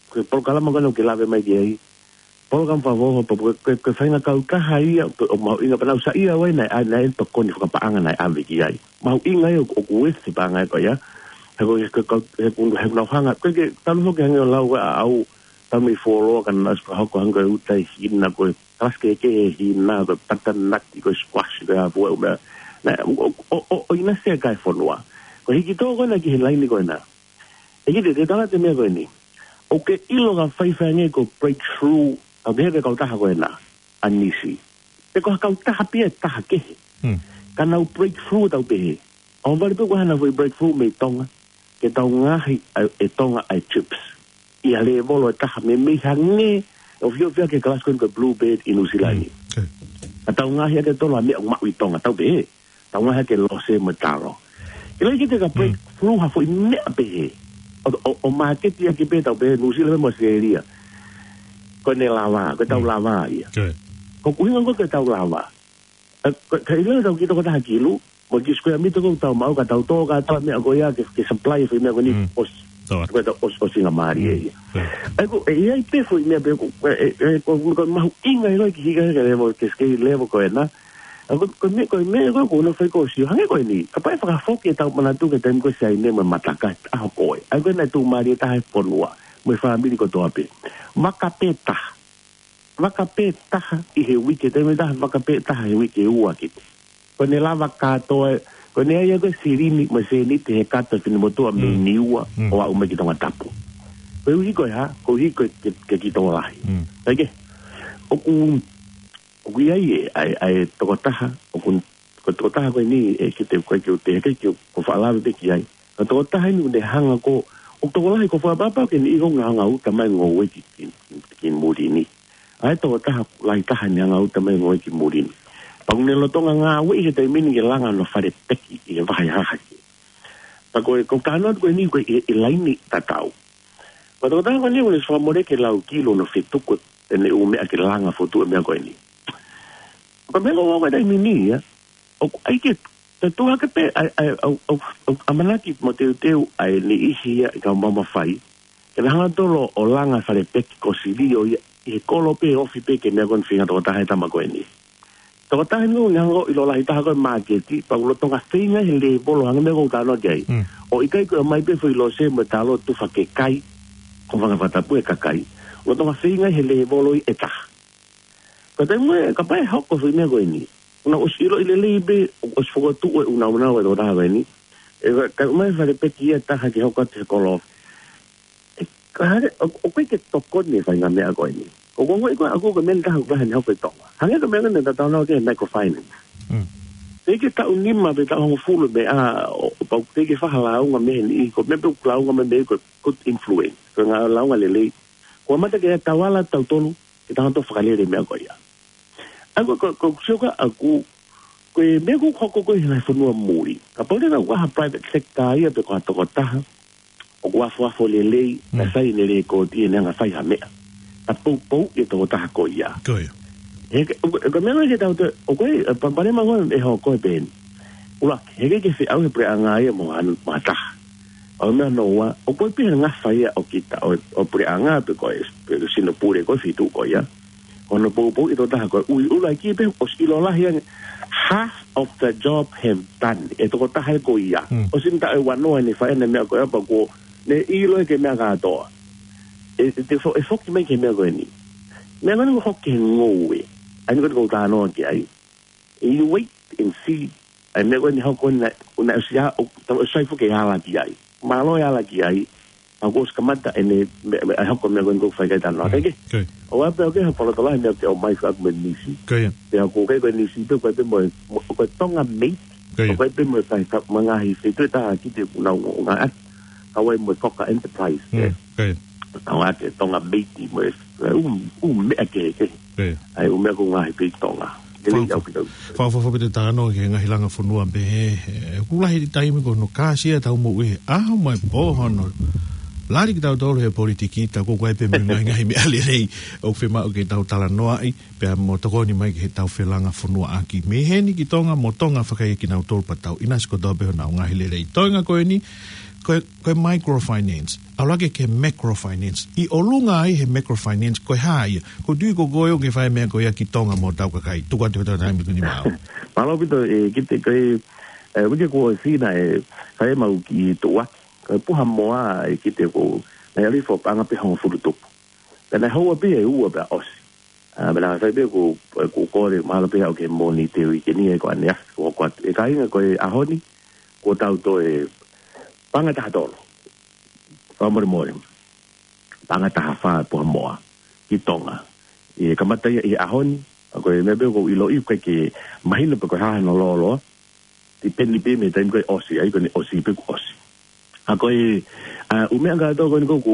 ko e polokalama ko ena ʻoku ke lave mai ki ai. Polokalama fakafoʻou, pe ko e, ko e, ko e faʻahinga kautaha ia, ʻo, ʻo mahuʻinga pea nau saiʻia ai naʻe, ʻa, naʻe tokoni fakapaʻanga naʻe ʻave ki ai. Mahuʻinga ia ʻoku, ʻoku ʻosi e paʻanga ko ia. He ko, he ko, he ko, he ko nau hanga, ko e ke, talu foki hangē ʻo lau ʻa au, tau mei fuoloa ka nau ʻosi fakahoko hangē ko e uta ʻi Hina, ko e kalasi kehekehe ʻi Hina, ko e patanaki, ko e squash, ko e hā fua ʻū meʻa. Naʻe, ʻo, ʻo, ʻo, ʻo, ʻo ʻinasi ʻa e kakai fonua. Ko e hiki tō ko ena ki he laini ko ena. ʻE ki te, te tala atu e meʻa ko eni. ʻOku ke ʻilo ka faifai ange ko e breakthrough, ʻa e pehē ʻe he kautaha ko ena, ʻa Nisi. Pe ko ha kautaha pē ia ʻe taha kehe. Hmm. Ka nau breakthrough tau pehē. ʻOhovale pē ko e hā ʻenau foʻi breakthrough mei Tonga. Ke tau ngaohi ʻa e Tonga ʻa e chips. ʻi ha lēvolo ʻe taha, meimei hangē ʻoku fiefia ki he kalasi ko eni ko e Bluebird ʻi Nuʻusila ni. Mm, okay. Ka tau ngaohi ʻaki e tolo ha meʻa ʻoku maʻu ʻi Tonga, tau pehē, tau ngaohi ʻaki e lose mo e talo. Ke lava ke te ka break, mm, through ha foʻi meʻa pehē. ʻO, ʻo, ʻo māketi ʻaki pē tau pehē, Nuʻusila mo ʻAositelēlia. Ko ʻene lava, ko ʻetau, mm, lava ia. Okay. Ko e ʻuhinga ko ē ko ʻetau lava. ʻE, ko, ka ʻi ai e tau kiʻi tokotaha kilu, mo e kiʻi square meter ko ē ʻoku tau maʻu ka tau tō kātoa e meʻa ko ia ke, ke supply e foʻi meʻa ko eni, mm, ʻosi. Tō atu. Ko ʻetau ʻosi, ʻosi ngamālie ia. Mm. ʻE, ko, ʻe, ʻi ai pē foʻi meʻa pē ko, ʻe, ʻe, ʻe, ko, ko e mahuʻinga ʻi loto ki he hika ke level, ke scale level ko ena. ʻE, ko, ko e meʻa, ko e meʻa ko ē ʻoku ou fai ko ē ʻo sio, hangē ko eni. Kapau ʻe fakafoki ʻetau manatu ki he taimi ko ē ʻo Saine mo e Mataka he ʻaho ko ē. ʻA ia ko ena e tuʻumālie taha e fonua, mo e fāmili kotoa pē. Vaka pē taha. Vaka pē taha ʻi he uike, taimi ʻe taha, vaka pē taha he uike ʻe ua kiti. Ko ʻene lava kātoa, ko ʻene ʻai ko ē silini mo e sēniti he kato e finemotuʻa mei, mm, Niua, mm, ʻo aʻu mai ki Tongatapu. Koeʻuhi ko e hā, koeʻuhi ko e, ke, ke kiʻi tokolahi. Mm. Kae kehe, ʻoku, ʻoku ʻi ai e, ʻa e, ʻa e tokotaha, ʻoku, ko e tokotaha ko eni ʻe, ke te, ko e ke u te, ke, ke u, ko e faʻa lave pē ki ai. Ka tokotaha eni ʻoku ne hanga ko, ʻoku tokolahi ko e fakapapau ke ne ʻilo ngaahi anga uta mai ngoue ki, ki, ki, ki muli ni. ʻA e tokotaha lahi taha ʻene anga uta mai ngoue ki muli ni. Pea ʻoku ne lolotonga ngāueʻi he taimi ni ke langa hono fale peki ʻi he vahaʻa hahake. Pea ko e, ko e talanoa ko eni ko e, ʻi, ʻi he laine tatau. Ko e tokotaha ko eni ʻoku ne fakamole ke lau kilu hono fetuku ʻene ʻū meʻa ke langa fokotuʻu e meʻa ko eni. Ko e meʻa ko ē ko e taimi ni ia, ʻoku ʻai ke, te tuʻu hake pē, ʻa e, ʻa e, ʻa e, ʻa e, ʻa e, ʻamanaki mo teuteu ʻa e niʻihi ia ʻi he kau maʻu mafai. Ke na hanga tolo ʻo langa fale peki ko e silio ia, ʻi he kolo pē ofi pē ki he meʻa ko eni feinga tokotaha e tama ko eni. Tokotaha eni ʻoku ne hanga ʻo ʻilo lahi taha ko e māketi, pea ʻoku lolotonga feinga he lēvolo hangē ko e meʻa ʻoku ou talanoa ki ai. Mm. ʻO ʻikai ko e ʻomai pē foʻi lose mo e talo tufa ke kai, ko e fanga fakatapu e kakai. Lolotonga feinga he lēvolo ʻe taha. Ka taimi ē, kapau ʻe hoko foʻi meʻa ko eni. ʻOku nau ʻosi ʻiloʻi lelei pē, ʻoku ʻosi fokotuʻu e ʻunauna ʻo e tokotaha ko eni. ʻE ka, ka ʻomai fale peki ia ʻe taha ke hoko atu he kolo. ʻE, ka hale, ʻo, ʻoku ʻikai ke tokoni e faʻahinga meʻa ko eni. ʻOku ou ongoʻi ko ē ʻaku ko e meʻa ʻe taha ʻoku lahi ʻene hoko ʻi Tonga. Hangē ko e meʻa ko eni ʻoku tau talanoa ki he microfinance. Mm. Teʻeki ke taʻu nima pe taʻu hongofulu meʻa, ʻo, ʻo pau teʻeki ke fai ha lāunga mei heni, ko e meʻa pē ʻoku lāunga mai mei ai ko e good influence. Ko e ngaahi lāunga lelei. Ko e mata ke tau ala tautolu, ke tau hanga ʻo fakalele e meʻa ko ia. ʻA ia ko, ko, ko e sio ko ē ʻaku, ko e meʻa ʻoku hoko ko ē he ngaahi fonua muli. Kapau leva ʻoku ʻi ai ha private sector ia pe ko ha tokotaha, ʻoku afuafu lelei, mm, naʻe sai ʻene lēkooti ʻene anga fai ha meʻa. Ka poupou e tokotaha ko ia. Ko ia. He, ko, ko e meʻa ko ē ke tau te, ʻoku ʻi ai, ʻa e palopalema ko ē ʻe hoko ko ē pē eni. ʻUluaki, heʻikai ke feʻauhi e puleʻanga ia mo ha, mo ha taha. ʻA ia meʻa hono ua, ʻoku ʻi ai pē ha ngafa ia ʻo kita, ʻo, ʻo puleʻanga pe ko e, pe ko e sino pule ko ē feituʻu ko ia. Ko hono poupou e tokotaha ko ē ʻoku ʻuluaki pē ʻosi ʻilo lahi ange, half of the job have done. E tokotaha ko ia. Hmm. ʻOsi mita e wano ʻene fai ʻene meʻa ko ia pea kuo ne ʻilo ia ki he meʻa kātoa. ʻE, ʻe, te fo-, ʻe foki mai ki he meʻa ko eni. Meʻa ko eni ʻoku hoko ki he ngoue. ʻA ia ko eni ʻoku ou talanoa ki ai. You wait and see. ʻA e meʻa ko eni hoko naʻe, naʻe ʻosi ʻa, ʻo, tau ʻosi sai foki e ala ki ai. Mālō e ala ki ai. ʻA ia kuo ʻosi kamata ʻene, me, me, ʻa e hoko meʻa ko eni ʻoku ou fai ki ai e talanoa. Mm. Kae kehe. Okay. ʻOku ʻi ai pē ʻoku ʻi ai ha palopalema meʻa ke ʻomai faʻa ko e nisi. Okay. Pea ʻoku ʻikai ko e nisi pē, ʻoku ʻi ai pē mo e, mo, ko e Tonga made. Okay. ʻOku ʻi ai pē mo e kai ka, mo e ngaahi feituʻu ʻe taha ki he ʻunauna ʻo ngā ʻaki. Kau ai mo e Coca Enterprise. Mm. Okay. Kau ʻaki e Tonga made mo e, ʻū, ʻū meʻa kehekehe. Pē. ʻA ia, ʻū meʻa ʻoku ngaohi pē ʻi Tonga. Ke lei Fa-, au ki tau. Fa-, fa-, fa-, pē te talanoa ki he ngaahi langa fonua pē he, he, ʻoku lahi e taimi ko hono kāsia ʻetau moʻui he ʻaho mo e pō hono lali kitautolu he politiki, tā ko ē ʻoku ʻi ai pē mo e ngaahi, ngaahi meʻa lelei ʻoku fiemaʻu ke tau talanoaʻi, pea mo tokoni mai ki heʻetau felanga fonuaʻaki. Mei heni ki Tonga mo Tonga fakaia kinautolu pea tau ʻinasi kotoa pē honau ngaahi lelei. Toenga ko eni, ko e, ko e microfinance. ʻAlu hake ki he macrofinance. ʻI ʻolunga ai he macrofinance, ko e hā ia? ʻOku ou tui ko koe ʻoku ke fai e meʻa ko ia ki Tonga mo hotau kakai. Tuku atu ki he taimi ko eni maʻau. Mālō ʻaupito, ʻe, ki he, ko e, ʻe, uike kuo ʻosi naʻe fai ʻemau kiʻi tuʻuaki. Ko e puha moa, ʻe, ki he ko, naʻe ʻalu hifo paʻanga pē hongofulu tupu. Pea naʻe houa pē ʻe ua pea ʻosi. ʻA, pea naʻe fai pē ko, ko kole, mahalo pē ʻoku ke monitor e uike ni ʻe ko ʻaneafi, ko, ko atu. ʻE kāinga ko e ʻaho ni, kuo tau toe paʻanga taha tolu. Fakamolemole. Paʻanga taha fā puha moa ki Tonga. ʻE kamata ia ʻi he ʻaho ni, ʻa ko e meʻa pē ʻoku ou ʻiloʻi ʻoku ʻikai ke mahino pe ko e hā hono lōloa, depend pē mei he taimi ko ē ʻosi, ʻa ia ko eni ʻosi pē kuo ʻosi. ʻA ko e, ʻa, ʻū meʻa kātoa ko eni ʻoku,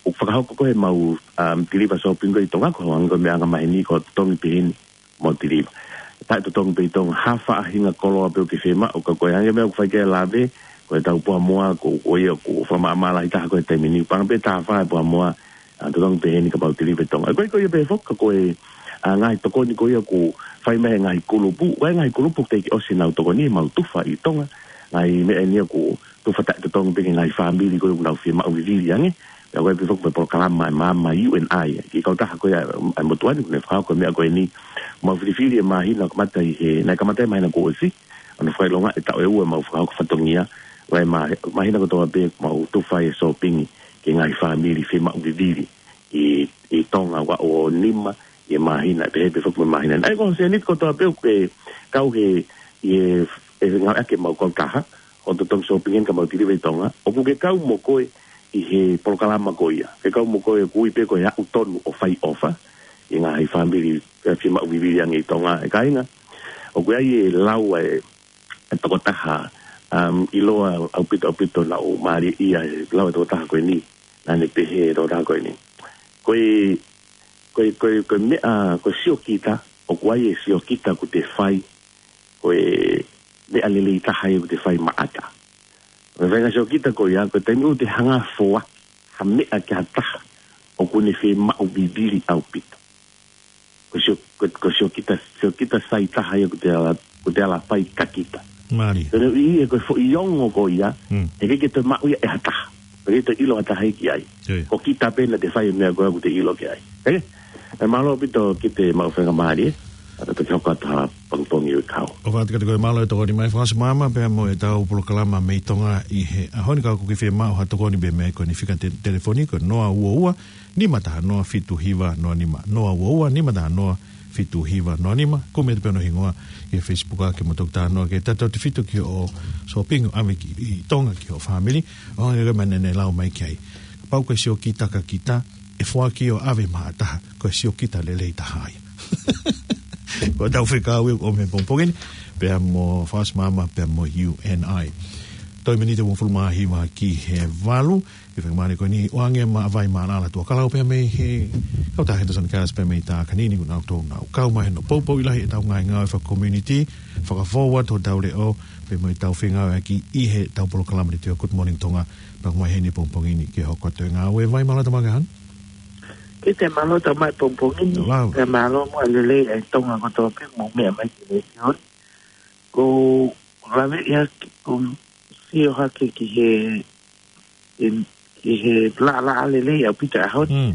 ʻoku fakahoko ko ē ʻemau, um, tiliva shopping ko ē ʻi Tonga, ko e hangē ko e meʻa angamaheni ko e totongi pē heni ʻemau tiliva. Taʻetotongi pē ʻi Tonga, ha faʻahinga koloa pē ʻoku ke fiemaʻu, ka ko e hangē meʻa ʻoku fai ki ai e lave, ko e tau puha moa, ko, ko ia, ʻoku fakamaʻamaʻa lahi taha ko ē he taimi ni, panga pē taha fā e puha moa, ʻa, totongi pē heni ka mau tiliva ʻi Tonga. Ko e, ko ia pē foki, ka ko e, ʻa, ngaahi tokoni ko ia ʻoku fai mei he ngaahi kulupu, ko e ngaahi kulupu teʻeki ʻosi nau tokoni, mau tufa ʻi Tonga, ngaahi meʻa eni ʻoku tufa taʻetotongi pē ki he ngaahi fāmili ko ē ʻoku nau fiemaʻu vivili ange. Pea ko e pē foki mo e polokalama ʻa e maama U N I, ki he kautaha ko ia ʻa e motuʻa ni, ʻoku ne fakahoko e meʻa ko eni. Mau filifili e māhina kamata ʻi he, naʻe kamata ʻi he māhina kuo ʻosi, ʻo ne fakaʻilonga e taʻu ʻe ua ʻemau fakahoko fatongia, ʻa e mā-, māhina kotoa pē mau tufa e shopping ki he ngaahi fāmili fiemaʻu vivili ʻi, ʻi Tonga, ua ʻo nima ʻi he māhina, pehē pē foki mo e māhina. ʻA ia ko e seniti kotoa pē ʻoku ke kau he, ʻi he, ʻe ngāueʻaki ʻemau kautaha, ʻo totongi shopping eni ka mau tiliva ʻi Tonga, ʻoku ke kau mo koe ʻi he polokalama ko ia. Ke kau mo koe ʻoku ui pē ko e aʻu tonu ʻo fai ʻofa ʻi he ngaahi fāmili, ʻa, fiemaʻu vivili ange ʻi Tonga, ʻe kāinga. ʻOku ʻi ai e lau ʻa e, e tokotaha, um, ʻiloa ʻaupito, ʻaupito naʻa ku mālieʻia he lau e tokotaha ko eni, naʻa ne pehē e tokotaha ko eni. Ko e, ko e, ko e, ko e meʻa, ko e siokita, ʻoku ʻi ai e siokita ʻoku te fai, ko e meʻa lelei taha ia ʻoku te fai maʻata. Ko e faʻahinga siokita ko ia, ko e taimi ʻoku te hanga ʻo foaki ha meʻa ki ha taha ʻoku ne fiemaʻu vivili ʻaupito. Ko e sio-, ko e, ko e siokita, siokita sai taha ia ʻoku te ala, ʻoku te ala fai kia kita. Mālie. Ko e ʻuhinga ko e foʻi ongo ko ia, Mm. ʻe ʻikai ke toe maʻu ia ʻe ha taha. ʻIkai ke toe ʻilo ha taha ia ki ai. Ko ia. Ko kita pē naʻa te fai e meʻa ko ē ʻoku te ʻilo ki ai. Ē? ʻE mālō ʻaupito ki he maʻu faingamālie, ʻa, ka toki hoko atu ha pongipongi ʻo e kau. ʻOfa atu kiate koe, mālō e tokoni mai, Fakaʻosi Maama, pea mo e tau polokalama mei Tonga ʻi he ʻaho ni. Ka ʻoku ke fiemaʻu ha tokoni pē mei he ko eni fika te-, telefoni ko e noa ua ua, nima taha noa fitu hiva noa nima, noa ua ua, nima taha noa fitu hiva noa nima. Kumi atu pē hono hingoa ki he Facebook ʻa ke mo toki talanoa ki he tautautefito ki hoʻo shopping ʻo ʻave ki, ʻi Tonga ki hoʻo fāmili, ʻo hangē ko e meʻa naʻa ne lau mai ki ai. Kapau ko e siokita kia kita, ʻe foaki ʻo ʻave maʻa ha taha, ko e siokita lelei taha ia. Ko e tau fekau ia ʻo e pongipongi ni, pea mo Fakaʻosi Maama, pea mo U N I. Toe miniti ʻe uofulu mā hiva ki he valu, ʻi he faingamālie ko eni, ʻoange maʻa Vai Mālala Tuʻakalau pea mei he kautaha Henderson Cars pea mei Takanini, ʻoku nau tō nau kau mai hono poupouʻi lahi e tau ngaahi ngāue faka-community, fakafou atu hotau leʻo, pea mo e tau fengāueʻaki ʻi he tau polokalama ni ʻa e Good Morning Tonga, pea mai heni pongipongi ni ke hoko atu e ngāue. Vai Mālala, tau maʻu e hā? Kiate mālō, tau maʻu e pongipongi ni. Lau. Pea mālō muʻa e lelei ʻa e Tonga kotoa pē ʻoku mou meʻa mai ki he letiō ni. Ko e lave ia ki, ko e sio hake ki he, ki he laʻalaʻā lelei ʻaupito ʻaho ni. Mm.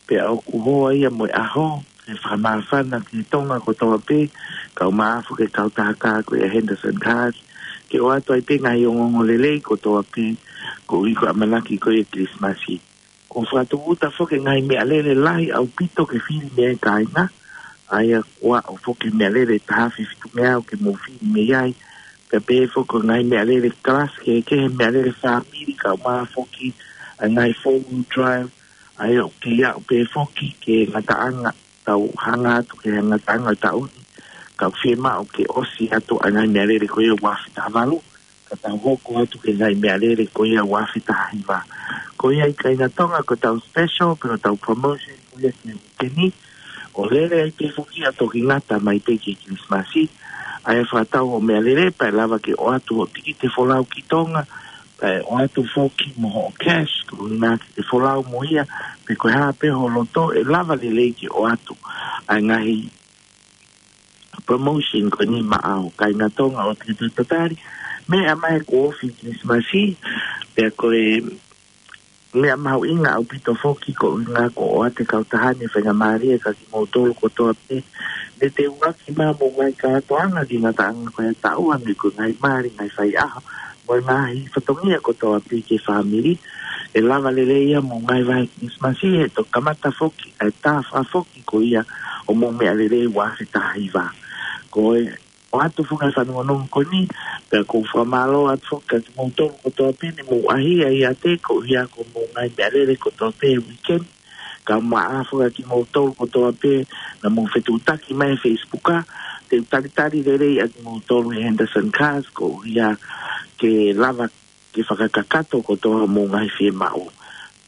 Pea ʻoku hoa ia mo e ʻaho, ke fakamāfana ki he Tonga kotoa pē, kae ʻumaʻā foki e kautaha kā ko ia Henderson Cars, ke ʻoatu ai pē ngaahi ongoongo lelei kotoa pē, koeʻuhi ko e ʻamanaki ko ia e Kilisimasi. Ko e fakatūʻuta foki e ngaahi meʻalele lahi ʻaupito ke fili mei ai e kāinga, ʻa ia ko e ʻoatu foki e meʻalele taha afe fitu meau ke mou fili mei ai, pea pehē foki ko e ngaahi meʻalele kalasi kehekehe, meʻalele fāmili kae ʻumaʻā foki ʻa e ngaahi four wheel drive, ʻa ia ʻoku kei aʻu pē foki ki he ngataʻanga, tau hanga atu ki he ngataʻanga ʻo e taʻu ni, ka ʻoku fiemaʻu ke ʻosi atu ʻa e ngaahi meʻalele ko ia ua afe taha valu, ka tau hoko atu ki he ngaahi meʻalele ko ia ua afe taha hiva. Ko ia ʻi he kāinga Tonga ko e tau special, pe ko e tau promotion ko ia ki he uike ni, ʻo lele ai pē foki ʻa e toki ngata mai pē ki he Kilisimasi, ʻa ia fakatau hoʻo meʻalele, pea ʻe lava ke ʻoatu hoʻo tikite folau ki Tonga, pea ʻe ʻoatu foki mo hoʻo cash, ko e ngaahi tikite folau mo ia, pe ko e hā pē ho loto, ʻe lava lelei ke ʻoatu ʻa e ngaahi promotion ko eni maʻau kāinga Tonga ʻoku te tatali. Meʻa mai kuo ofi e Kilisimasi, pea ko e meʻa mahuʻinga ʻaupito foki koeʻuhi ko e ʻoatu e kautaha ni e faingamālie kia kimoutolu kotoa pē. Ne te uaki mai homou ngaahi kātoanga ki he ngataʻanga ko ia e taʻu, ʻa ia ko e ngaahi mali, ngaahi faiʻaho, mo e ngaahi fatongia kotoa pē ki he fāmili. ʻE lava lelei ia homou ngaahi vahe Kilisimasi, he toki kamata foki ʻa e taha fā foki ko ia ʻo homou meʻalele ua afe taha hiva. Ko e ʻoatu foki e fanongonongo ko eni, pea ʻoku ou fakamālō atu foki kia kimoutolu kotoa pē ne mou ʻahiʻahi ʻiate koeʻuhi ko homou ngaahi meʻalele kotoa pē he uike ni. Kae ʻumaʻā foki kia kimoutolu kotoa pē naʻa mou fetuʻutaki mai he Facebook, ʻa, te u talitali lelei ʻa kimoutolu ʻe he Henderson Cars koeʻuhi ke lava ke fakakakato kotoa homou ngaahi fiemaʻu.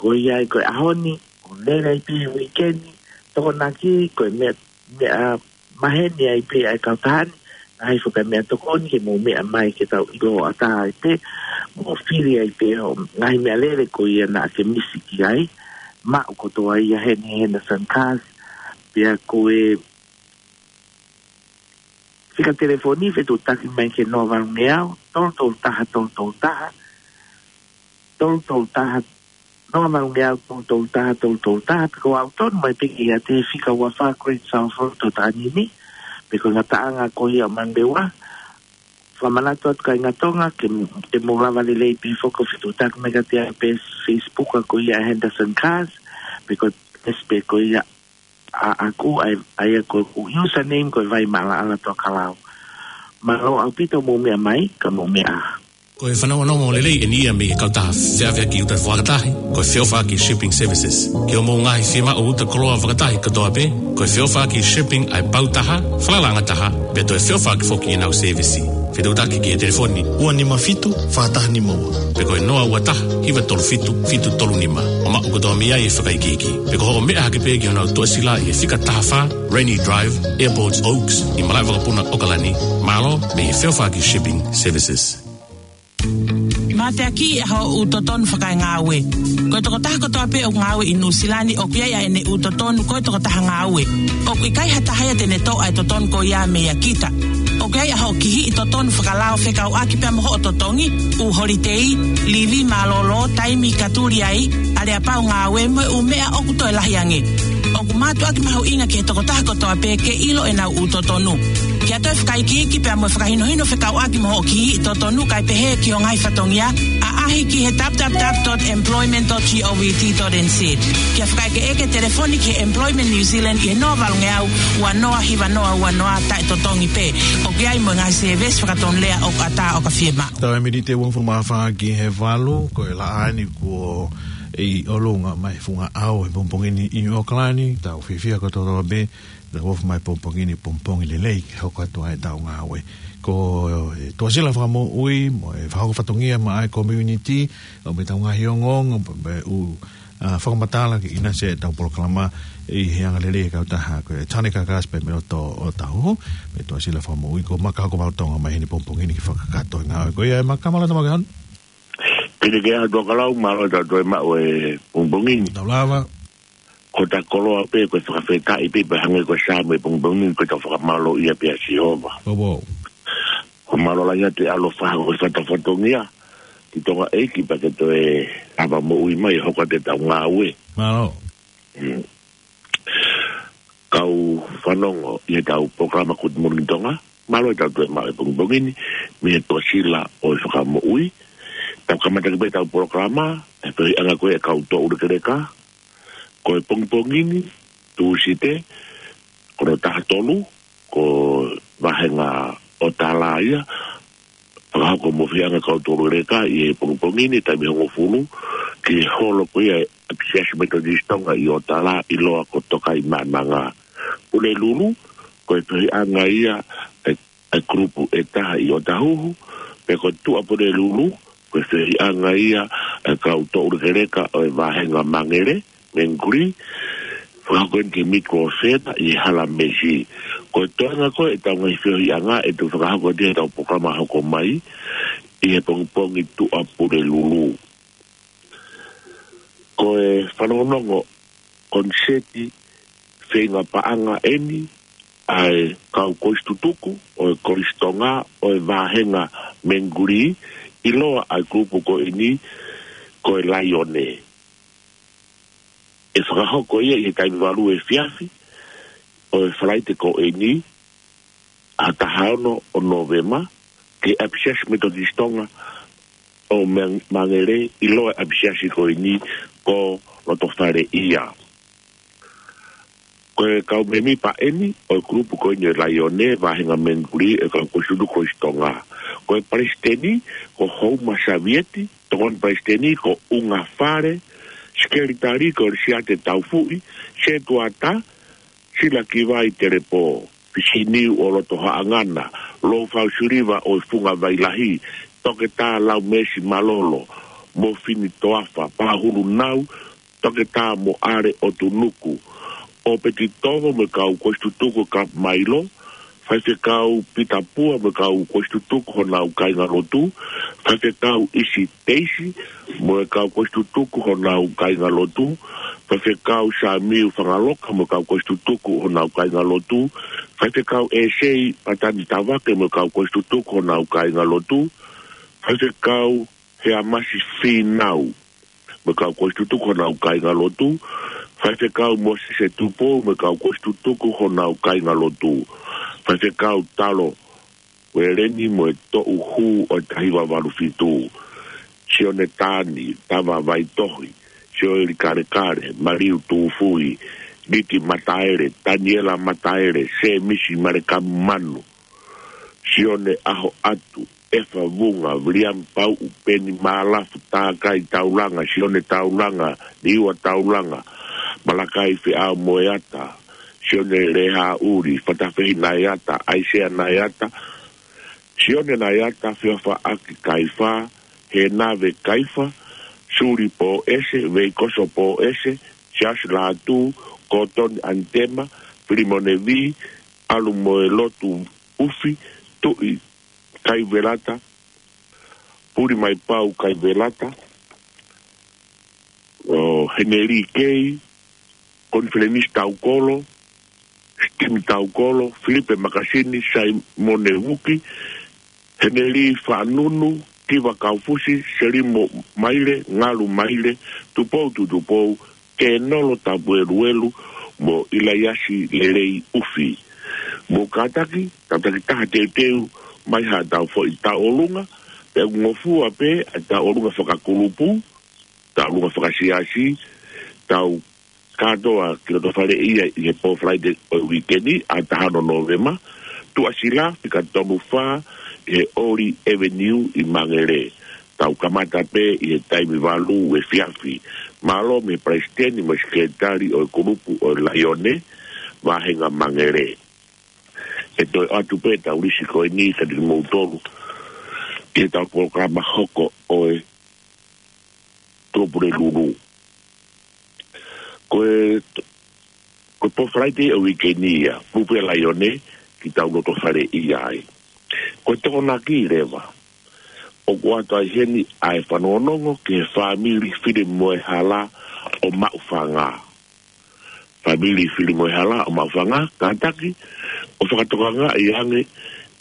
Ko ia ai ko e ʻaho ni, ʻo lele ai pē uike ni, Tokonaki, ko e meʻa, meʻa maheni ai pē ʻa e kautaha ni, ʻa e foki meʻatokoni ke mou meʻa mai ke tau ʻilo ʻatā ai pē, mou fili ai pē ʻo ngaahi meʻalele ko ia naʻa ke misi ki ai, maʻu kotoa ia heni he Henderson Cars, pea ko e fika telefoni fetuʻutaki mai ki he noa valu ngeau, tolu tolu taha, tolu tolu taha, tolu tolu taha, noa valu ngeau, tolu tolu taha, tolu tolu taha, pe ko e ʻalu tonu mai pē ki he fika ua fā Great South Road ʻo Taʻanini, pe ko e ngataʻanga ko ia ʻo Manurewa. Fakamanatu atu kāinga Tonga, ke, ke mou lava lelei pē foki ʻo fetuʻutaki mai kiate au pē Facebook ko ia Henderson Cars, pe ko e page pē ko ia ʻaʻaku, ʻa ia, ʻa ia ko e username ko e Vai Maʻalaʻala Tokalau. Mālō ʻaupito mou meʻa mai, ka mou meʻa. Ko e fanongonongo lelei eni ia mei he kautaha feʻaveʻaki uta fakatahi, ko e Feʻofaʻaki Shipping Services. Ki hoʻomou ngaahi fiemaʻu uta koloa fakatahi kotoa pē, ko e Feʻofaʻaki Shipping ʻa e pau taha, falalaʻanga taha, pea toe feʻofaʻaki foki ʻenau sēvesi. Fetuʻutaki ki he telefoni ua nima fitu, fā taha nima ua. Pe ko e noa ua taha, hiva tolu fitu, fitu tolu nima. ʻO maʻu kotoa mei ai e fakaikiiki. Pe ko hoʻo meʻa hake pē ki honau tuʻasila ʻi he fika taha fā, Rainy Drive, Airport Oaks, ʻi Malaʻevakapuna, ʻAokalani. Mālō, mei he Feʻofaʻaki Shipping Services. Mateaki ʻa hoʻo totonu fakaengāue. Ko e tokotaha kotoa pē ʻoku ngāue ʻi Nuʻusila ni ʻoku ʻi ai ʻene ʻū totonu ko e tokotaha ngāue. ʻOku ʻikai ha taha ia te ne toʻo ʻa e totonu ko ia meia kita. ʻOku ʻi ai ʻa hoʻo kihiʻi totonu fakalao fekauʻaki pea mo hoʻo totongi, ʻū holitei, livi mālōlō, taimi ka tuli ai, aleapau ngāue mo e ʻū meʻa ʻoku toe lahi ange. ʻOku mātuʻaki mahuʻinga ki he tokotaha kotoa pē ke ʻilo ʻenau ʻū totonu. Ke ʻoatu e fakaikiiki pea mo e fakahinohino fekauʻaki mo hoʻo kihiʻi totonu kae pehē ki ho ngaahi fatongia, ʻaʻahi ki he w w w dot employment dot govt dot n z. Ke fakaʻekeʻeke telefoni ki he Employment New Zealand ʻi he noa valu ngeau, ua noa hiva noa ua noa taʻetotongi pē. ʻOku ʻi ai mo e ngaahi sēvesi fakatonulea ʻoku ʻatā ʻo ka fiemaʻu. Taimi ni ʻe uofulu mā fā ki he valu, ko e laʻā ni kuo ʻi ʻolunga mai he funga ʻao he pongipongi ni ʻi ʻAokalani, tau fiefia kotoa pē, tau ofi mai pongipongi ni pongipongi lelei ke hoko atu ai ʻetau ngāue. Ko e Tuʻasila Fakamoʻui, mo e fakahoko fatongia maʻa e community, ʻo mo ʻetau ngaahi ongoongo, mo e ʻū, ʻa, fakamatala ke ʻinasi ʻetau polokalama ʻi he anga lelei e kautaha ko e Tane Kakasi pea mo e loto ʻo Tahuhu, mo e Tuʻasila Fakamoʻui ko Maka Hokomalu Tonga mai heni pongipongi ni ke fakakakato e ngāue. Ko ia e Maka, mālō e tau maʻu e hon. Pili ke ʻaho Tokalau, mālō e tau toe maʻu e pongipongi ni. Tau lava. Ko ʻeta koloa pē, ko e fakafetaʻi pē, pea hangē ko e Saame pongipongi ni, ko ʻeta fakamālō ia pē ʻa Sihova. Ko wau. Ko mālō lahi atu e ʻaloʻofa ko e fakatafatongia ki Tonga ʻEiki pea ke toe ʻave moʻui mai hoko atu ʻetau ngāue. Mālō. Mm. Kau fanongo ʻi heʻetau polokalama Good Morning Tonga, mālō e tau toe maʻu e pongipongi ni, mei he Tuʻasila ʻo e Fakamoʻui. Tau kamata ki pē ʻetau polokalama, ʻe pehē ʻanga ko e kau tō ʻulekeleka, ko e pongipongi ni, Tūsite, ko hono taha tolu, ko e vāhenga ʻo Tala ia, fakahoko mo e fehiʻanga kau tō ʻulekeleka ʻi he pongipongi ni taimi hongofulu, ki he holo ko ia ʻa e ʻApisiasi Metotisi Tonga ʻi ʻOtala ʻiloa ko Tokaimaʻananga. Pulelulu, ko e fehiʻanga ia ʻa e, ʻa e kulupu ʻe taha ʻi ʻOtahuhu, pea ko Tuʻapulelulu, ko e fehiʻanga ia ʻa e kau tō ʻulekeleka ʻo e vāhenga Mangere, Menguli, fakahoko eni ki he Mid World Centre ʻi he Hala Meisi. Ko e toenga ko ē ʻetau ngaahi fehiʻanga ʻe toe fakahoko atu ʻi heʻetau polokalama hoko mai ʻi he pongipongi Tuʻapulelulu. Ko e fanongonongo koniseti feinga paʻanga eni ʻa e kau kolisi tutuku ʻo e Kolisi Tonga ʻo e vāhenga Menguli, ʻiloa ʻa e kulupu ko eni ko e Laione. ʻE fakahoko ia ʻi he taimi valu efiafi ʻo e Falaite ko eni, ʻa e taha ono ʻo Nōvema, ki he ʻApisiasi Metotisi Tonga ʻo Mang-, Mangere, ʻiloa e ʻapisiasi ko eni ko Lotofale ia. Ko e kau mēmipa eni ʻo e kulupu ko eni ʻo e Laione, vāhenga Menguli, ʻo e kau kolisi tutuku Kolisi Tonga. Ko e palesiteni ko Houma Savieti, tokoni palesiteni ko ʻUnga Fale, sekelitali ko Lisiate Taufuʻi, setuata, Sila Kivai Telepō, Fisiniu ʻo Lotohaʻangana, Lofau Siliva ʻo e Funga Vailahi, Toketā Laumesi Malolo, mo Fini Toafa, Pahulu Nau, Toketā mo ʻAle ʻOtunuku. ʻOpeti Tovo mo e kau kolisi tutuku ʻo Kapemailo. Faifekau Pita Pua mo e kau kolisi tutuku honau kāingalotu. Faifekau ʻIsi Teisi mo e kau kolisi tutuku honau kāingalotu. Faifekau Samiu Fangaloka mo e kau kolisi tutuku honau kāingalotu. Faifekau ʻEsei Patani Tavake mo e kau kolisi tutuku honau kāingalotu. Faifekau Heamasi Fīnau mo e kau kolisi tutuku honau kāingalotu. Faifekau Mōsese Tupou mo e kau kolisi tutuku honau kāingalotu. Faifekau Talo Ueleni mo e toʻu hū ʻo e taha hiva valu fitu. Sione Tani, Tava Vaitohi, Sioeli Kalekale, Maliu Tufui, Liti Mataele, Taniela Mataele, Semisi Malekam Manu, Sione ʻAhoʻatu, ʻEfa Vunga, Viliami Pauʻu, Peni Malafu, Takai Taulanga, Sione Taulanga, Liua Taulanga, Malakai Feʻamoeata, Sione Lehaʻuli, Fatafehi Naiata, ʻAisea Naiata, Sione Naiata, Feofaʻaki Kaifa, Henave Kaifa, Suli Poese, Veikoso Poese, Siasi Latu, Kotoni Antema, Filimone Vi, ʻAlu mo e Lotu Ufi, Tuʻi Kaivelata, Puli Mai Pau Kaivelata, ʻo Heneli Kei, Konifelenisi Taukolo, Sitimi Taukolo, Filipe Makasini, Saimone Vuki, Heneli Faʻanunu, Kiva Kaufusi, Selimo Maile, Ngalu Maile, Tupou Tutupou, Kenolo Tapueluelu, mo ʻIlaiasi Lelei Ufi. Mou kātaki, tau takitaha teuteu mai haʻatau foʻi tauʻolunga, pea ʻoku ngofua pē ʻa e tauʻolunga fakakulupu, tauʻolunga fakasiasi, tau kātoa ki loto fale ia ʻi he pō Falaite ʻo e uike ni, ʻa taha ono Nōvema, Tuʻasila, fika tolu fā, ʻi he Oli Avenue ʻi Mangere. Tau kamata pē ʻi he taimi valu ʻo e efiafi. Mālō mei he palesiteni mo e sekelitali ʻo e kulupu ʻo e Laione, Vahenga Mangere. ʻE toe ʻoatu pē ʻetau lisi ko eni kiate kimoutolu, ki heʻetau polokalama hoko ʻo e Tuʻapulelulu. Ko e, ko e pō Falaite ʻo e uike ni ia, Lupe Laione, ki tau loto fale ia ai. Ko e Tokonaki leva, ʻoku ʻoatu ai heni ʻa e fanongonongo ki he fāmili Filimoehala ʻo Maʻufanga. Fāmili Filimoehala ʻo Maʻufanga, kātaki ʻo fakatokangaʻi ange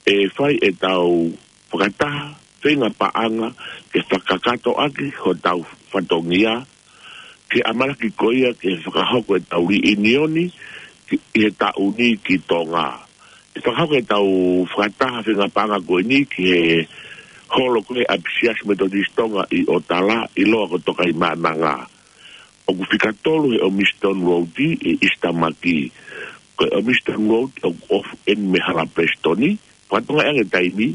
ʻe fai ʻetau fakataha feinga paʻanga ke fakakakato ʻaki hotau fatongia, ke ʻamanaki ko ia ke fakahoko ʻetau liʻinioni ki, ʻi he taʻu ni ki Tonga. ʻE fakahoko ʻetau fakataha feinga paʻanga ko eni ki he holo ko ē ʻa e ʻApisiasi Metotisi Tonga ʻi ʻOtala, ʻiloa ko Tokaimaʻananga. ʻOku fika tolu he Ormiston Road ʻi ʻIsitamaki. Ko e Ormiston Road ʻoku ofi eni mei he hala Palesiteni, fakatokangaʻi ange taimi,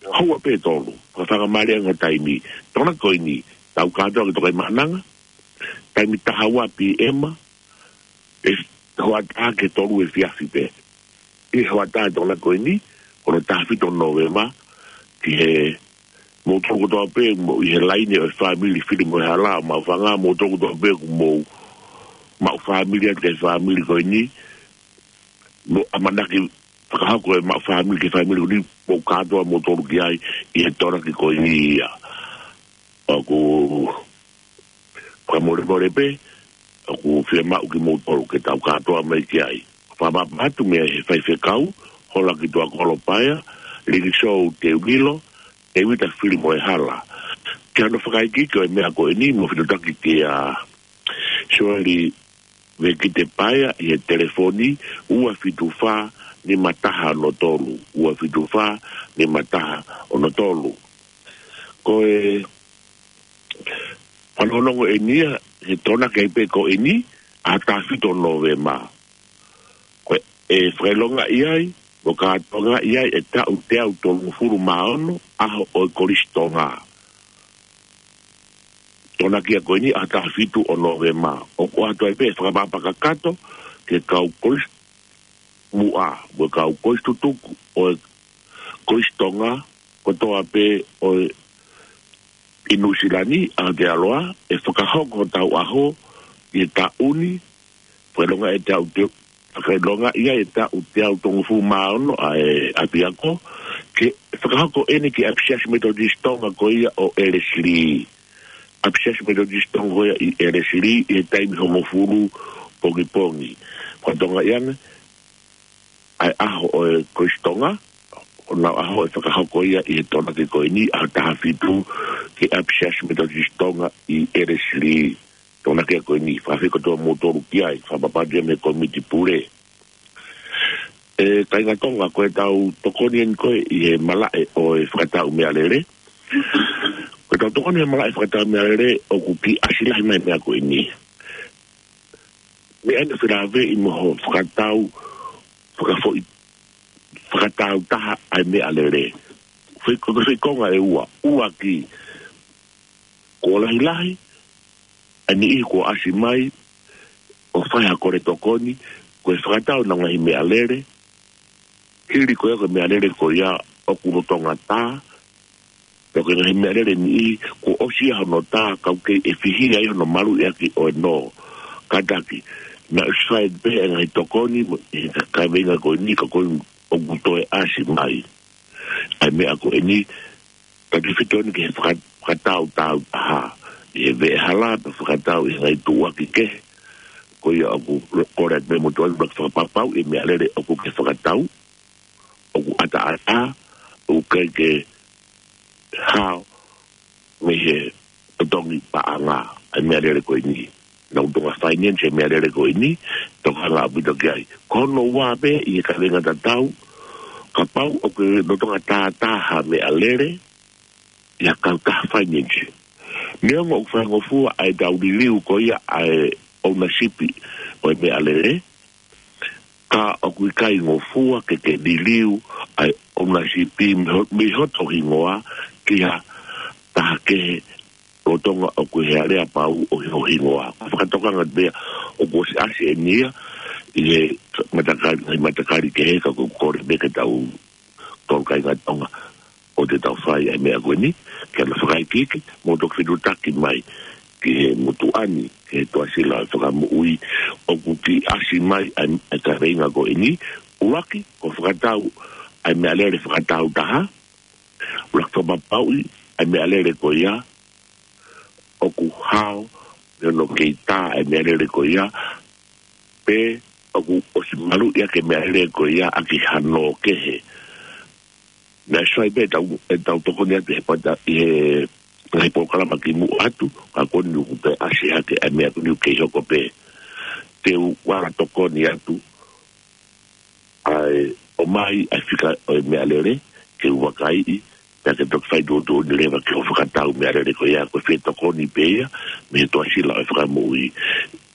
houa pē ʻe tolu, fakatokangaʻi ange taimi. Tokonaki ko eni, tau kātoa ki Tokaimaʻananga, taimi taha ua P M, ʻe hoʻatā ki he tolu efiafi pē. ʻI he hoʻatā ʻo e Tokonaki ko eni, ko hono taha fitu Nōvema, ki he moutolu kotoa pē mo ʻi he laine ʻo e fāmili Filimoehala ʻo Maʻufanga, moutolu kotoa pē ʻoku mou maʻu fāmili atu ki he fāmili ko eni, mo ʻamanaki fakahoko e maʻu fāmili ki he fāmili ko eni, mou kātoa moutolu ki ai ʻi he Tokonaki ko eni ia. ʻOku fakamolemole pē, ʻoku fiemaʻu kimoutolu ke tau kātoa mai ki ai. Fakaʻapaʻapa atu mei he faifekau, Holaki Tuakolo Paea, Likisou Teulilo, Tēvita Filimoehala. Ki hano fakaikiiki ʻo e meʻa ko eni, mou fitutaki kia Sioeli Vekite Paea ʻi he telefoni ua fitu fā nima taha ono tolu, ua fitu fā nima taha ono tolu. Ko e fanongonongo eni ia, he Tokonaki ai pē ko eni, ʻa taha fitu Nōvema. Ko e fakaʻilongaʻi ai, mo kātoangaʻi ai e taʻu teau tolungofulu mā ono ʻaho ʻo e Kolisi Tonga. Tokonaki ia ko eni ʻa taha fitu ʻo Nōvema. ʻOku ʻoatu ai pē fakaʻapaʻapa kakato ki he kau kolisi muʻa, mo e kau kolisi tutuku ʻo e Kolisi Tonga, kotoa pē ʻo e ʻi Nuʻusila ni, Aotearoa, ʻe fakahoko hotau ʻaho ʻi he taʻu ni, fakaʻilonga ʻe taʻu te, fakaʻilonga ia ʻe taʻu teau tolungofulu mā ono ʻa e ʻapiako, ke fakahoko eni ki he ʻApi Siasi Metotisi Tonga ko ia ʻo Elesili. ʻApi Siasi Metotisi Tonga ko ia ʻi Elesili, ʻi he taimi hongofulu pongipongi. Fakatonga ia ne, ʻa e ʻaho ʻo e Kolisi Tonga, ʻo nau ʻaho ʻe fakahoko ia ʻi he Tokonaki ko eni, ʻaho taha fitu, ki he ʻApi Siasi Metotisi Tonga ʻi Elesili. Tokonaki ko eni, fakafeʻiloaki kimoutolu ki ai, fakapapauʻi mei he Kōmiti Pule. ʻE kāinga Tonga, ko ʻetau tokoni eni ko ē ʻi he malaʻe ʻo e fakatau meʻalele. Ko ʻetau tokoni he malaʻe fakatau meʻalele, ʻoku kiʻi ʻasi lahi mai e meʻa ko eni. Meʻa eni ʻoku felāveʻi mo hono fakatau, fakafoʻi, fakatau taha ʻa e meʻalele. Foʻi, ko e foʻi konga ʻe ua, ʻuluaki, kuo lahilahi ʻa e niʻihi kuo ʻasi mai ʻo fai ha kole tokoni, ko e fakatau ʻenau ngaahi meʻalele, hili ko ia ko e meʻalele ko ia ʻoku lolotonga tā, pea ko e ngaahi meʻalele niʻihi kuo ʻosi ia hono tā, ka ʻoku kei ʻefihia ai hono maluʻi ʻaki ʻo e nō. Kātaki, naʻe ʻosi fai pē ʻa e ngaahi tokoni mo e kaveinga ko eni, ka ko e ʻoku toe ʻasi mai ʻa e meʻa ko eni, ka tefito eni ki he faka-, fakatau tau taha. ʻI he veʻehala, pea fakatau ʻi he ngaahi tuʻuaki kehe. Ko ia ʻoku kole atu pē mo tuʻu atu pea fakapapauʻi e meʻalele ʻoku ke fakatau, ʻoku ʻataʻatā, ʻoku ʻikai ke hao mei he totongi paʻanga ʻa e meʻalele ko eni. Naʻa ku tonga finance e meʻalele ko eni, tokanga ʻaupito ki ai. Ko hono ua pē ʻi he kaveinga tatau, kapau ʻoku ke lolotonga tātā ha meʻalele, ʻi ha kautaha finance. Neongo ʻoku faingofua ʻa ʻetau liliu ko ia ʻa e ownership ʻo e meʻalele, ka ʻoku ʻikai ngofua ke ke liliu ʻa e ownership mei ho-, mei hoto hingoa ki ha taha kehe lolotonga ʻoku ʻi he aleapau ʻo ho hingoa. Ko e fakatokanga pē ia ʻoku ʻosi ʻasi eni ia ʻi he matakali, ʻi he matakali kehe, ka ʻoku kole pē ke tau tolu kāinga Tonga ʻoku tau fai ʻa e meʻa ko eni, ke ʻoua naʻa fakaikiiki, mo toki fetuʻutaki mai ki he motuʻa ni, ki he Tuʻasila ʻo e Fakamoʻui, ʻoku kiʻi ʻasi mai ʻa e, ʻa e kaveinga ko eni, ʻuluaki, ko e fakatau ʻa e meʻalele fakatau taha, ʻuluaki, fakapapauʻi ʻa e meʻalele ko ia ʻoku hao, neongo kei tā ʻa e meʻalele ko ia, pe ʻoku ʻosi maluʻi ʻaki e meʻalele ko ia ʻaki ha nō kehe. Naʻe ʻosi fai pē ʻetau, ʻetau tokoni atu he pata, ʻi he ngaahi polokalama kimuʻa atu, ka ko eni ʻoku toe ʻasi hake ʻa e meʻa ko eni ʻoku kei hoko pē. Te u ala tokoni atu ʻa e ʻomai ʻa e fika ʻo e meʻalele, ke u vakaiʻi, pea ke toki fai tuʻutuʻuni leva ki hoʻo fakatau meʻalele ko ia, ko e fetokoni pē ia mei he Tuʻasila ʻo e Fakamoʻui.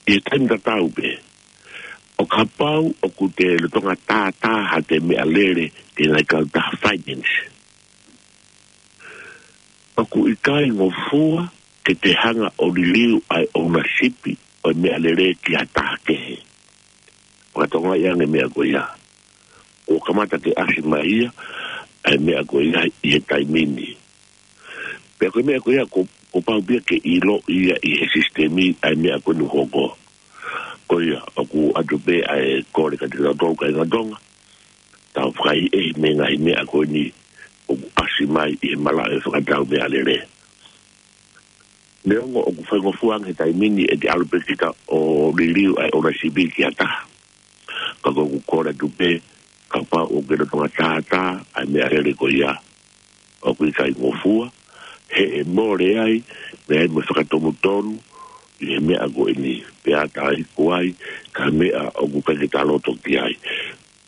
ʻI he taimi tatau pē, ʻo kapau ʻoku te lolotonga tātā haʻate meʻalele ki he ngaahi kautaha finance, ʻoku ʻikai ngofua ke te hanga ʻo liliu ʻa e ownership ʻo e meʻalele ki ha taha kehe. Fakatokangaʻi ange e meʻa ko ia. Kuo kamata ke ʻasi mai ia ʻa e meʻa ko ia ʻi he taimi ni. Pea ko e meʻa ko ia kuo, kuo pau pē ia ke ʻiloʻi ia ʻi he sisitemi ʻa e meʻa ko eni ʻoku hoko. Ko ia, ʻoku ʻoatu pē ʻa e kole kiate kitautolu kāinga Tonga, tau fakaʻehiʻehi mei he ngaahi meʻa ko eni ʻoku ʻasi mai ʻi he malaʻe fakatau meʻalele. Neongo ʻoku faingofua ange he taimi ni ʻete ʻalu pē kita ʻo liliu ʻa e ownership ki ha taha, ka ko ʻeku kole atu pē, kapau ʻoku ke lolotonga tātā ʻa e meʻalele ko ia, ʻoku ʻikai ngofua, he ʻe mole ai, meʻa ai mo e fakatonutonu ʻi he meʻa ko eni, pea ʻatā ikuai, ka meʻa ʻoku ʻikai ke ta loto ki ai.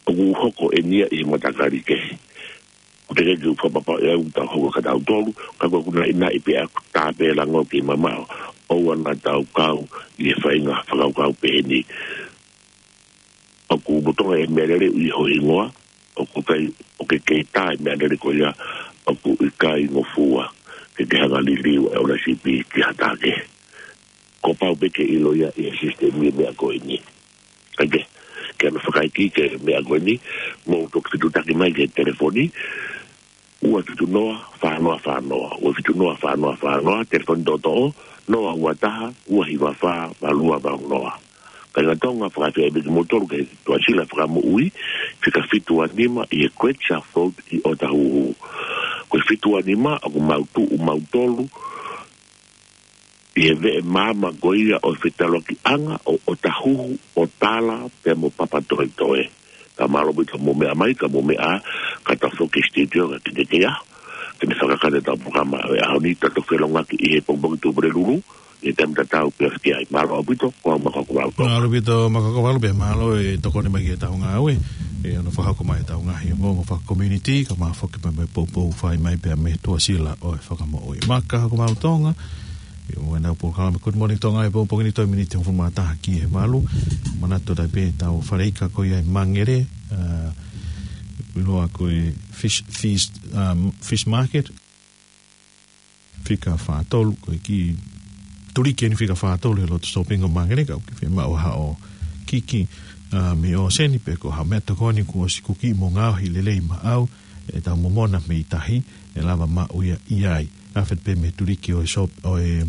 ʻOku hoko eni ia ʻi he matakali kehe. ʻOku teʻeki ke u fakapapauʻi ʻe au ʻoku tau hoko kia tautolu, ka ko ʻeku naʻinaʻi pē ʻaku, tā pē lango ke mamaʻo, ʻoua naʻa tau kau ʻi he faʻahinga fakakaukau pehē ni. ʻOku lolotonga e meʻalele ʻi ho hingoa, ʻoku ʻikai, ʻoku ke kei tā e meʻalele ko ia, ʻoku ʻikai ngofua ke ke hanga liliu e ownership ki ha taha kehe. Kuo pau pē ke ʻilo ia ʻi he sisitemi e meʻa ko eni. Kae kehe, ke ʻoua naʻa fakaikiiki e meʻa ko eni, mou toki fetuʻutaki mai ki he telefoni, ua fitu noa, fā noa fā noa, ua fitu noa, fā noa fā noa, telefoni toʻotoʻo, noa ua taha, ua hiva fā, valu ua valu noa. Kāinga Tonga, fakafeʻiloaki kimoutolu ki he Tuʻasila Fakamoʻui, fika fitu ua nima ʻi he Great South Road ʻi Otahuhu. Ko e fitu ua nima ʻoku mau tuʻu mautolu ʻi he veʻe maama ko ia ʻo e fetaulaki ʻanga ʻo Otahuhu, ʻo Tala pea mo Papatoetoe. Ka mālō ʻaupito hoʻomou meʻa mai, ka mou meʻa, ka tau foki ki he studio ka kitekea. Te ne fakakata ʻetau polokalama ʻo e ʻaho ni, tau toe felōngoaki ʻi he pongipongi Tupulelulu, ʻi he taimi tatau pē ʻoku ʻi ai. Mālō ʻaupito, ko au Makoko Valu. Mālō ʻaupito Makoko Valu, pea mālō e tokoni mai ki heʻetau ngāue, ʻi hono fakahoko mai ʻetau ngaahi ongoongo fakakomiunitī, kae ʻumaʻā foki mo e poupou fai mai pea mei he Tuʻasila ʻo e Fakamoʻui. Makoko Valu Tonga, ʻi heʻenau polokalama Good Morning Tonga he pongipongi ni, toe miniti hongofulu mā taha ki he valu. Manatu atu pē ʻetau faleika ko ia ʻi Mangere, ā, ʻoku ʻiloa ko e Fish Feast, um, Fish Market. Fika fā tolu, ko e kiʻi tuliki eni fika fā tolu he loto sōpinga ʻo Mangere, ka ʻoku ke fiemaʻu ha ʻū kiki, ā, mei ʻōseni, pe ko ha meʻatokoni kuo ʻosi kuki mo ngaohi lelei maʻau, ʻetau momona mei tahi, ʻe lava maʻu ia ʻi ai. Afe pē mei he tuliki ʻo e sōp-, ʻo e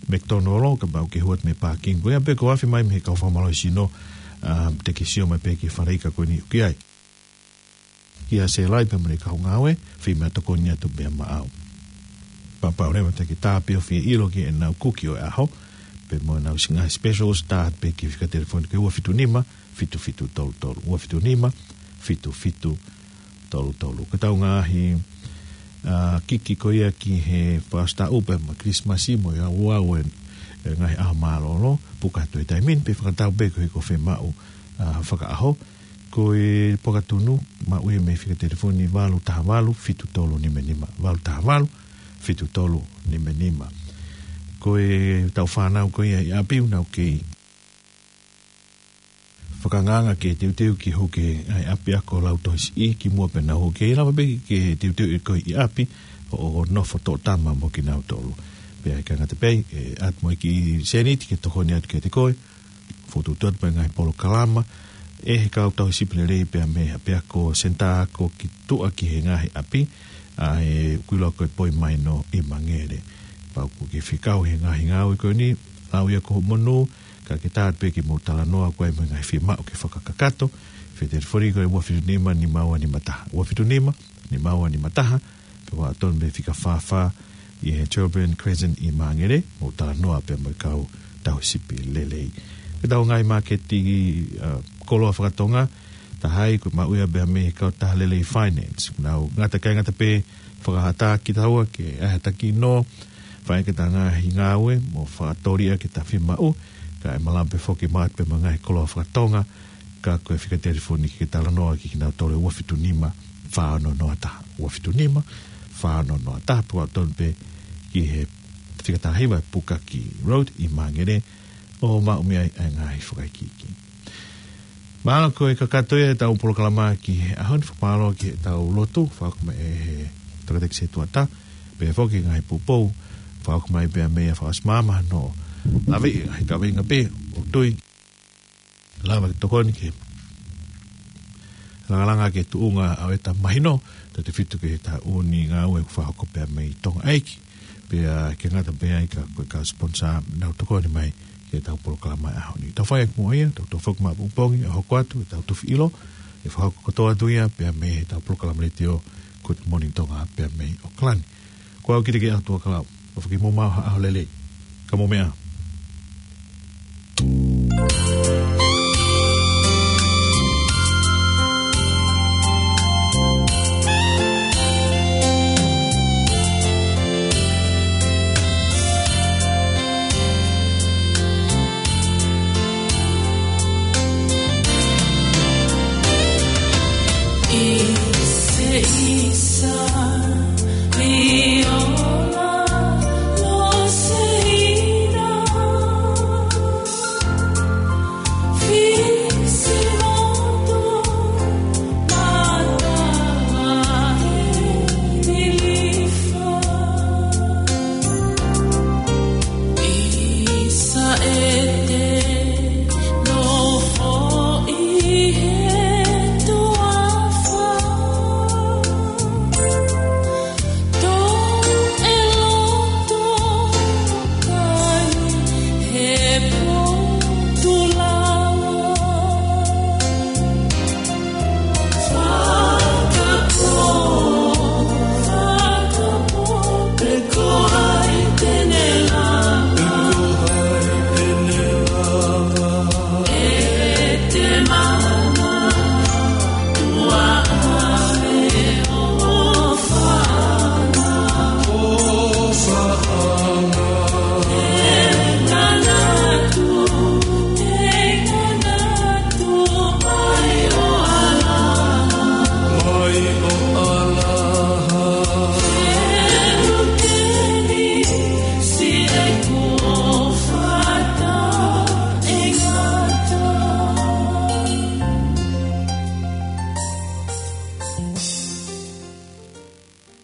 McDonald, kapau ʻoku ke hū atu mei he pākingi ko ia, pe ko e afe mai mei he kau fakamālohisino, ā, te ke sio mai pē ki he faleika ko eni ʻoku ʻi ai. Kia Selai pea mo e kau ngāue, fai meʻatokoni atu pea maʻau. Kapau leva te ke tā pē ʻo fie ʻilo ki heʻenau kuki ʻo e ʻaho, pea mo ʻenau siʻi ngaahi specials, tā pē ki he fika telefoni ko e ua fitu nima, fitu fitu tolu tolu, ua fitu nima, fitu fitu tolu tolu. Ko ʻetau ngaahi, ā, kiki ko ia ki he Fakaʻositaʻu pea mo e Kilisimasi mo e ʻauʻau ʻo e, e ngaahi ʻaho mālōlō, puka atu he taimi ni, pe fakatau pē koeʻuhi ko e fiemaʻu, ā, fakaʻaho. Ko e pokatunu, maʻu ia mei he fika telefoni valu taha valu, fitu tolu nima nima, valu taha valu, fitu tolu nima nima. Ko ʻetau fānau ko ia ʻi ʻapi ʻoku nau kei fakaangaanga ke teuteu ke hū ki he ngaahi ʻapiako lautohi siʻi kimuʻa pea nau hū, ke lava pē ke teuteu ʻe koe ʻi ʻapi ʻo, ʻo nofo toʻo tama mo kinautolu. Pea ʻikai ngata pē ai, ʻe ʻatu mo e kiʻi sēniti ke tokoni atu kiate koe, fokotuʻutuʻu atu pē ngaahi polokalama ʻe he kau tauhi sipi lelei pea mei he ʻapiako Senitā Ako ki tuʻa ki he ngaahi ʻapi, ʻa ē ʻoku ʻiloa ko e Poi Maino ʻi Mangere. Kapau ʻoku ke fie kau he ngaahi ngāue ko eni, lau ia ko hoʻo monū, ka ke tā atu pē ke mou talanoa koe mo e ngaahi fiemaʻu ke fakakakato, fika telefoni ko e ua fitu nima, nima ua nima taha. Ua fitu nima, nima ua nima taha, pe ʻoku tonu pē fika fā fā ʻi he Shelbourne Crescent ʻi Mangere, mou talanoa pē mo e kau tauhi sipi lelei. Ko ʻetau ngaahi māketi, ā, koloa fakatonga, taha ia ʻoku maʻu ia pē mei he kautaha lelei Finance. Nau ngata, ʻikai ngata pē fakahā atu kitaua ke ʻai ha taki nō, fai ʻaki ʻeta ngaahi ngāue mo fakatōliʻa ki heʻeta fiemaʻu, ka ʻe malava pē foki maʻu atu pē mo e ngaahi koloa fakatonga, ka ko e fika telefoni ke talanoa ki kinautolu ʻe ua fitu nima, fā ono noa taha. Ua fitu nima, fā ono noa taha, pe ʻoku tonu pē ki he fika taha hiva ʻe puka ki Road ʻi Mangere, ʻo maʻu mei ai ʻa e ngaahi fakaikiiki. Mahalo ko e kakato ia ʻetau polokalama ki he ʻaho ni, fakamālō ki heʻetau lotu, fakahoko mai ʻe he toketā ki he setuata, pea foki ngaahi poupou, fakahoko mai pea mei he Fakaʻosi Māmā hono laveʻi ʻa e kaveinga pē, ʻoku tui lava ke tokoni ki he langalanga ki he tuʻunga ʻo ʻeta mahino, tautefito ki he taʻu ni ngāue ʻoku fakahoko pea mei Tonga ʻEiki. Pea ʻikai ngata pē ai ka ko e kau sponsor ʻoku nau tokoni mai ki heʻetau polokalama ʻaho ni. Tau fai ʻaki muʻa ia, tau toe foki mai ʻapongipongi ʻo hoko atu ʻetau Tufi ʻIlo, ʻe fakahoko kotoa atu ia pea mei heʻetau polokalama letiō Good Morning Tonga pea mei ʻAokalani. Ko au Kitikeʻaho Tuʻakalau, ʻofa ke mou maʻu ha ʻaho lelei. Ka mou meʻa ā.